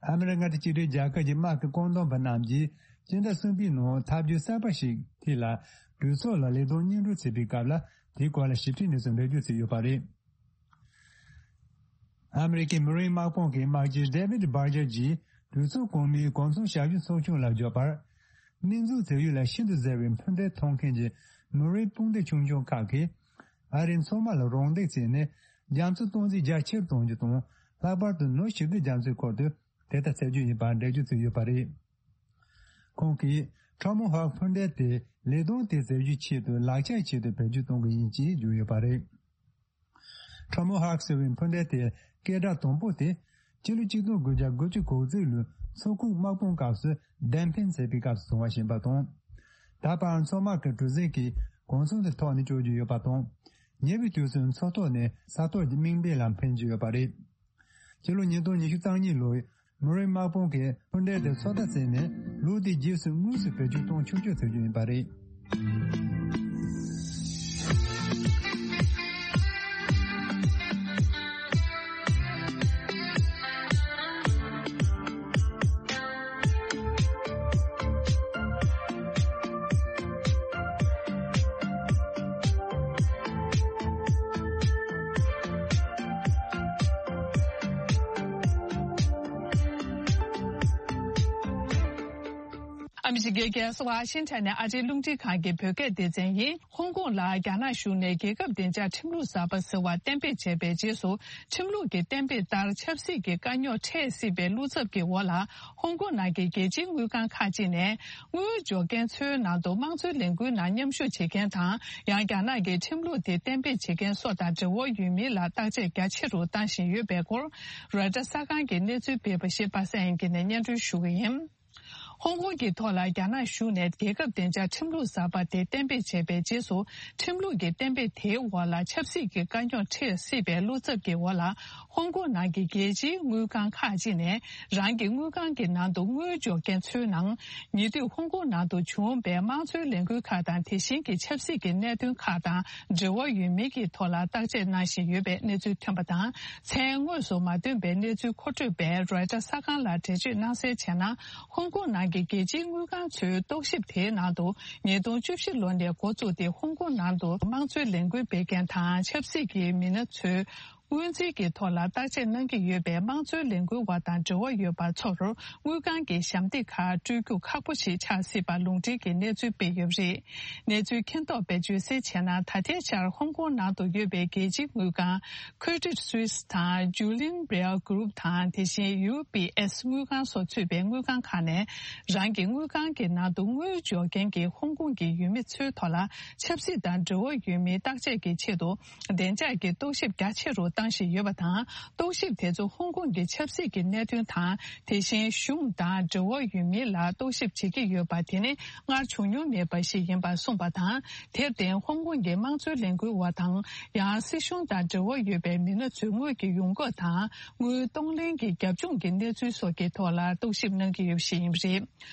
ཨ་མི་རི་ཀ་དང་གཅིག་སྒྲིལ་རྒྱལ་ཁབ་ཀྱི་དམག་གི་བཀོད་འདོམས་པ་རྣམས་ཀྱིས་སྤྱི་ཟླ་གསུམ་པའི་ནང་ཐབས་བརྒྱུད་གསར་པ་ཞིག་ཐད་ལ། གྲོས་ཚོགས་ལ་ལས་དོན་སྙན་སྒྲོན་བྱེད་པའི་སྐབས་ལ། དེའི་སྐོར་ལ་ཞིབ་ཕྲའི་གནས་ཚུལ་འགྲེལ་བརྗོད་བྱས་ཡོད་པ་རེད། ཨ་མི་རི་ཀའི་མ་རིན་དམག་དཔུང་གི་དམག་སྤྱི་ཌེ་ཝིད་སྦར་ཇར་གྱིས་གྲོས་ཚོགས་གོང་མའི་གོ་མཚོན་ཞབས་ཞུ་ཚོགས་ཆུང་ལ་བརྗོད་པར། སྨན་རྫས་བཙོག་ཡུལ་ལ་ཤིན་ཏུ་གཟེར་བའི་འཕུར་མདེལ་འཐོར་མཁན་གྱི་མ་རིན་དཔུང་སྡེ་ཆུང་ཆུང་ཁག་གིས། ཨ་རིའི་མཚོ་དམག་ལ་རོགས་འདེགས་བྱས་ནས། རྒྱ་མཚོ་སྟོང་འཛིན་རྒྱ་ཆེར་གཏོང་རྒྱུ་དང་། ལྷག་པར་དུ་ནུབ་ཞི་བདེ་རྒྱ་མཚོའི་ཁུལ་དུ་དེ་ལྟར་བྱ་རྒྱུ་ཡིན་པར་འགྲེལ་བརྗོད་བྱས་ཡོད་པ་རེད། ཁོང་གིས་ཊོ་མ་ཧོག་འཕུར་མདེལ་དེ་ལས་དོན་དེ་མཛད་རྒྱུའི་ཆེད་དུ་ལག་ཆའི་ཆེད་དུ་བེད་སྤྱོད་གཏོང་གི་ཡིན་ཅེས་བརྗོད་ཡོད་པ་རེད། ཊོ་མ་ཧོག་ཟེར་བའི་འཕུར་མདེལ་དེ་སྐད་གྲགས་དང་པོ་དེ། ཕྱི་ལོ་ཆིག་སྟོང་དགུ་བརྒྱ་དགུ་བཅུ་གོ་གཅིག་ལོའི་མཚོ་ཁུག་དམག་དཔུང་སྐབས་སུ་གདན་འཕེན་མཛད་པའི་སྐབས་སུ་བྱུང་བ་ཞིག་ཡིན་པ་དང་། ད་བར་མཚོ་དམག་གི་གྲུ་གཟིངས་ཀྱི་གོ་མཚོན་དེ་ཐོག་ནས་སྐྱོད་རྒྱུ་ཡོད་པ་དང་། ཉེ་བའི་དུས་སུ་མཚོ་ཐོག་ནས་ས་ཐོག་གི་དམིགས་འབེན་ལ་འཕེན་རྒྱུ་ཡོད་པ་རེད། ཕྱི་ལོ་ཉིས་སྟོང་ཉི་ཤུ་རྩ་གཉིས་ལོའི་མ་རིན་དམག་དཔུང་གིས་འཕུར་མདེལ་དེ་ཚོད་ལྟ་བྱས་ནས། ལོ་དེའི་རྗེས་སུ་དངོས་སུ་བེད་སྤྱོད་གཏོང་ཆོག་ཆོག་བཟོ་རྒྱུ་ཡིན་པ་རེད། ཨ་མི་རི་ཀའི་རྒྱལ་ས་ཝ་ཤིང་ཊོན་ནས་ཨ་རིའི་རླུང་འཕྲིན་ཁང་གི་བོད་སྐད་སྡེ་ཚན་ཡིན། ཧོང་ཀོང་ལ་རྒྱ་ནག་གཞུང་ནས་རྒྱལ་ཁབ་བདེ་འཇགས་ཁྲིམས་ལུགས་གསར་པ་ཟེར་བ་གཏན་འབེབས་བྱས་པའི་རྗེས་སུ། ཁྲིམས་ལུགས་ཀྱི་གཏན་འབེབས་ལྟར་ཆབ་སྲིད་ཀྱི་དཀའ་རྙོག་འཕྲད་སྲིད་པའི་བློ་འཚབ་ཀྱི་འོག་ལ། ཧོང་ཀོང་ནང་གི་རྒྱལ་སྤྱིའི་དངུལ་ཁང་ཁག་ཅིག་ནས། དངུལ་འབྱོར་མཁན་ཚོའི་ནང་དུ་དམངས་གཙོའི་ལས་འགུལ་ནང་མཉམ་ཞུགས་བྱེད་མཁན་དང་། ཡང་རྒྱ་ནག་གི་ཁྲིམས་ལུགས་དེ་གཏན་འབེབས་བྱེད་མཁན་སོགས་དང་འབྲེལ་བ་ཡོད་མིན་ལ་བརྟག་དཔྱད་རྒྱ་ཆེ་རུ་བཏང་བཞིན་ཡོད་པའི་སྐོར། རོའི་ཊར་གསར་ཁང་གི་གནས་ཚུལ་སྤེལ་བ་ཞིག་པ་སངས་དབྱངས་སྐྱིད་ནས་སྙན་སྒྲོན་ཞུ་གི་ཡིན། ཧོང་ཀོང་གི་ཐོག་ལ་རྒྱ་ནག་གཞུང་ནས་རྒྱལ་ཁབ་བདེ་འཇགས་ཁྲིམས་ལུགས་གསར་པ་དེ་གཏན་འབེབས་བྱས་པའི་རྗེས་སུ། ཁྲིམས་ལུགས་ཀྱི་གཏན་འབེབས་དེའི་འོག་ལ་ཆབ་སྲིད་ཀྱི་དཀའ་རྙོག་འཕྲད་སྲིད་པའི་བློ་འཚབ་ཀྱི་འོག་ལ། ཧོང་ཀོང་ནང་གི་རྒྱལ་སྤྱིའི་དངུལ་ཁང་ཁག་ཅིག་ནས། རང་གི་དངུལ་ཁང་གི་ནང་དུ་དངུལ་འབྱོར་མཁན་ཚོའི་ནང་། ཉེ་དུས་ཧོང་ཀོང་ནང་དུ་བྱུང་བའི་དམངས་གཙོའི་ལས་འགུལ་ཁག་དང་། དེ་བཞིན་གྱི་ཆབ་སྲིད་ཀྱི་གནད་དོན་ཁག་དང་འབྲེལ་བ་ཡོད་མིན་གྱི་ཐོག་ལ་བརྟག་དཔྱད་གནང་བཞིན་ཡོད་པའི་གནས་ཚུལ་ཐོན་པ་དང་། མཚན་དངོས་སུ་མ་བཏོན་པའི་གནས་ཚུལ་མཁོ་སྤྲོད་པས་རོའི་ཊར་གསར་ཁང་ལ་འགྲེལ་བརྗོད་གནང་གསལ་བྱས་ན། ཧོང་ཀོང་ནང་གི་རྒྱལ་སྤྱིའི་དངུལ་ཁང་ཚོའི་རྟོག་ཞིབ་དེའི་ནང་དུ། ཉིས་སྟོང་བཅུ་བཞི་ལོ་ནས་འགོ་བཙུགས་ཏེ། ཧོང་ཀོང་ནང་དུ་དམངས་གཙོའི་ལས་འགུལ་སྤེལ་མཁན་དང་ཆབ་སྲིད་ཀྱི་མི་སྣ་ཚོའི་སྔོན་རྩིས་ཀྱི་ཐོག་ལ་བརྟག་དཔྱད་གནང་གི་ཡོད་པའི་དམངས་གཙོའི་ལས་འགུལ་བ་དང་འབྲེལ་བ་ཡོད་པ་ཚོར་དངུལ་ཁང་གི་ཞབས་འདེགས་ཁག་སྤྲོད་རྒྱུ་ཁག་པོ་ཞིག་ཆགས་སྲིད་པ་ལུང་འདྲེན་གྱི་གནས་ཚུལ་སྤེལ་ཡོད་པ་རེད། གནས་ཚུལ་མཁྱེན་རྟོགས་པས་བརྗོད་གསལ་བྱས་ན། ད་ལྟའི་ཆར་ཧོང་ཀོང་ནང་དུ་ཡོད་པའི་རྒྱལ་སྤྱིའི་དངུལ་ཁང་། Credit Suisse དང་། Julian Baer Group དང་། དེ་བཞིན་ཡུ་པི་ཨེས་དངུལ་ཁང་སོགས་ཚུད་པའི་དངུལ་ཁང་ཁག་ནས། རང་གི་དངུལ་ཁང་གི་ནང་དུ་དངུལ་འབྱོར་མཁན་གྱི་ཧོང་ཀོང་གི་ཡུལ་མི་ཚོའི་ཐོག་ལ། ཆབ་སྲིད་དང་འབྲེལ་བ་ཡོད་མིན་བརྟག་དཔྱད་ཀྱི་ཆེད་དུ། བདེ་འཇགས་ཀྱི་རྟོག་ཞིབ་རྒྱ་ཆེ་རུ་བཏང་བཞིན་ཡོད་པ་དང་། རྟོག་ཞིབ་དེ་ཚོ་ཧོང་ཀོང་གི་ཆབ་སྲིད་ཀྱི་གནད་དོན་དང་། དེ་བཞིན་གཞུང་དང་འབྲེལ་བ་ཡོད་མིན་ལ་རྟོག་ཞིབ་བྱེད་ཀྱི་ཡོད་པ། དེ་ནི་སྔར་བྱུང་མྱོང་མེད་པ་ཞིག་ཡིན་པར་གསུངས་པ་དང་། དེར་བརྟེན་ཧོང་ཀོང་གི་དམངས་གཙོའི་ལས་འགུལ་བ་དང་། ཡང་སྲིད་གཞུང་དང་འབྲེལ་བ་ཡོད་པའི་མི་སྣ་ཚོའི་དངུལ་གྱི་ཡོང་འབབ་དང་། དངུལ་གཏོང་ལེན་གྱི་རྒྱབ་ལྗོངས་ཀྱི་གནས་ཚུལ་སོགས་ཀྱི་ཐོག་ལ་རྟོག་ཞིབ་གནང་གི་ཡོད་པ་ཞིག་ཡིན་པ་རེད།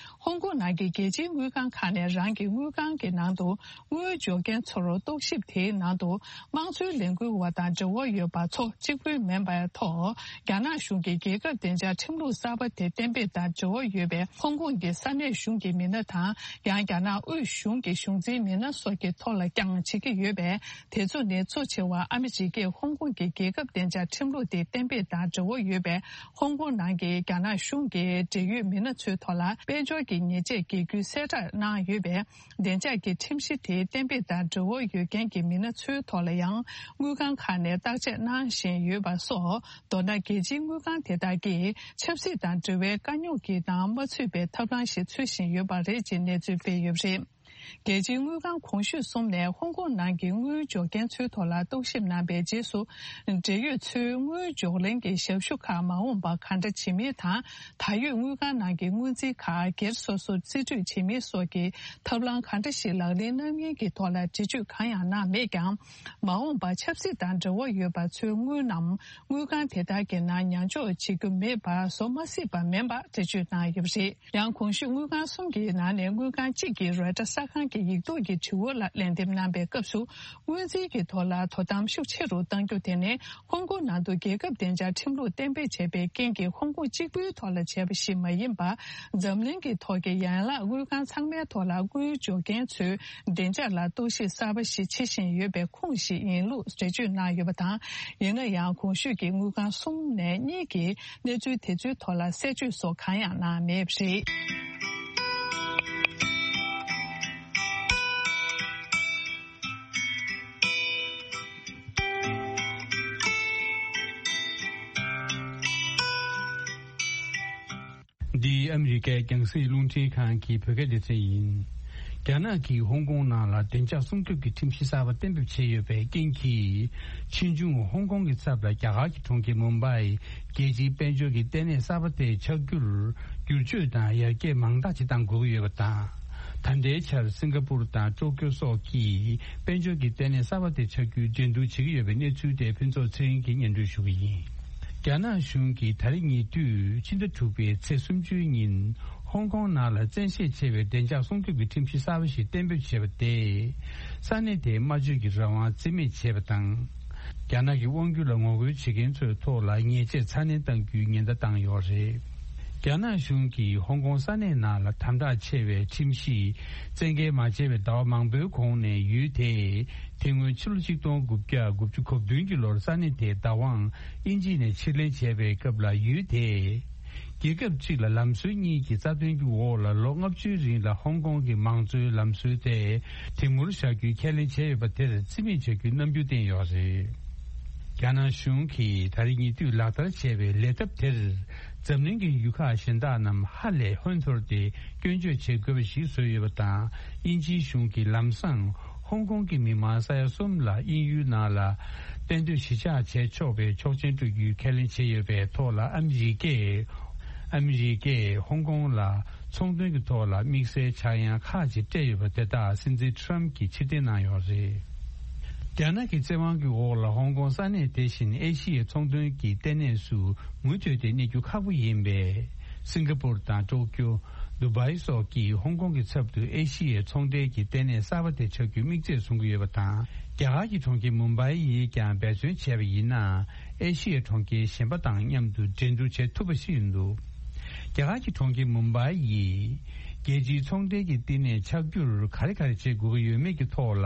ཧོང་ཀོང་ནང་གི་རྒྱལ་སྤྱིའི་དངུལ་ཁང་ཁག་ནས་རང་གི་དངུལ་ཁང་གི་ནང་དུ་དངུལ་འབྱོར་མཁན་ཚོར་རྟོག་ཞིབ་དེའི་ནང་དུ། དམངས་གཙོའི་ལས་འགུལ་བ་དང་འབྲེལ་བ་ཡོད་པ་ཚོ་གཅིག་པུའི་མིན་པའི་ཐོག་རྒྱ་ནག་གཞུང་གིས་རྒྱལ་ཁབ་བདེ་འཇགས་ཁྲིམས་ལུགས་གསར་པ་དེ་གཏན་འབེབས་དང་འབྲེལ་བ་ཡོད་པའི་ཧོང་ཀོང་གི་ས་གནས་གཞུང་གི་མི་སྣ་དང་། ཡང་རྒྱ་ནག་དབུས་གཞུང་གི་གཞུང་འཛིན་མི་སྣ་སོགས་ཀྱི་ཐོག་ལ་ཀྱང་བྱེད་ཀྱི་ཡོད་པས། དེ་ཚོ་ནི་གཙོ་ཆེ་བ་ཨ་མི་རི་ཀས་ཧོང་ཀོང་གི་རྒྱལ་ཁབ་བདེ་འཇགས་ཁྲིམས་ལུགས་དེ་གཏན་འབེབས་དང་འབྲེལ་བ་ཡོད་པའི་ཧོང་ཀོང་ནང་གི་རྒྱ་ནག་གཞུང་གི་འབྲེལ་ཡོད་མི་སྣ་ཚོའི་ཐོག་ལ་དཔལ་འབྱོར་གྱི་ཉེས་ཆད་འགེལ་རྒྱུའི་གསལ་བསྒྲགས་གནང་ཡོད་པས། བདེ་འཇགས་ཀྱི་ཁྲིམས་གཞི་དེའི་གཏན་འབེབས་དང་འབྲེལ་བ་ཡོད་མཁན་གྱི་མི་སྣ་ཚོའི་ཐོག་ལ་ཡང་དངུལ་ཁང་ཁག་ནས་བརྟག་དཔྱད་གནང་བཞིན་ཡོད་པ་སོགས། མདོར་ན་རྒྱལ་སྤྱིའི་དངུལ་ཁང་དེ་དག་གིས་ཆབ་སྲིད་དང་འབྲེལ་བའི་དཀའ་རྙོག་གི་ནང་མ་ཚུད་པའི་ཐབས་ལམ་ཞིག་འཚོལ་བཞིན་ཡོད་པ་རེད་ཅེས་གནས་ཚུལ་སྤེལ་ཡོད་པ་རེད། རྒྱལ་སྤྱིའི་དངུལ་ཁང་གོང་ཞུས་གསུམ་ནས་ཧོང་ཀོང་ནང་གི་དངུལ་འབྱོར་མཁན་ཚོའི་ཐོག་ལ་རྟོག་ཞིབ་གནང་པའི་རྗེས་སུ། འབྲེལ་ཡོད་ཚོའི་དངུལ་འབྱོར་ལེན་གྱི་ཞབས་ཞུ་ཁག་མ་འོངས་པར་ག་འདྲ་བྱེད་མིན་དང་། ད་ཡོད་དངུལ་ཁང་ནང་གི་དངུལ་རྩིས་ཁག་སྒེར་སོ་སོར་རྩིས་སྤྲོད་བྱེད་མིན་སོགས་ཀྱི་ཐབས་ལམ་ག་འདྲ་ཞིག་ལག་ལེན་གནང་མིན་གྱི་ཐོག་ལ་འགྲེལ་བརྗོད་གང་ཡང་གནང་མེད་ཀྱང་། མ་འོངས་པར་ཆབ་སྲིད་དང་འབྲེལ་བ་ཡོད་པ་ཚོའི་དངུལ་རྣམས་དངུལ་ཁང་དེ་དག་གི་ནང་ཉར་འཇོག་བྱེད་རྒྱུ་མེད་པར་བཟོ་མ་སྲིད་པ་མིན་པ་འགྲེལ་བརྗོད་གནང་ཡོད་པ་རེད། ཡང་གོང་ཞུས་དངུལ་ཁང་གསུམ་གྱི་ནང་ནས་དངུལ་ཁང་གཅིག་གིས་རོའི་ཊར་གསར་ཁང་གི་ཡིག་ཐོག་གི་དྲི་བ་ལ་ལན་འདེབས་གནང་པའི་སྐབས་སུ། དངུལ་རྩིས་ཀྱི་ཐོག་ལ་དོ་དམ་ཤུགས་ཆེ་རུ་གཏང་རྒྱུ་དེ་ནི་ཧོང་ཀོང་ནང་དུ་རྒྱལ་ཁབ་བདེ་འཇགས་ཁྲིམས་ལུགས་གཏན་འབེབས་བྱས་པའི་རྐྱེན་གྱིས་ཧོང་ཀོང་གཅིག་པུའི་ཐོག་ལ་བྱས་པ་ཞིག་མ་ཡིན་པར། འཛམ་གླིང་གི་ཐོག་གི་ཡན་ལག་དངུལ་ཁང་ཚང་མའི་ཐོག་ལ་དངུལ་འབྱོར་མཁན་ཚོའི་བདེ་འཇགས་ལ་རྟོག་ཞིབ་གསར་པ་ཞིག་བྱེད་བཞིན་ཡོད་པའི་ཁུངས་ཤིག་ཡིན་ལུགས་འགྲེལ་བརྗོད་གནང་ཡོད་པ་དང་། ཡིན་ན་ཡང་གོང་ཞུས་ཀྱི་དངུལ་ཁང་གསུམ་ནས་གཉིས་ཀྱིས། གནས་ཚུལ་དེ་ཚོའི་ཐོག་ལ་གསལ་བརྗོད་སོགས་གང་ཡང་གནང་མེད་པ་རེད། འདི་ཨ་མི་རི་ཀའི་རྒྱང་སྲིང་རླུང་འཕྲིན་ཁང་གི་བོད་སྐད་སྡེ་ཚན་ཡིན། རྒྱ་ནག་གིས་ཧོང་ཀོང་ནང་ལ་བདེ་འཇགས་སྲུང་སྐྱོབ་ཀྱི་ཁྲིམས་གཞི་གསར་པ་གཏན་འབེབས་བྱས་ཡོད་པའི་རྐྱེན་གྱིས། ཕྱིས་འབྱུང་ཧོང་ཀོང་གི་ཚབ་ལ་རྒྱ་གར་གྱི་གྲོང་ཁྱེར་མུམ་བྷའི་རྒྱལ་སྤྱིའི་དཔལ་འབྱོར་གྱི་ལྟེ་གནས་གསར་པ་དེ་ཆགས་རྒྱུར་བསྒྱུར་བཅོས་དང་ཡར་རྒྱས་མང་དག་ཅིག་གཏང་དགོས་ཀྱི་ཡོད་པ་དང་། ད་ལྟའི་ཆར་སིང་ག་པུར་དང་ཀྲོ་ཀྱོ་སོགས་ཀྱིས་དཔལ་འབྱོར་གྱི་ལྟེ་གནས་གསར་པ་དེ་ཆགས་རྒྱུའི་འགྲན་བསྡུར་བྱེད་ཀྱི་ཡོད་པའི་གནས་ཚུལ་དེ་ཕུན་ཚོགས་ཚེ་རིང་གིས་སྙན་སྒྲོན་ཞུ་གི་ཡིན། རྒྱ་ནག་གཞུང་གིས་ད་རེས་ཉེ་དུས་ཕྱི་ཟླ་དྲུག་པའི་ཚེས་སུམ་ཅུའི་ཉིན་ཧོང་ཀོང་ནང་ལ་བཙན་ཤེད་ཆེ་བའི་བདེ་འཇགས་སྲུང་སྐྱོབ་ཀྱི་ཁྲིམས་གཞི་གསར་པ་ཞིག་གཏན་འབེབས་བྱས་པ་དེས། ས་གནས་དེའི་སྨྲ་བརྗོད་ཀྱི་རང་དབང་རྩིས་མེད་བྱས་པ་དང་། རྒྱ་ནག་གི་དབང་སྒྱུར་ལ་ངོ་རྒོལ་བྱེད་མཁན་ཚོའི་ཐོག་ལ་ཉེས་ཆད་ཚ་ནན་གཏང་རྒྱུའི་ཉེན་བརྡ་བཏང་ཡོད་རེད། རྒྱ་ནག་གཞུང་གིས་ཧོང་ཀོང་ས་གནས་ནང་ལ་དམ་དྲག་ཆེ་བའི་ཁྲིམས་གཞི་བཙན་འགེལ་མ་བྱས་པའི་ཟླ་བ་མང་པོའི་གོང་ནས་ཡུལ་དེས་དེ་སྔོན་ཕྱི་ལོ་ཆིག་སྟོང་དགུ་བརྒྱ་དགུ་བཅུ་གོ་བདུན་གྱི་ལོར་ས་གནས་དེའི་བདག་དབང་དབྱིན་ཇི་ནས་ཕྱིར་ལེན་བྱས་པའི་སྐབས་ལ་ཡུལ་དེས་རྒྱལ་ཁབ་གཅིག་ལ་ལམ་སྲོལ་གཉིས་ཀྱི་རྩ་དོན་གྱི་འོག་ལ་ལོ་ལྔ་བཅུའི་རིང་ལ་ཧོང་ཀོང་གི་མང་གཙོའི་ལམ་སྲོལ་དེ་དེ་མུར་བཞག་རྒྱུའི་ཁས་ལེན་བྱས་ཡོད་པ་དེར་རྩིས་མེད་བྱ་རྒྱུའི་རྣམ་འགྱུར་བསྟན་ཡོད་རེད། རྒྱ་ནག་གཞུང་གིས་ད་རེས་ཉེ་དུས་ལག་བསྟར་བྱས་པའི་ལས་ཐབས་དེར། འཛམ་གླིང་གི་ཡུལ་ཁག་གཞན་དག་རྣམས་ཧ་ལས་ཧོན་འཐོར་ཏེ་སྐྱོན་བརྗོད་བྱེད་དགོས་པ་ཞིག་བཟོས་ཡོད་པ་དང་། དབྱིན་ཇིའི་གཞུང་གིས་ལམ་སང་ཧོང་ཀོང་གི་མི་མང་ས་ཡ་གསུམ་ལ་དབྱིན་ཡུལ་ནང་ལ་གཏན་སྡོད་གཞིས་ཆགས་བྱས་ཆོག་པའི་ཆོག་མཆན་སྤྲོད་རྒྱུའི་ཁས་ལེན་བྱས་ཡོད་པའི་ཐོག་ལ་ཨ་མི་རི་ཀས། ཨ་མི་རི་ཀས་ཧོང་ཀོང་ལ་ཚོང་དོན་གྱི་ཐོག་ལ་དམིགས་བསལ་འཆར་ཡན་ཁག་ཅིག་སྤྲད་ཡོད་པ་དེ་དག་སྲིད་འཛིན་ཁྲམ་གྱིས་ཕྱིར་འཐེན་གནང་ཡོད་རེད། རྒྱ་ནག་གི་བཙན་དབང་གི་འོག་ལ་ཧོང་ཀོང་ས་གནས་དེ་བཞིན་ཨེ་ཤི་ཡའི་ཚོང་དོན་གྱི་ལྟེ་གནས་སུ་མུ་མཐུད་དེ་གནས་རྒྱུ་ཁག་པོ་ཡིན་པས། སིང་ག་པུར་དང་ཀྲོ་ཀྱོ། དུ་བྷའི་སོགས་ཀྱིས་ཧོང་ཀོང་གི་ཚབ་ཏུ་ཨེ་ཤི་ཡའི་ཚོང་འབྲེལ་གྱི་ལྟེ་གནས་གསར་པ་དེ་ཆགས་རྒྱུའི་དམིགས་ཚད་བཟུང་གི་ཡོད་པ་དང་། རྒྱ་གར་གྱི་གྲོང་ཁྱེར་མུམ་བྷའི་ཡིས་ཀྱང་འབད་བརྩོན་བྱས་པ་ཡིན་ན། ཨེ་ཤི་ཡའི་གྲོང་ཁྱེར་གཞན་པ་དང་མཉམ་དུ་འགྲན་བསྡུར་བྱེད་ཐུབ་པ་ཞིག་ཡིན་འདུག་རྒྱ་གར་གྱི་གྲོང་ཁྱེར་མུམ་བྷའི་ཡིས་རྒྱལ་སྤྱིའི་ཚོང་འབྲེལ་གྱི་བསྟི་གནས་ཆགས་རྒྱུར་ག་རེ་ག་རེ་བྱེད་དགོས་ཀྱི་ཡོད་མེད་ཀྱི་ཐོག་ལ་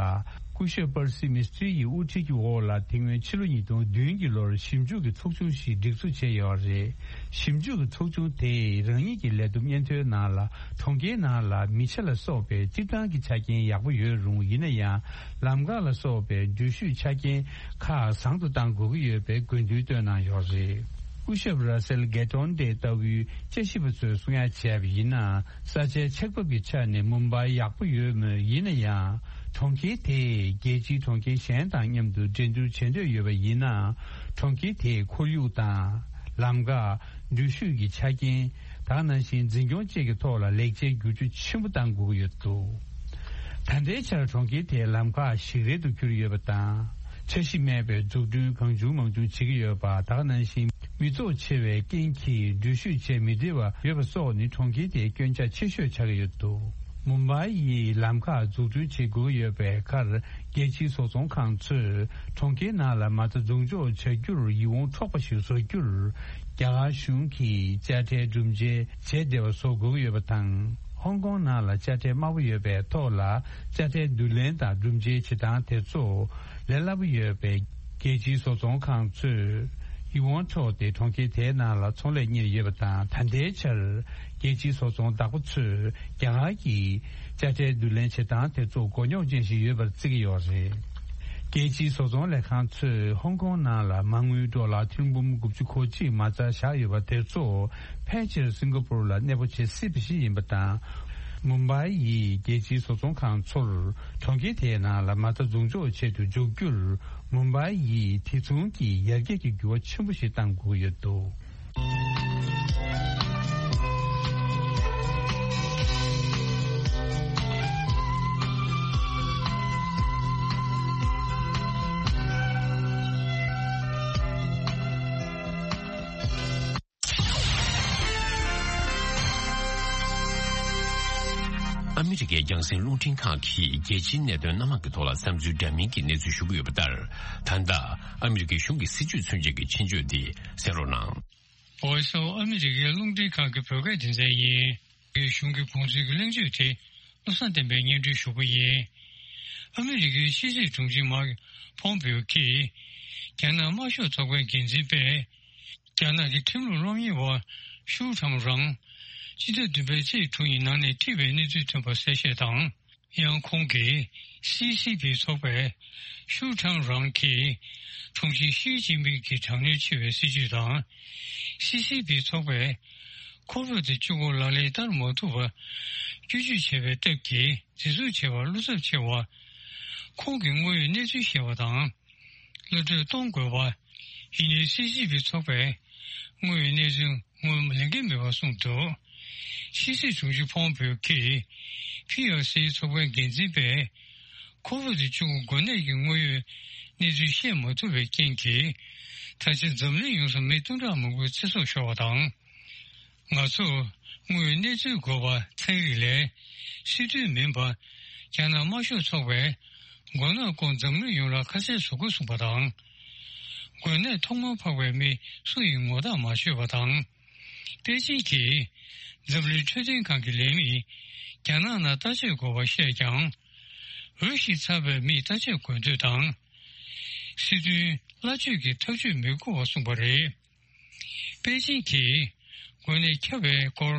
སྐུ་ཞབས་པར་སི་མིས་ཏྲི་ཡི་དབུ་ཁྲིད་ཀྱི་འོག་ལ་དེ་སྔོན་ཕྱི་ལོ་ཉིས་སྟོང་བདུན་གྱི་ལོར་ཞིབ་འཇུག་གི་ཚོགས་ཆུང་ཞིག་སྒྲིག་འཛུགས་བྱས་ཡོད་རེད། ཞིབ་འཇུག་གི་ཚོགས་ཆུང་དེས་རང་ཉིད་ཀྱི་ལས་བསྡོམས་སྙན་ཐོའི་ནང་ལ་གྲོང་ཁྱེར་ནང་ལ་མི་ཆ་ལ་སོགས་པའི་སྤྱིར་བཏང་གི་ཆ་རྐྱེན་ཡག་པོ་ཡོད་རུང་ཡིན་ན་ཡང་ལམ་ཁ་ལ་སོགས་པའི་འགྲུལ་བཞུད་ཆ་རྐྱེན་ཁག་བཟང་དུ་གཏང་དགོས་ཀྱི་ཡོད་པའི་དགོས་འདུན་བཏོན་གནང་ཡོད་རེད། སྐུ་ཞབས་ར་སེལ་གྷེ་ཏོན་ཏེ་ལྟ་བུའི་དཔྱད་ཞིབ་པ་ཚོས་གསུང་ཡ་བྱས་པ་ཡིན་ན། ས་ཆའི་ཆགས་བབ་ཀྱི་ཆ་ནས་མུམ་བྷའི་ཡག་པོ་ཡོད་མོད། ཡིན་ན་ཡང་གྲོང་ཁྱེར་དེས་རྒྱལ་སྤྱིའི་གྲོང་ཁྱེར་གཞན་དང་མཉམ་དུ་འགྲན་བསྡུར་བྱེད་འདོད་ཡོད་པ་ཡིན་ན། གྲོང་ཁྱེར་དེའི་ཁོར་ཡུག་དང་། ལམ་ཁ། འགྲུལ་བཞུད་ཀྱི་ཆ་རྐྱེན། ད་ག་ནང་བཞིན་འཛིན་སྐྱོང་བཅས་ཀྱི་ཐོག་ལ་ལེགས་ཆའི་བསྒྱུར་བཅོས་ཆེན་པོ་གཏང་དགོས་ཀྱི་ཡོད་འདུག་ད་ལྟའི་ཆར་གྲོང་ཁྱེར་དེའི་ལམ་ཁ་ཞིག་རལ་དུ་གྱུར་ཡོད་པ་དང་། འཆར་གཞི་མེད་པའི་འཛུགས་སྐྲུན་གང་བྱུང་མང་བྱུང་བྱེད་ཀྱི་ཡོད་པ། ད་ག་ནང་བཞིན་མི་ཚོགས་ཆེ་བའི་རྐྱེན་གྱིས་འགྲུལ་བཞུད་བྱེད་མི་བདེ་བ་ཡོད་པ་སོགས་ནི་གྲོང་ཁྱེར་དེའི་སྐྱོན་ཆ་ཆེ་ཤོས་ཆགས་ཀྱི་ཡོད་འདུག་མུམ་བྷའི་ཡིས་ལམ་ཁ་འཛུགས་སྐྲུན་བྱེད་དགོས་ཀྱི་ཡོད་པའི་ཁར། རྒྱལ་སྤྱིའི་བཟོ་ཚོང་ཁང་ཚོས་གྲོང་ཁྱེར་ནང་ལ་མ་རྩ་འཛུགས་འཇོག་བྱ་རྒྱུར་ཡིད་དབང་འཕྲོག་པ་ཞིག་བཟོ་རྒྱུར། རྒྱ་གར་གཞུང་གིས་དཔྱ་ཁྲལ་སྒྲུབ་འཇལ་བྱས་བདེ་བ་བཟོ་དགོས་ཀྱི་ཡོད་པ་དང་། ཧོང་ཀོང་ནང་ལ་དཔྱ་ཁྲལ་དམའ་པོ་ཡོད་པའི་ཐོག་ལ་དཔྱ་ཁྲལ་བསྡུ་ལེན་དང་སྒྲུབ་འཇལ་བྱེད་སྟངས་དེ་ཚོ་ལས་སླ་པོ་ཡོད་པས། རྒྱལ་སྤྱིའི་བཟོ་ཚོང་ཁང་ཚོས་ཡིད་དབང་འཕྲོག་སྟེ་གྲོང་ཁྱེར་དེའི་ནང་ལ་ཚོང་ལས་གཉེར་ཡོད་པ་དང་། ད་ལྟའི་ཆར་རྒྱལ་སྤྱིའི་བཟོ་ཚོང་བདག་པོ་ཚོས་རྒྱ་གར་གྱི་དཔྱ་ཁྲལ་བསྡུ་ལེན་བྱེད་སྟངས་དེ་ཚོ་མགོ་རྙོག་ཅན་ཞིག་ཡོད་པར་བརྩི་གི་ཡོད་རེད། རྒྱལ་སྤྱིའི་བཟོ་ཚོང་ལས་ཁང་ཚོས་ཧོང་ཀོང་ནང་ལ་མ་དངུལ་ཌོ་ལར་ཐེར་འབུམ་དགུ་བཅུ་གོ་གཅིག་མ་རྩ་བཞག་ཡོད་པ་དེ་ཚོ་ཕལ་ཆེར་སིང་ག་པུར་ལ་གནས་སྤོ་བྱེད་སྲིད་པ་ཞིག་ཡིན་པ་དང་། མུམ་བྷའི་ཡི་རྒྱལ་སྤྱིའི་བཟོ་ཚོང་ཁང་ཚོར་གྲོང་ཁྱེར་དེའི་ནང་ལ་མ་རྩ་འཛུགས་འཇོག་ཆེད་དུ་འཇོག་རྒྱུར་མུམ་བྷའི་ཡིས་དེ་མཚུངས་ཀྱི་ཡར་རྒྱས་ཀྱི་འགྱུར་བ་ཆེན་པོ་ཞིག་གཏང་དགོས་ཀྱི་ཡོད་འདུག། ཨ་མི་རི་ཀའི་རྒྱང་སྲིང་རླུང་འཕྲིན་ཁང་གིས་རྒྱལ་སྤྱིའི་གནད་དོན་སྣ་མང་གི་ཐོག་ལ་བསམ་ཚུལ་འདྲ་མིན་གྱི་གནས་ཚུལ་ཞུ་གི་ཡོད་པ་ལྟར། ད་ལྟ་ཨ་མི་རི་ཀའི་གཞུང་གི་སྲིད་བྱུས་མཚོན་བྱེད་ཀྱི་ཆེད་བརྗོད་འདི་གསན་རོགས་གནང་། Voice of America རླུང་འཕྲིན་ཁང་གི་བོད་སྐད་སྡེ་ཚན་ཡིན། གཞུང་གི་དགོངས་ཚུལ་གྱི་གླེང་བརྗོད་དེ་བློ་བཟང་བསྟན་པས་སྙན་སྒྲོན་ཞུ་གི་ཡིན། ཨ་མི་རི་ཀའི་ཕྱི་སྲིད་དྲུང་ཆེ་མཱིག་ཕོམ་པེའོ་གིས་རྒྱ་ནག་དམར་ཤོག་ཚོགས་པའི་འགན་འཛིན་པས། རྒྱ་ནག་གི་ཁྲིམས་ལུགས་སློབ་གཉེར་བ་ཤུའུ་ཁྲང་རང་། སྤྱི་ཟླ་བདུན་པའི་ཚེས་དྲུག་ཉིན་ནང་ནས་འཁྲིད་པའི་གནས་ཚུལ་ཐོན་པ་གསལ་བཤད་དང་། ཡང་ཁོང་གིས་སི་སི་པི་ཚོགས་པས་ཤུའུ་ཁྲང་རང་གིས་དྲུང་ཆེ་ཞི་ཅིན་ཕིང་གི་དྲག་གནོན་ཆེ་བའི་སྲིད་བྱུས་དང་། སི་སི་པི་ཚོགས་པས་ཁོ་བིད་བཅུ་དགུ་ལག་ལེན་བསྟར་མ་ཐུབ་པར་སྐྱོན་བརྗོད་བྱས་པའི་སྟབས་ཀྱིས་འཛིན་བཟུང་བྱས་པར་བློ་འཚབ་ཆེ་བ། ཁོང་གི་དངོས་ཡོད་གནས་ཚུལ་བཤད་པ་དང་། གློད་གྲོལ་གཏོང་དགོས་པ། ཡིན་ནའི་སི་སི་པི་ཚོགས་པས་དངོས་ཡོད་གནས་ཚུལ་ངོས་ལེན་གྱི་མེད་པ་གསུངས་འདུག། ཕྱི་སྲིད་དྲུང་ཆེ་ཕོམ་པེའོ་གིས་ཕི་ཨར་སི་ཚོགས་པའི་འགན་འཛིན་པས་ཁོ་བིད་བཅུ་དགུ་འགོས་ནད་ཀྱི་དངོས་ཡོད་གནས་ཚུལ་བཤད་མ་ཐུབ་པའི་རྐྱེན་གྱིས། ད་ཆ་འཛམ་གླིང་ཡོངས་སུ་མི་སྟོང་ཕྲག་མང་པོའི་ཚེ་སྲོག་ཤོར་བ་དང་། ང་ཚོར་དངོས་ཡོད་གནས་ཚུལ་དགོས་པ་ཚན་རིག་ལས་སྲིད་དོན་མིན་པ། རྒྱ་ནག་དམར་ཤོག་ཚོགས་པས་མགོ་ནག་སྐོར་འཛམ་གླིང་ཡོངས་ལ་ཁ་གསལ་བཟོ་དགོས་གསུངས་པ་དང་། འགོས་ནད་ཐོག་མར་འཕགས་པའི་མི་སུ་ཡིན་ངོ་ཐག་མ་ཆོད་པ་དང་། པེ་ཅིང་གིས་འཛམ་གླིང་འཕྲོད་བསྟེན་ཁང་གི་ལས་མི་རྒྱ་ནག་ནང་བརྟག་དཔྱད་དགོས་པ་བཤད་ཀྱང་། འོས་ཤིང་འཚམས་པའི་མིས་བརྟག་དཔྱད་དགོས་འདོད་དང་། སྲིད་དོན་སླ་བཅོས་ཀྱི་ཐབས་ཇུས་མི་དགོས་པ་གསུངས་པ་རེད། པེ་ཅིང་གིས་འགོས་ནད་ཁྱབ་པའི་སྐོར་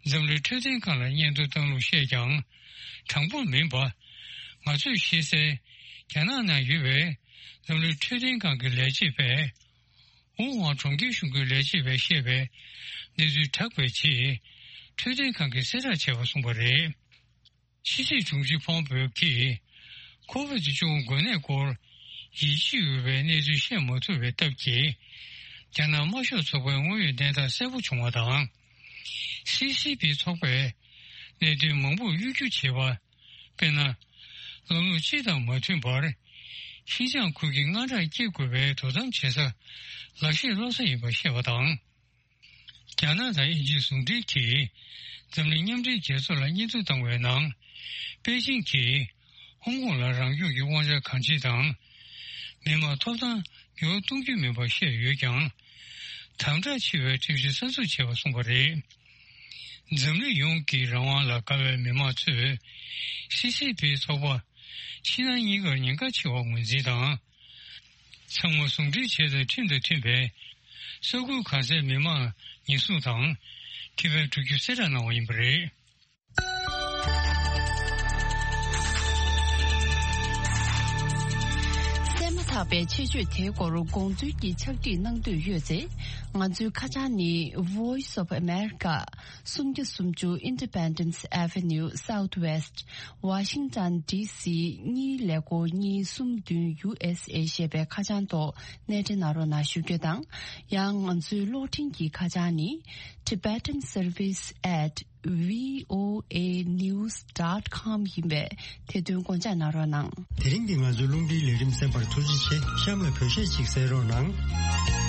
འཛམ་གླིང་འཕྲོད་བསྟེན་ཁང་ལ་སྙན་ཐོ་བཏང་ལུགས་བཤད་ཀྱང་། དྲང་པོ་མིན་པ། ང་ཚོས་ཤེས་གསལ་རྒྱ་ནག་ནང་ཡོད་པའི་འཛམ་གླིང་འཕྲོད་བསྟེན་ཁང་གི་ལས་བྱེད་པས། ཝུ་ཧུའང་གྲོང་ཁྱེར་གཞུང་གི་ལས་བྱེད་པས་བཤད་པའི་གནས་ཚུལ་དྲག་པའི་ཆེད། འཕྲོད་བསྟེན་ཁང་གིས་གསལ་བསྒྲགས་བྱས་པ་གསུངས་པ་རེད། ཕྱི་སྲིད་དྲུང་ཆེ་ཕོམ་པེའོ་གིས་ཁོ་བིད་བཅུ་དགུ་འགོས་ནད་སྐོར་ཡིད་ཆེས་འོས་པའི་གནས་ཚུལ་བཤད་མ་ཐུབ་པའི་སྟབས་ཀྱིས། རྒྱ་ནག་དམར་ཤོག་ཚོགས་པའི་དངོས་ཡོད་གནས་སྟངས་གསལ་པོ་བྱུང་བ་དང་། སི་སི་པི་ཚོགས་པས་གནད་དོན་མང་པོར་གཡོ་སྒྱུ་བྱས་པ། དཔེར་ན། ལམ་ལུགས་སྤྱི་དང་མ་མཐུན་པར། ཤིན་ཅང་ཁུལ་གྱི་དངངས་སྐྲག་སྐྱེ་དགོས་པའི་དོ་དམ་བྱེད་ས་ལག་ཤེས་སློབ་ས་ཡིན་པ་བཤད་པ་དང་། རྒྱ་ནག་དང་དབྱིན་ཇིའི་ཟུང་འབྲེལ་གྱིས་འཛམ་གླིང་མཉམ་འབྲེལ་རྒྱལ་ཚོགས་ལ་སྙན་ཐོ་བཏང་བའི་ནང་། པེ་ཅིང་གིས་ཧོང་ཀོང་ལ་རང་སྐྱོང་གི་དབང་ཆ་གང་ཆེ་དང་། མི་དམངས་ཐོབ་ཐང་འགྱུར་བ་གཏོང་རྒྱུ་མིན་པ་བཤད་ཡོད་ཀྱང་། དམ་དྲག་ཆེ་བའི་ཁྲིམས་གཞི་གསར་འཛུགས་བྱས་པ་གསུངས་པ་རེད། འཛམ་གླིང་ཡོངས་ཀྱི་རང་དབང་ལ་དགའ་བའི་མི་མང་ཚོས་སི་སི་པི་ཚོགས་པ་ཕྱི་ནང་གཉིས་ཀར་ཉེན་ཁ་ཆེ་བར་ངོས་འཛིན་དང་། ཚང་མ་ཟུང་འབྲེལ་བྱས་ཏེ་ཁྲིམས་དང་མཐུན་པའི་ས་ཁུལ་གང་སའི་མི་མང་ཉེན་སྲུང་དང་ཁེ་ཕན་སྒྲུབ་རྒྱུ་གསལ་བསྒྲགས་གནང་བ་ཡིན་པ་རེད། གསན་མ་ཐག་པའི་ཆེད་བརྗོད་དེའི་སྐོར་དགོངས་ཚུལ་གྱི་ཕྱག་བྲིས་གནང་འདོད་ཡོད་ཚེ། ང་ཚོའི་ཁ་བྱང་ནི། Voice of America། སུམ་བརྒྱ་སུམ་ཅུ་Independence Avenue Southwest། Washington D C གཉིས་ཀླད་ཀོར་གཉིས་གསུམ་བདུན་U S A ཞེས་པའི་ཁ་བྱང་ཐོག་གནས་འབྲེལ་གནང་རོགས་གནང་ཞུ་རྒྱུ་དང་། ཡང་ང་ཚོའི་གློག་འཕྲིན་གྱི་ཁ་བྱང་ནི། Tibetan Service at V O A news dot com ཡིན་པས། དེ་དོན་དགོངས་འཇགས་གནང་རོགས་གནང་། དེ་རིང་གི་ང་ཚོའི་རླུང་འཕྲིན་ལས་རིམ་གསན་པར་ཐུགས་རྗེ་ཆེ། གཤམ་ལ་བོད་གཞས་ཅིག་གསན་རོགས་གནང་།